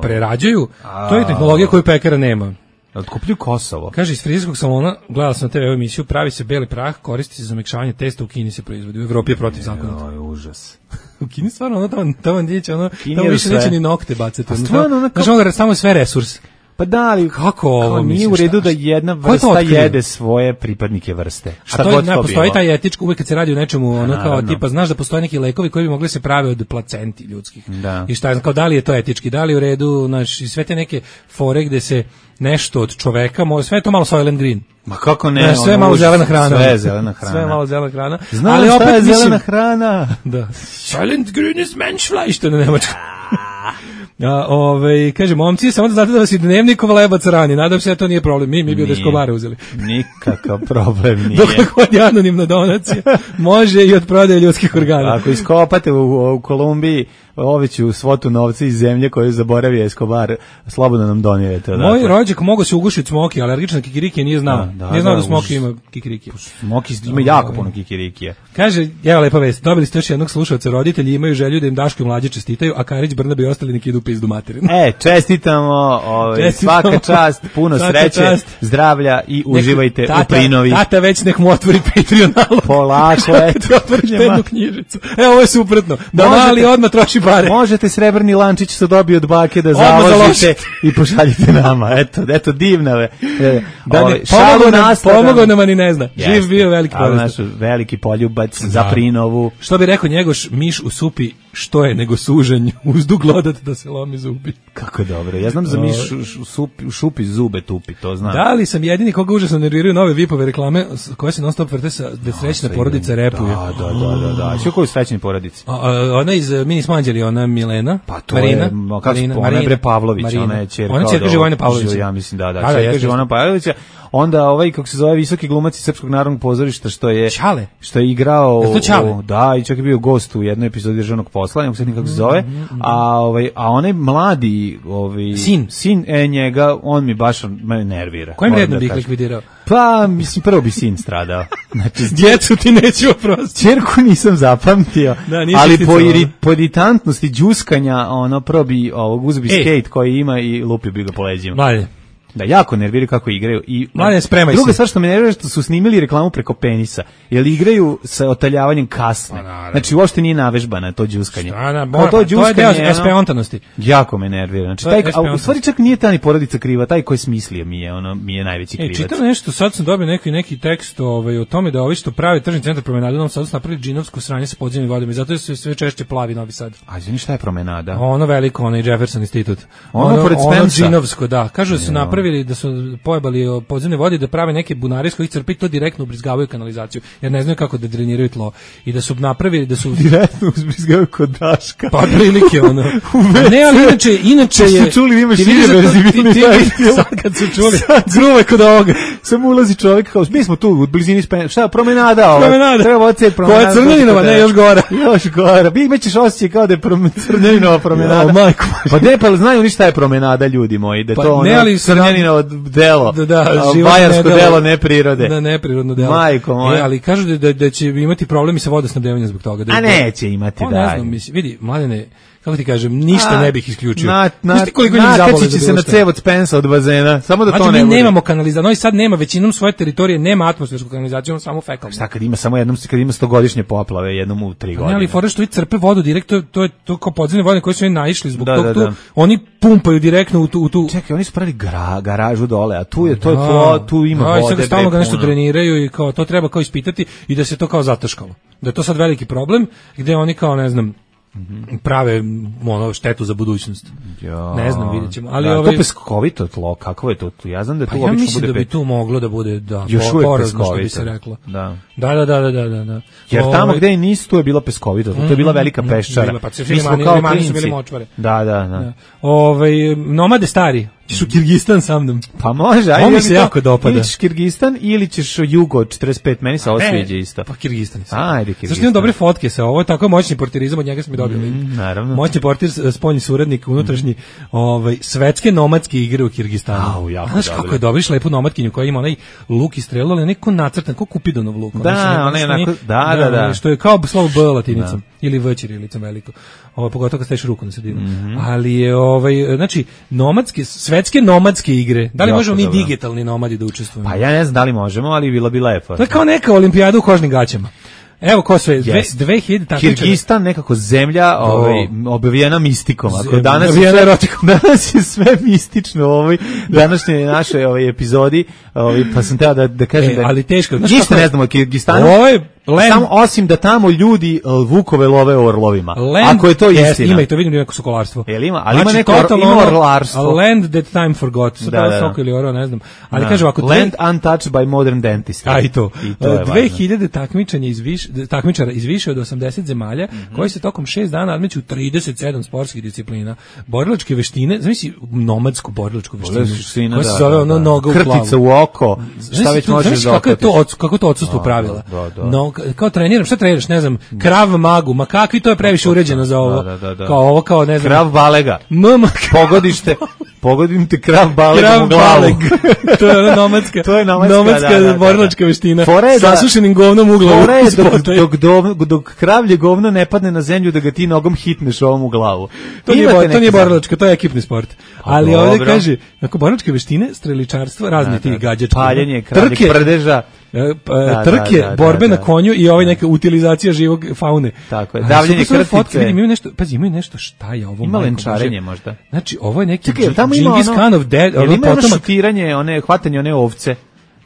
prerađuju, to je tehnologija koju pekara nema. Otkupljuju Kosovo. Kaže, iz frizerskog salona, gledala sam na TV emisiju, pravi se beli prah, koristi se za mekšavanje testa, u Kini se proizvodi, u Evropi je protiv zakona. Oj, užas. U Kini stvarno, tamo više neće ni nokte bacati. Znači, samo sve resurs. Pa da, ali kako ovo nije u redu da jedna vrsta jede svoje pripadnike vrste. Šta god to postoji bilo. Taj etički, uvek kad se radi o nečemu, kao tipa, znaš da postoje neki lekovi koji bi mogli se prave od placenti ljudskih. Da. I šta, kao da li je to etički, da li je u redu, znači sve te neke fore gde se nešto od čoveka, sve je to malo Soylent Green. Ma kako ne? Sve malo zelena hrana. Sve zelena hrana. Sve malo zelena hrana. Znam ali opet je zelena hrana. Da. Soylent Green is Menschfleisch, što je na nemačkom. Kaže, momci, samo da znate da vas i dnevnikov lebac rani, nadam se da to nije problem, mi bi od Escobara uzeli. Nikakav problem nije. Dokle god je anonimna donacija, može i od prodaje ljudskih organa. Ako iskopate u Kolumbiji oveću svotu novca iz zemlje koju zaboravio Escobar, slobodno nam donirete. Moj rođak mogao se ugušiti smoki, alergičan na kikiriki nije znao. Nije znao da smoki ima kikiriki. Smoki ima jako puno kikirikija. Kaže, evo lepa vest, dobili ste još jednog slušalca, roditelji imaju želju da im Daško i mlađe čestitaju, a Karić, Brnabe i ostali neki idu pizdu materinu. Čestitamo, svaka čast, puno sreće, zdravlja i uživajte u prinovi. Tata već nek mu otvori Patreon nalog. Polako, eto. Otvoriš jednu knjižicu. Evo, ovo je suprotno. Da mali odmah troši pare. Možete srebrni lančić što dobije od bake da založite i pošaljite nama. Eto divna. Pomogao nam, ani ne zna. Živ bio veliki naš veliki poljubac za prinovu. Što bi rekao Njegoš, miš u supi što je nego sužanj, uzdu glodat da se lomi zubi. Kako dobro. Ja znam za miš u šupi zube tupi, to znam. Da li sam jedini koga užasno nerviraju nove Vipove reklame koje se non stop vrte sa da srećna porodica repuje. Da. Sve koju srećni porodici? Ona iz Mini Smanđeli, ona Milena, pa to Marina, ona je bre Pavlović, ona je ćerka. Ona je ćerka Živojina Pavlovića. Ja mislim da, ćerka Živojina Pavlovića. Onda kako se zove visoki glumac iz Srpskog narodnog pozorišta što je igrao, da, i čak je bio gost u jednoj epizodi Državnog posla, ne znam kako se zove, a onaj mladi sin njega, on mi baš nervira. Kojim rednom bih likvidirao? Pa, mislim, prvo bi sin stradao. Znači, djecu ti neću oprostiti. Ćerku nisam zapamtio, ali po iritantnosti džuskanja, prvo bi uzeo bi skate koji ima i lupio bi ga po leđima. Valje. Da, jako nerviraju kako igraju. I druga stvar što me nervira što su snimili reklamu preko penisa, jer igraju sa otaljavanjem kasne. Znači, uopšte nije navežbana to džuskanje. To je deo espeontanosti. Jako me nervira. Znači, u stvari čak nije ta ni porodica kriva, taj koji smislio mi je najveći krivac. Čitam nešto, sad sam dobio neki tekst o tome da ovi što pravi tržni centar Promenade u Novom Sadu su napravili džinovsko sranje sa podzemnim vodama i zato se sve češće plavi Novi Sad. A izvini, šta je Promenada? Ono veliko, ono i Jefferson Institut. Ono pored Spensa. Ono džinovsko, da. Kažu da su napravili napravili, da su pojebali podzemne vode, da prave neke bunare s kojih crpe i to direktno ubrizgavaju kanalizaciju, jer ne znaju kako da dreniraju tlo. I da su napravili, da su direktno ubrizgavaju kod Daška. Pa prilike, ono. Ne, ali inače je... Čuli, ima šire verzibilni sad kad su čuli, gruve kod ovoga. Samo ulazi čovjek kao, mi smo tu u blizini šta, promenada. Treba odsjeti promenada. Koja Crnjaninova, ne, još gora. Još gora. Bi imaćeš osjećaj kao da je Crnjaninova promenada. Majko. Pa ne, pa znaju ni šta je promenada, ljudi moji, da je to ono Crnjaninovo delo. Bajarsko delo, ne prirode. Da, neprirodno delo. Majko moja. Ali kažu da će imati problemi sa vodosnabdevanjem zbog toga. A neće imati, da. Ne znam, vidi, Mladene, kako ti kažem, ništa ne bih isključio. Nakači će se na cev od Spensa od bazena, samo da to ne bude. Mi nemamo kanalizaciju, Novi Sad nema većinom svoje teritorije, nema atmosfersku kanalizaciju, samo fekalnu. Šta kad ima samo jednom, kad ima 100-godišnje poplave, jednom u 3 godine. Ali fora što i crpe vodu direkt, to je kao podzemne vode koje su oni naišli zbog toga tu, oni pumpaju direktno u tu. Čekaj, oni su pravili garažu dole, a tu je tu ima vode. I sad stalno ga nešto dreniraju i kao to treba kao ispitati i da se to kao zataškalo. Da je to sad veliki problem, gde oni kao ne znam prave štetu za budućnost. Ne znam, vidjet ćemo. Ali to peskovito tlo, kako je to? Ja znam da tu obično mislim da bi tu moglo da bude još uvijek porazno, što bi se reklo. Da. Jer tamo gde i nisu, tu je bila peskovito. To je bila velika peščara. Mi smo kao klinci. Da. Nomade stari. Ćeš u Kirgistan sa mnom? Pa može, ajde. Ovo mi se jako dopada. Ili ćeš Kirgistan ili ćeš Jugo 45, meni se ovo sviđa isto. Pa Kirgistan. Ajde, Kirgistan. Zašto imam dobre fotke sa ovo, tako moćni portirizam, od njega smo i dobili. Naravno. Moćni portir, spoljni suradnik, unutrašnji, svetske nomadske igre u Kirgistanu. Znaš kako je dobriš lepu nomadkinju koja ima onaj luk i strelu, ali neko nacrtan, kao Kupidonov luk. Da, ona je onako, da. Što je kao slovo B latinicom, ili V ćirilicom veliko. Pogotovo kad staviš ruku na sredinu. Ali je, znači, svetske nomadske igre. Da li možemo mi digitalni nomadi da učestvujemo? Pa ja ne znam da li možemo, ali bilo bi lepo. To je kao neka olimpijada u kožnim gaćama. Evo ko sve, 2000 takmičara. Kirgistan nekako zemlja obavijena mistikom. Ako danas je sve mistično u ovoj današnjoj našoj epizodi, pa sam teo da kažem da ali teško. Ništa ne znamo o Kirgistanu. Samo osim da tamo ljudi vukove love orlovima. Ako je to istina. Ima i to vidim neko sokolarstvo. Ali ima neko orlarstvo. Land that time forgot. Da soko ili oro, ne znam. Ali kažem ako Land untouched by modern dentistry. A i to. 2000 takmičara iz više od 80 zemalja koji se tokom 6 dana nadmeću 37 sportskih disciplina. Borilačke veštine, znači nomadsku borilačku veštinu. Koja se zove ono noga u glavu. Krtica u oko. Šta već možeš da okatiš. Kako to odsustvo pravila. Kao treniram, šta treniraš, ne znam, Krav Magu, ma kakvi, to je previše uređeno za ovo. Kao ovo, kao ne znam. Krav Balega. Pogodim te Krav Balegom u glavu. To je nomadska borilačka veština. Sasušenim govnom u glavu. Dok kravlje govno ne padne na zemlju da ga ti nogom hitneš ovom u glavu. To nije borilačka, to je ekipni sport. Ali ovdje kaže, nakon borilačke veštine, streličarstvo, razne tih gađačke. Paljenje kravljeg prdeža. Trke, borbe na konju i neka utilizacija živog faune. Tako je, davljenje krtice. Imaju nešto, šta je ovo? Ima lenčarenje možda. Znači, ovo je neki Džingis Khanov dead. Ili ima ono šutiranje, hvatanje one ovce?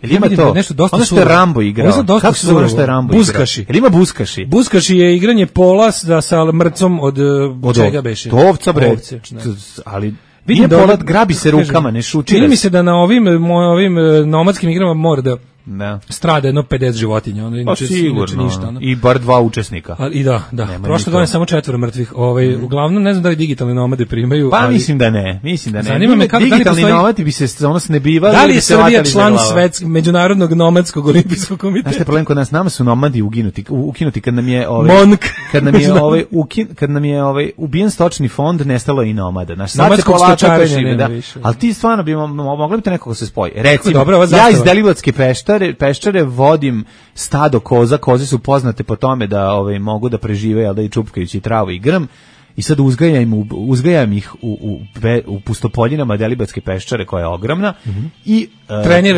Ili ima to? Ono što je Rambo igrao. Kako se zove što je Rambo igrao? Buskaši. Ili ima buskaši? Buskaši je igranje pola sa mrcom od čega beše? To ovca, bre. Ali nije pola, grabi se rukama, ne šutira. Čini mi se da na ovim nomadskim igrama mora da strada jedno 50 životinja, inače ništa. I bar 2 učesnika. I da. Prošle godine samo 4 mrtvih. Uglavnom ne znam da li digitalni nomade primaju. Pa mislim da ne. Zanima me kako digitalni nomadi bi se ono snebivali. Da li je Srbija član međunarodnog nomadskog olimpijskog komiteta? Znaš, problem kod nas, nama su nomadi ukinuti kad nam je kad nam je ubijen stočni fond, nestalo i nomada. Naš nomadskog stočarenja. Ali ti stvarno bi mogli bi to nekako se spoji. Recimo, ja iz Deliblatske Peščare vodim stado koza, koze su poznate po tome da mogu da prežive, da i čupkajući travu i grm, i sad uzgajam ih u pustopoljinama Delibatske Peščare koja je ogromna i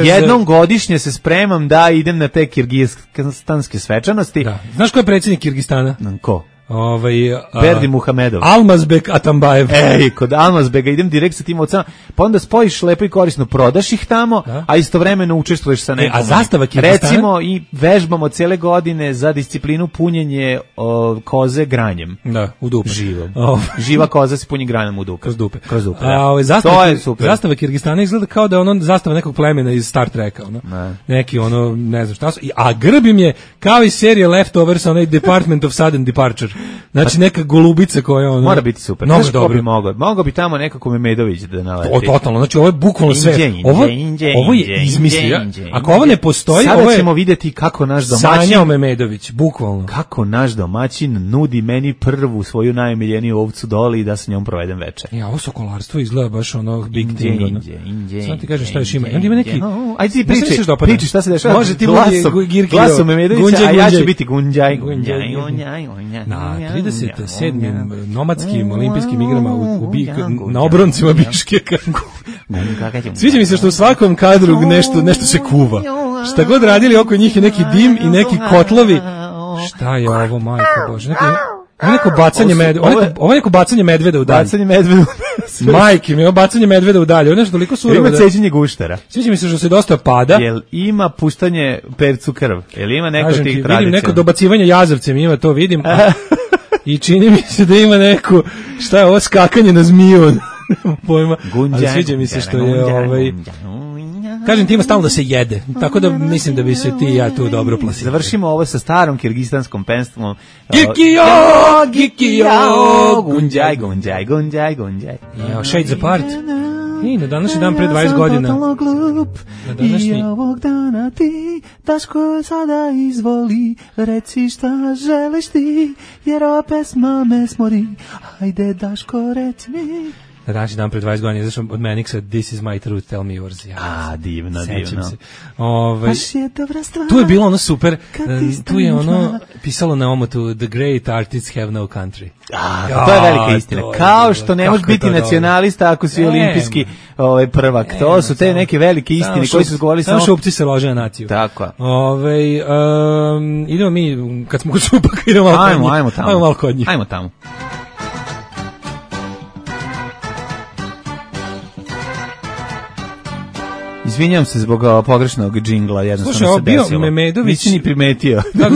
jednom godišnje se spremam da idem na te kirgistanske svečanosti. Da. Znaš ko je predsjednik Kirgistana? Ko? Berdi Muhamedov. Almazbek Atambajev. Ej, kod Almazbega idem direkt sa tim ovcama, pa onda spojiš lepo i korisno, prodaš ih tamo, a istovremeno učestvuješ sa nekom. A zastava Kirgistana? Recimo i vežbamo cele godine za disciplinu punjenje koze granjem. Da, u dupe. Živom. Živa koza se punji granjem u dupe. Kroz dupe. Da. To je super. Zastava Kirgistana izgleda kao da je ono zastava nekog plemena iz Star Treka. Neki ono, ne znam šta su. A grb im je kao iz serije Leftovers, onaj Department of Sudden Departure. Znači neka golubica koja ono... Mora biti super. Mnogo dobro. Mogao bi tamo nekako Memedović da naleti. O, totalno. Znači ovo je bukvalno sve. Ovo je izmislio. Ako ovo ne postoji, sada ovo je... ćemo vidjeti kako naš domaćin... Sanjao Memedović, bukvalno. Kako naš domaćin nudi meni prvu svoju najomiljeniju ovcu doli i da sa njom provedem večer. Ja, ovo sokolarstvo izgleda baš ono big thing. Samo ti kažem šta još ima. I onda ima neki... Ajde ti priči šta se dešava. Može ti glasom Memedovića, a ja ću biti Gunđaj. Na 37. nomadskim olimpijskim igrama na obroncima Biškeka. Sviđa mi se što u svakom kadru nešto se kuva. Šta god radili oko njih je neki dim i neki kotlovi. Šta je ovo, majko Bože? Ovo je neko bacanje medveda. Ovo je neko bacanje medveda u dalje. Bacanje medveda. Majke mi, ovo bacanje medveda u dalje. Ovo je nešto toliko surovo. Ima ceđenje guštera. Sviđa mi se što se dosta pada. Jel ima puštanje percu krv? Jel ima neko tih tradicija? Vidim neko dobacivanje jazavcem, ima to vidim. I čini mi se da ima neko, šta je ovo, skakanje na zmiju. Pojma. Ali sviđa mi se što je kažem ti ima stalno da se jede, tako da mislim da bi se ti i ja tu dobro plasili. Završimo ovo sa starom kirgistanskom penstvom. Gikijo, Gunđaj, Gunđaj, Gunđaj, Gunđaj. Shades Apart. I na današnji dan pre 20 godina. Na današnji... I ovog dana ti, Daško sada izvoli, reci šta želiš ti, jer ova pesma me smori. Ajde Daško, reci mi. Na današnji dan pre 20 godina izašao od Manixa This is my truth, tell me yours. Ja, divno. Se. Tu je bilo ono super, tu je ono pisalo na omotu The great artists have no country. To je velika istina. Kao što ne možeš biti nacionalista ako si olimpijski prvak. To su te neke velike istine koji su govorili samo šupci se lože na naciju. Tako. Idemo mi, kad smo kod šupaka, idemo malo kod njih. Ajmo tamo. Izvinjam se zbog pogrešnog džingla, jednostavno se desilo. Slušaj, bio Memedović... Nisi ni primetio. Da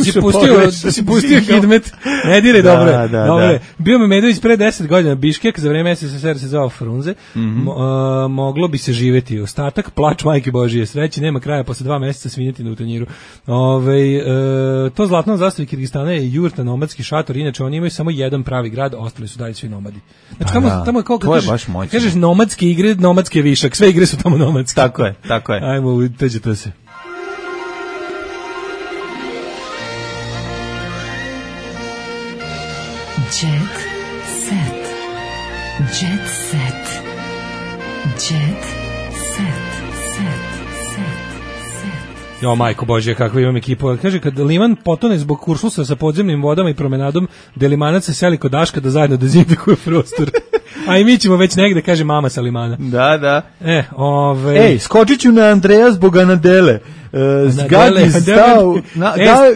si pustio Hidmet. Ne dire, dobro. Bio Memedović pre 10 godina Biškek, za vreme SSSR se zvao Frunze. Moglo bi se živeti. Ostatak, plač majke Božije, sreći, nema kraja, posle 2 meseca svinjeti u tanjiru. To zlatno zastavi Kirgistana je jurta, nomadski šator, inače oni imaju samo jedan pravi grad, ostali su dalje svi nomadi. Znači, tamo kao kažeš nomadske igre, nomadske višak, sve igre su tamo nomadske. Tako je. Tako je. Ajmo, teđete se. Jet set. Jet set. Jet set. Jo, majko Božje, kakva imam ekipu. Kaže, kad liman potone zbog kuršlusa sa podzemnim vodama i promenadom, delimanac se seli kod Daška da zajedno dezinfikuje prostor. A i mi ćemo već negde, kaže mama sa limana. Da. Ej, skočit ću na Andreja zbog Anadele.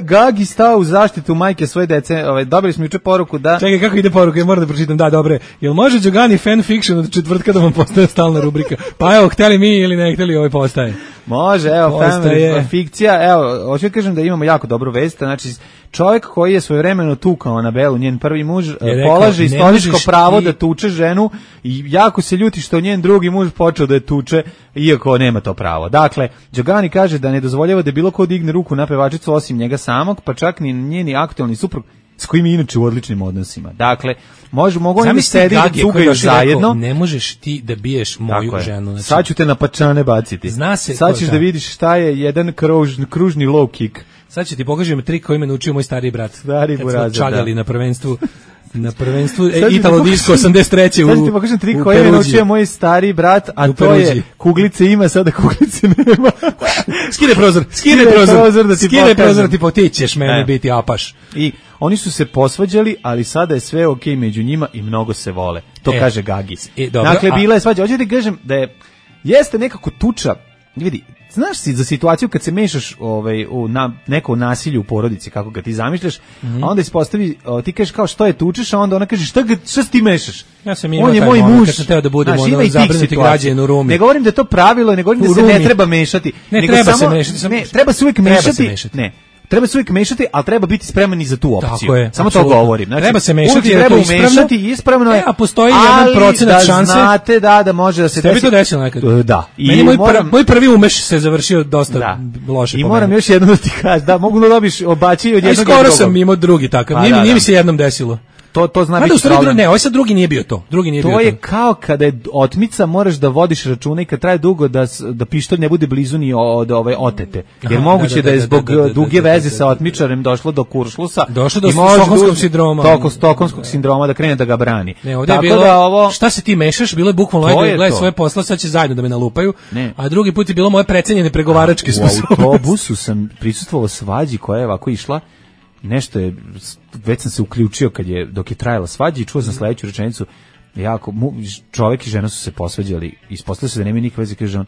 Gagi stao u zaštitu majke svoje dece. Dobili smo juče poruku da... Čekaj, kako ide poruka? Ja moram da pročitam. Da, dobre. Jel može Đogani fanfiction od četvrtka da vam postaje stalna rubrika? Pa evo, hteli mi ili ne hteli, postaje. Može, evo, fikcija. Evo, hoću kažem da imamo jako dobru vest. Znači, čovjek koji je svojevremeno tukao Anabelu, njen prvi muž, polaže istorijsko pravo da tuče ženu i jako se ljuti što njen drugi muž počeo da je tuče, iako nema to pravo. Dakle, Đogani kaže da ne dozvoljava da bilo ko digne ruku na pevačicu osim njega samog, pa čak ni njeni aktualni suprug s kojim je inače u odličnim odnosima. Dakle, mogu oni sedi da cugaju zajedno. Ne možeš ti da biješ moju ženu. Znači, sad ću te na pačane baciti. Sad ćeš da vidiš šta je jedan kružni low kick. Sad ću ti pokažem trik koji me naučio moj stariji brat. Stari burazer, kad smo čagali na prvenstvu. Na prvenstvu Italo Disco 83. Sad ti pokažem trik koji me naučio moj stari brat, a to je kuglice ima, sada kuglice nema. Skine prozor da ti potičeš meni biti apaš. I oni su se posvađali, ali sada je sve okej među njima i mnogo se vole. To kaže Gagis. Dakle, bila je svađa. Hoćete da kažem da jeste nekako tuča vidi, znaš si za situaciju kad se mešaš u neko nasilje u porodici, kako ga ti zamišljaš, a onda ispostavi, ti kažeš kao što je tučeš, a onda ona kaže šta si ti mešaš? Ja sam imao taj moment kad sam teo da budem zabrinuti građanin u Rumi. Ne govorim da je to pravilo, ne govorim da se ne treba mešati. Ne, treba se mešati. Treba se uvijek mešati. Ne. Treba se uvijek mešati, ali treba biti spreman i za tu opciju. Tako je, samo to govorim. Znači, treba se mešati, treba umešati, ispravno je. A postoji jedan procenat šanse. Znate da može da se desi. Tebi to desilo nekad? Da. Meni moj prvi umeš se završio dosta loše. I moram još jednom da ti kažem, da mogu da dobiš obačaj od jednog. Skoro sam imao drugi takav. Nije mi se jednom desilo. To zna biti problem. Ne, ovaj sad drugi nije bio to. To je kao kada je otmica, moraš da vodiš računa i kad traje dugo da pištolj ne bude blizu ni od ove otete. Jer moguće da je zbog duge veze sa otmičarem došlo do kuršlusa. Došlo do stokholmskog sindroma. Stokholmskog sindroma da krene da ga brani. Ne, ovdje je bilo, šta se ti mešaš, bilo je bukvalno gledaj svoje posla, sad će zajedno da me nalupaju. A drugi put je bilo moje precenjene pregovaračke sposobnosti. U autobusu sam prisustvovao svađi koja je ovako išla. Nešto je, već sam se uključio dok je trajala svađa i čuo sam sledeću rečenicu, čovjek i žena su se posvađali, ispostavilo se da nema nikakve veze, kaže on,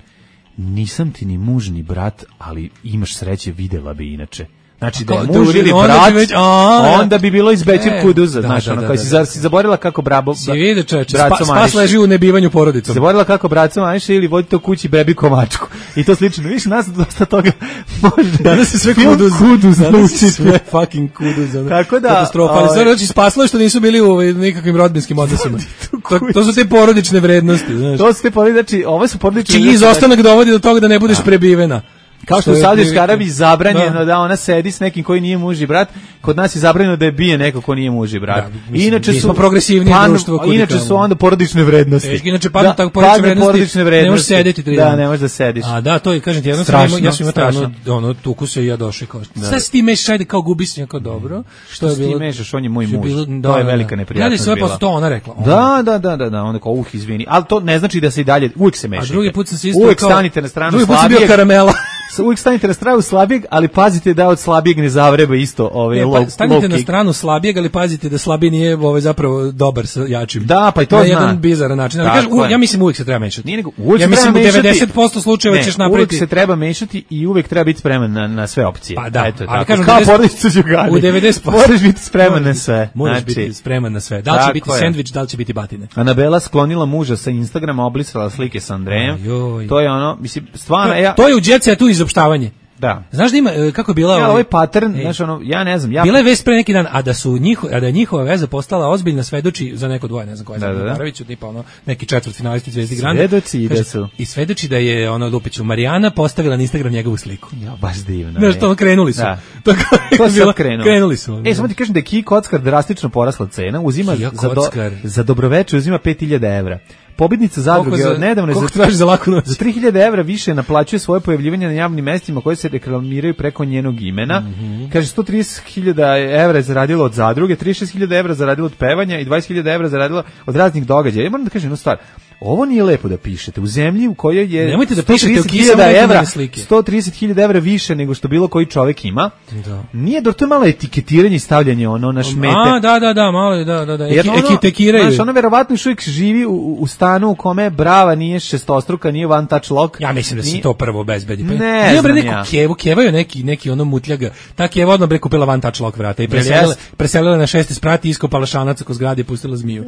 nisam ti ni muž ni brat, ali imaš sreće, videla bi inače. Znači da je muž ili brat, onda bi bilo iz Bećir Kuduza, znaš, ono, kao si zaborila kako braco spas leži u nebivanju porodicom. Zaborila kako braco maniše ili vodite u kući bebi komačku. I to slično, viš, nas dosta toga može. Danas je sve Kuduz, danas je sve fucking Kuduz. Tako da, katastrofa, ali sve znači spaslo je što nisu bili u nekakvim rodbinskim odnosima. To su te porodične vrednosti, znaš. To su te porodične, znači, ove su porodične vrednosti. Čiji izostanak dovodi do toga da ne budeš prebivena. Kao što u Saudijskoj Arabiji zabranjeno da ona sedi s nekim koji nije muž i brat, kod nas je zabranjeno da je bije neko ko nije muž i brat. Inače su progresivnije društvo. Inače su onda porodične vrednosti. Inače padnu tako porodične vrednosti. Ne možeš sedeti 3 dana. Da, ne možeš da sediš. A da, to je, kažem ti, ja sam imao taj tukuse i ja došao kao. Šta si ti mešaš, ajde kao gubi se jako dobro. Što ti mešaš, on je moj muž. To je velika neprijatnost bila. Gledaj sve posle to ona rekla. Da, onda kao izvini. Ali to ne znači da se i dalje uvijek se mešate. A drugi put sam se isto uvijek stanite na stranu slabijeg. Uvijek stanite na stranu slabijeg, ali pazite da od slabijeg ne zavreba isto stanite na stranu slabijeg, ali pazite da slabiji nije zapravo dobar sa jačim. Da, pa i to zna. Na jedan bizaran način. Ja mislim uvijek se treba mešati. Ja mislim u 90% slučajeva ćeš napraviti. Uvijek se treba mešati i uvijek treba biti spreman na sve opcije. Pa da, ali kažem kao porodica Đugani. U 90% moraš biti spreman na sve. Moraš biti spreman na sve. Da li će biti sendvič, da li će biti batine. Anabela sklonila muža sa Instagrama, obrisala slike sa Andrejem. To je ono, mislim, stvarno to je u Jet Setu izopštavanje. Da. Znaš da ima kako je bila ovaj pattern, znaš ono, ja ne znam, bila je vest pre neki dan, a da je njihova veza postala ozbiljna, svedoči za neko dvoje, ne znam koja je Zaravić, tipa ono neki četvrtfinalisti Zvezdi Granda. Svedoči da su. I svedoči da je ono Lupiću Marijana postavila na Instagram njegovu sliku. Ja, baš divno. Znaš, to krenuli su. To krenuli su. Samo ti kažem da je Kiji Kockar drastično porasla cena, uzima za dobroveče uzima 5.000 evra. Pobednica zadruge nedavno za 3.000 evra više naplaćuje svoje pojavljivanje na javnim mestima koje se reklamiraju preko njenog imena. Kaže 130.000 evra je zaradila od zadruge, 36.000 evra zaradila od pevanja i 20.000 evra zaradila od raznih događaja. Ja moram da kažem jednu stvar. Ovo nije lepo da pišete. U zemlji u kojoj je 130.000 evra više nego što bilo koji čovjek ima. Da. Nije to je malo etiketiranje i stavljanje ono na šmete. Da, malo da. Ekitekiraju. Znaš, ono verovatno još uvijek živi u stanu u kome brava nije šestostruka, nije one touch lock. Ja mislim da se to prvo obezbedi. Ne znam ja. Keva je neki ono mutljaga. Ta Keva odmah bre kupila one touch lock vrata i preselila na 6. sprat i iskopala šanac oko zgrade i pustila zmiju.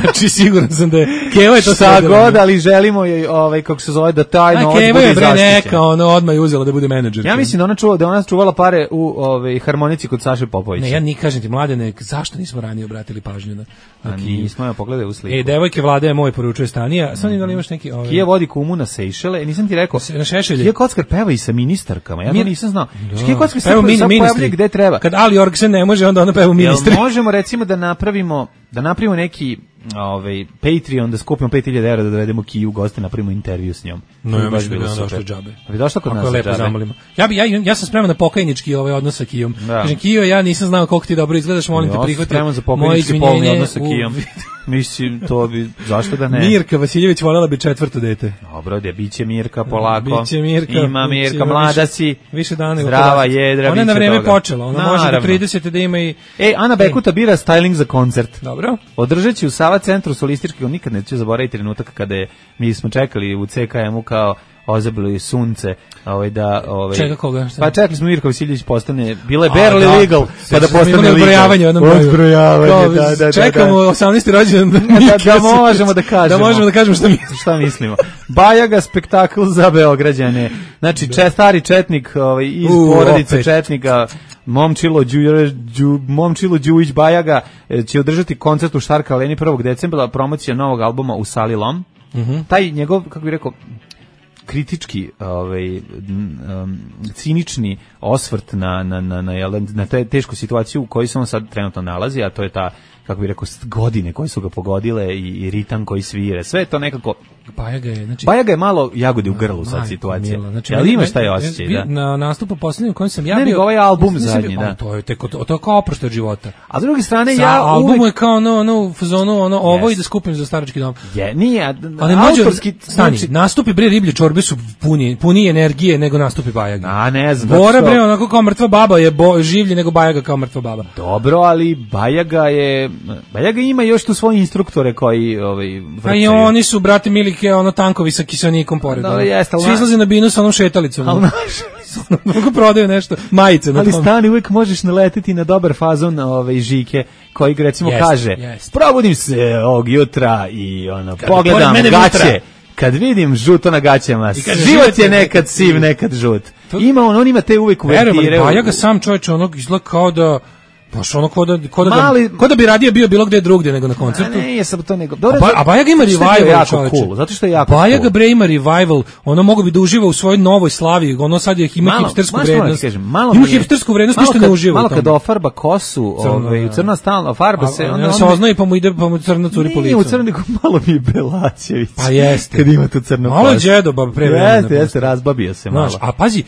Znači siguran sam da je Keva je to šta god, ali želimo je kako se zove da taj novac bude zaštićen. Neka odmah je uzela da bude menadžer. Ja mislim da ona čuvala pare u harmonici kod Saše Popovića. Ne, ja ni kažem ti mladene, zašto nismo ranije obratili pažnju na nismo, ja pogledaj u sliku. Devojke Vlade moj poručuje Stanija, samo da li imaš neki Kija vodi kumu na Sejšele, nisam ti rekao. Na Šešelje. Kija Kockar peva i sa ministarkama. Ja to nisam znao. Kija Kockar se pojavljuje gde treba. Kad Ali Orgsen ne može, onda ona peva ministri. Možemo recimo da napravimo neki Patreon, da skupimo 5.000 evra da dovedemo Kiju u goste, napravimo intervju s njom. No, ja mislim da je ona došla džabe. A bi došla kod nas džabe? Ja sam spreman na pokajnički odnos sa Kijom. Kažem, Kijo, ja nisam znao koliko ti dobro izgledaš, molim te prihvati. Ja sam spreman za pokajnički polni odnos sa Kijom. Mislim, to bi, zašto da ne? Mirka Vasiljević voljela bi 4. dete. Dobro, biće Mirka polako. Biće Mirka. Ima Mirka, mlada si. Više dana. Zdrava, jedra, ona je na vreme počela. Ona može do 30. da ima i... Ana Bekuta bira styling za koncert. Dobro. Održat će u Sava centru solistički, nikad neće zaboraviti trenutak kada mi smo čekali u CKM-u kao ozebili sunce, Čega koga? Pa čekali smo Mirko Vasiljević postane, bila je barely legal, pa da postane legal. Odbrojavanje u jednom broju. Odbrojavanje, da. Čekamo 18. rođendan. Da možemo da kažemo. Da možemo da kažemo šta mislimo. Bajaga spektakl za Beograđane. Znači, stari četnik iz porodice četnika, Momčilo Đujić Bajaga će održati koncert u Štarka Aleni 1. decembra, promocija novog albuma u Sali Lom. Taj njegov, kako bih rekao, kritički, cinični osvrt na tešku situaciju u kojoj se on sad trenutno nalazi, a to je ta, kako bih rekao, godine koje su ga pogodile i ritam koji svire. Sve je to nekako... Bajaga je malo jagode u grlu sad situacija. Znači, ali imaš taj osjećaj, da? Na nastupu posljednjem kojem sam ja bio... Ne, ovaj album zadnji, da. To je kao oproštaj od života. A s druge strane, album je kao u fazonu, ovo i da skupim za starački dom. Nije, autorski... Nastupi bre riblje čorbe su puni energije nego nastupi Bajaga. A ne znam. Bora bre, onako kao mrtva baba je življe nego Bajaga kao mrtva baba. Dobro, ali Bajaga ima još tu svoje instruktore koji vrcaju. A i oni su, brate mili, tankovi sa kiselnikom pored. Svi izlaze na binu sa onom šetalicom. Mogu prodaju nešto, majice. Ali stani, uvijek možeš naletiti na dobar fazon Žike, koji recimo kaže, probudim se ovog jutra i pogledam gaće. Kad vidim žuto na gaćama, život je nekad siv, nekad žut. On ima te uvijek uvertire. Pa ja ga sam čovječe izgleda kao da... Baš ko da bi radije bio bilo gde drugdje nego na koncertu. Ne, jesam to nego. A Bajaga ima revival, cool, zato što je jako Bajaga bre ima revival, mogu bi da uživa u svojoj novoj slavi, sad ima hipstersku vrednost. Ima hipstersku vrednost, ništa ne uživa. Malo kad ofarba kosu, u crna stalno farba se, onda se oznaje pa mu crna curi po licu. Nije u crniku, malo mi je Belaćević. Pa jeste. Kad ima tu crnu kosu. Malo je džedo, pre vremena. Jeste, razbabio se malo. A pazi,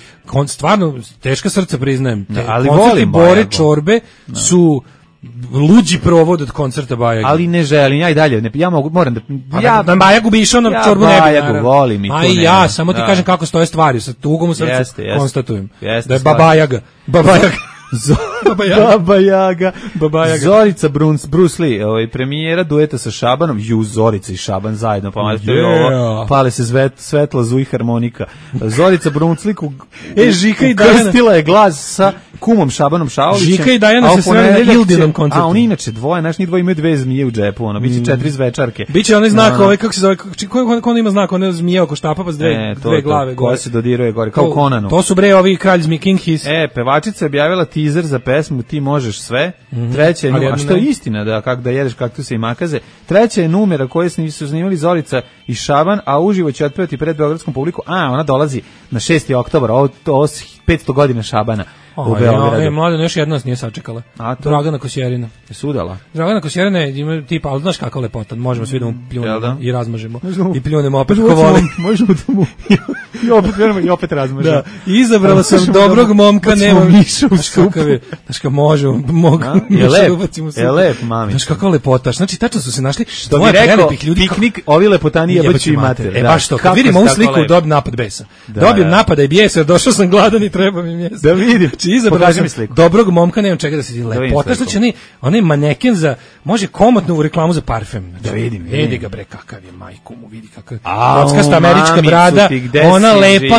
stvarno teška srca priznajem. Ali volim Bore Čorbe su luđi provod od koncerta Bajage. Ali ne želim, ja i dalje, moram da... Na Bajagu bi išao, na Čorbu ne bi. Bajagu volim i tu ne. A i ja, samo ti kažem kako stoje stvari, sa tugom u srcu konstatujem. Da je Babajaga. Baba Jaga. Zorica Bruce Lee, premijera dueta sa Šabanom, Zorica i Šaban zajedno, pale se svetla, zuj harmonika. Zorica Bruce Lee Žika i Dajana krstila je glas sa kumom Šabanom Šaolićem. Žika i Dajana se sreli na Ildinom koncertu. A oni inače dvoje, njih dvoje imaju 2 zmije u džepu, biće 4 zvečarke. Biće onaj znak, kako se zove, ko ima znak, ona zmija oko štapa pa s dve glave. Koja se dodiruje gore, kao Conanu. To su bre ovi kralj zmije, King His. Pevačica je objavila teaser za pesmu Ti možeš sve. Treća je, a što je istina da jedeš kaktuse i makaze. Treća je numera koju su snimali Zorica i Šaban, a uživo će otpevati pred beogradskom publiku. Ona dolazi na 6. oktobar, ovo 500 godina Šabana u Beogradu. Mladen, još jedna nas nije sačekala. Dragana Kosjerina. Je sudala? Dragana Kosjerina je tipa, ali znaš kakva lepota, možemo svi da mu pljunemo i razmažemo. I pljunemo opet ko voli. Možemo da mu i opet razmažemo. Izabrala sam dobrog momka, nemam miša u supu. Znaš kako možemo, je lep, mami. Znaš kakva lepota, znači tačno su se našli dvoje prelepih ljudi. Piknik, ovi lepotani jebaću i mater. Baš to, kad vidimo ovu sliku, dobijem napad besa. Dobijem napada i bijesa, jer došao sam gladan i treba mi mjesto. Da vidim. Izabrao sam dobrog momka, nemam čega da se vidi. Lepota, što će onaj maneken za, može komotno u reklamu za parfem. Da vidim. Vidi ga bre, kakav je, majku mu, vidi kakav. Kockasta američka brada, ona lepa,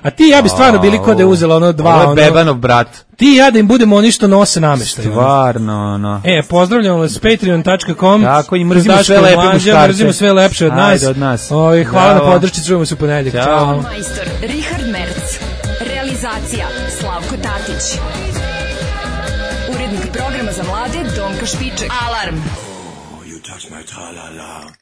a ti ja bi stvarno bili kod je uzela ono dva. Ovo je Bebanov brat. Ti ja da im budemo oni što nose nameštaj. Stvarno, pozdravljamo vas patreon.com. Tako, i mrzimo sve lepe muškarce. Mrzimo sve lepše od nas. Ajde, od nas. Hvala na podršci, čujemo se u ponedeljak. Ćao. Majstor Richard Merc. Realizacija Slavko Tatić. Urednik programa za mlade Donka Špiček. Alarm! You touch my tra-la-la.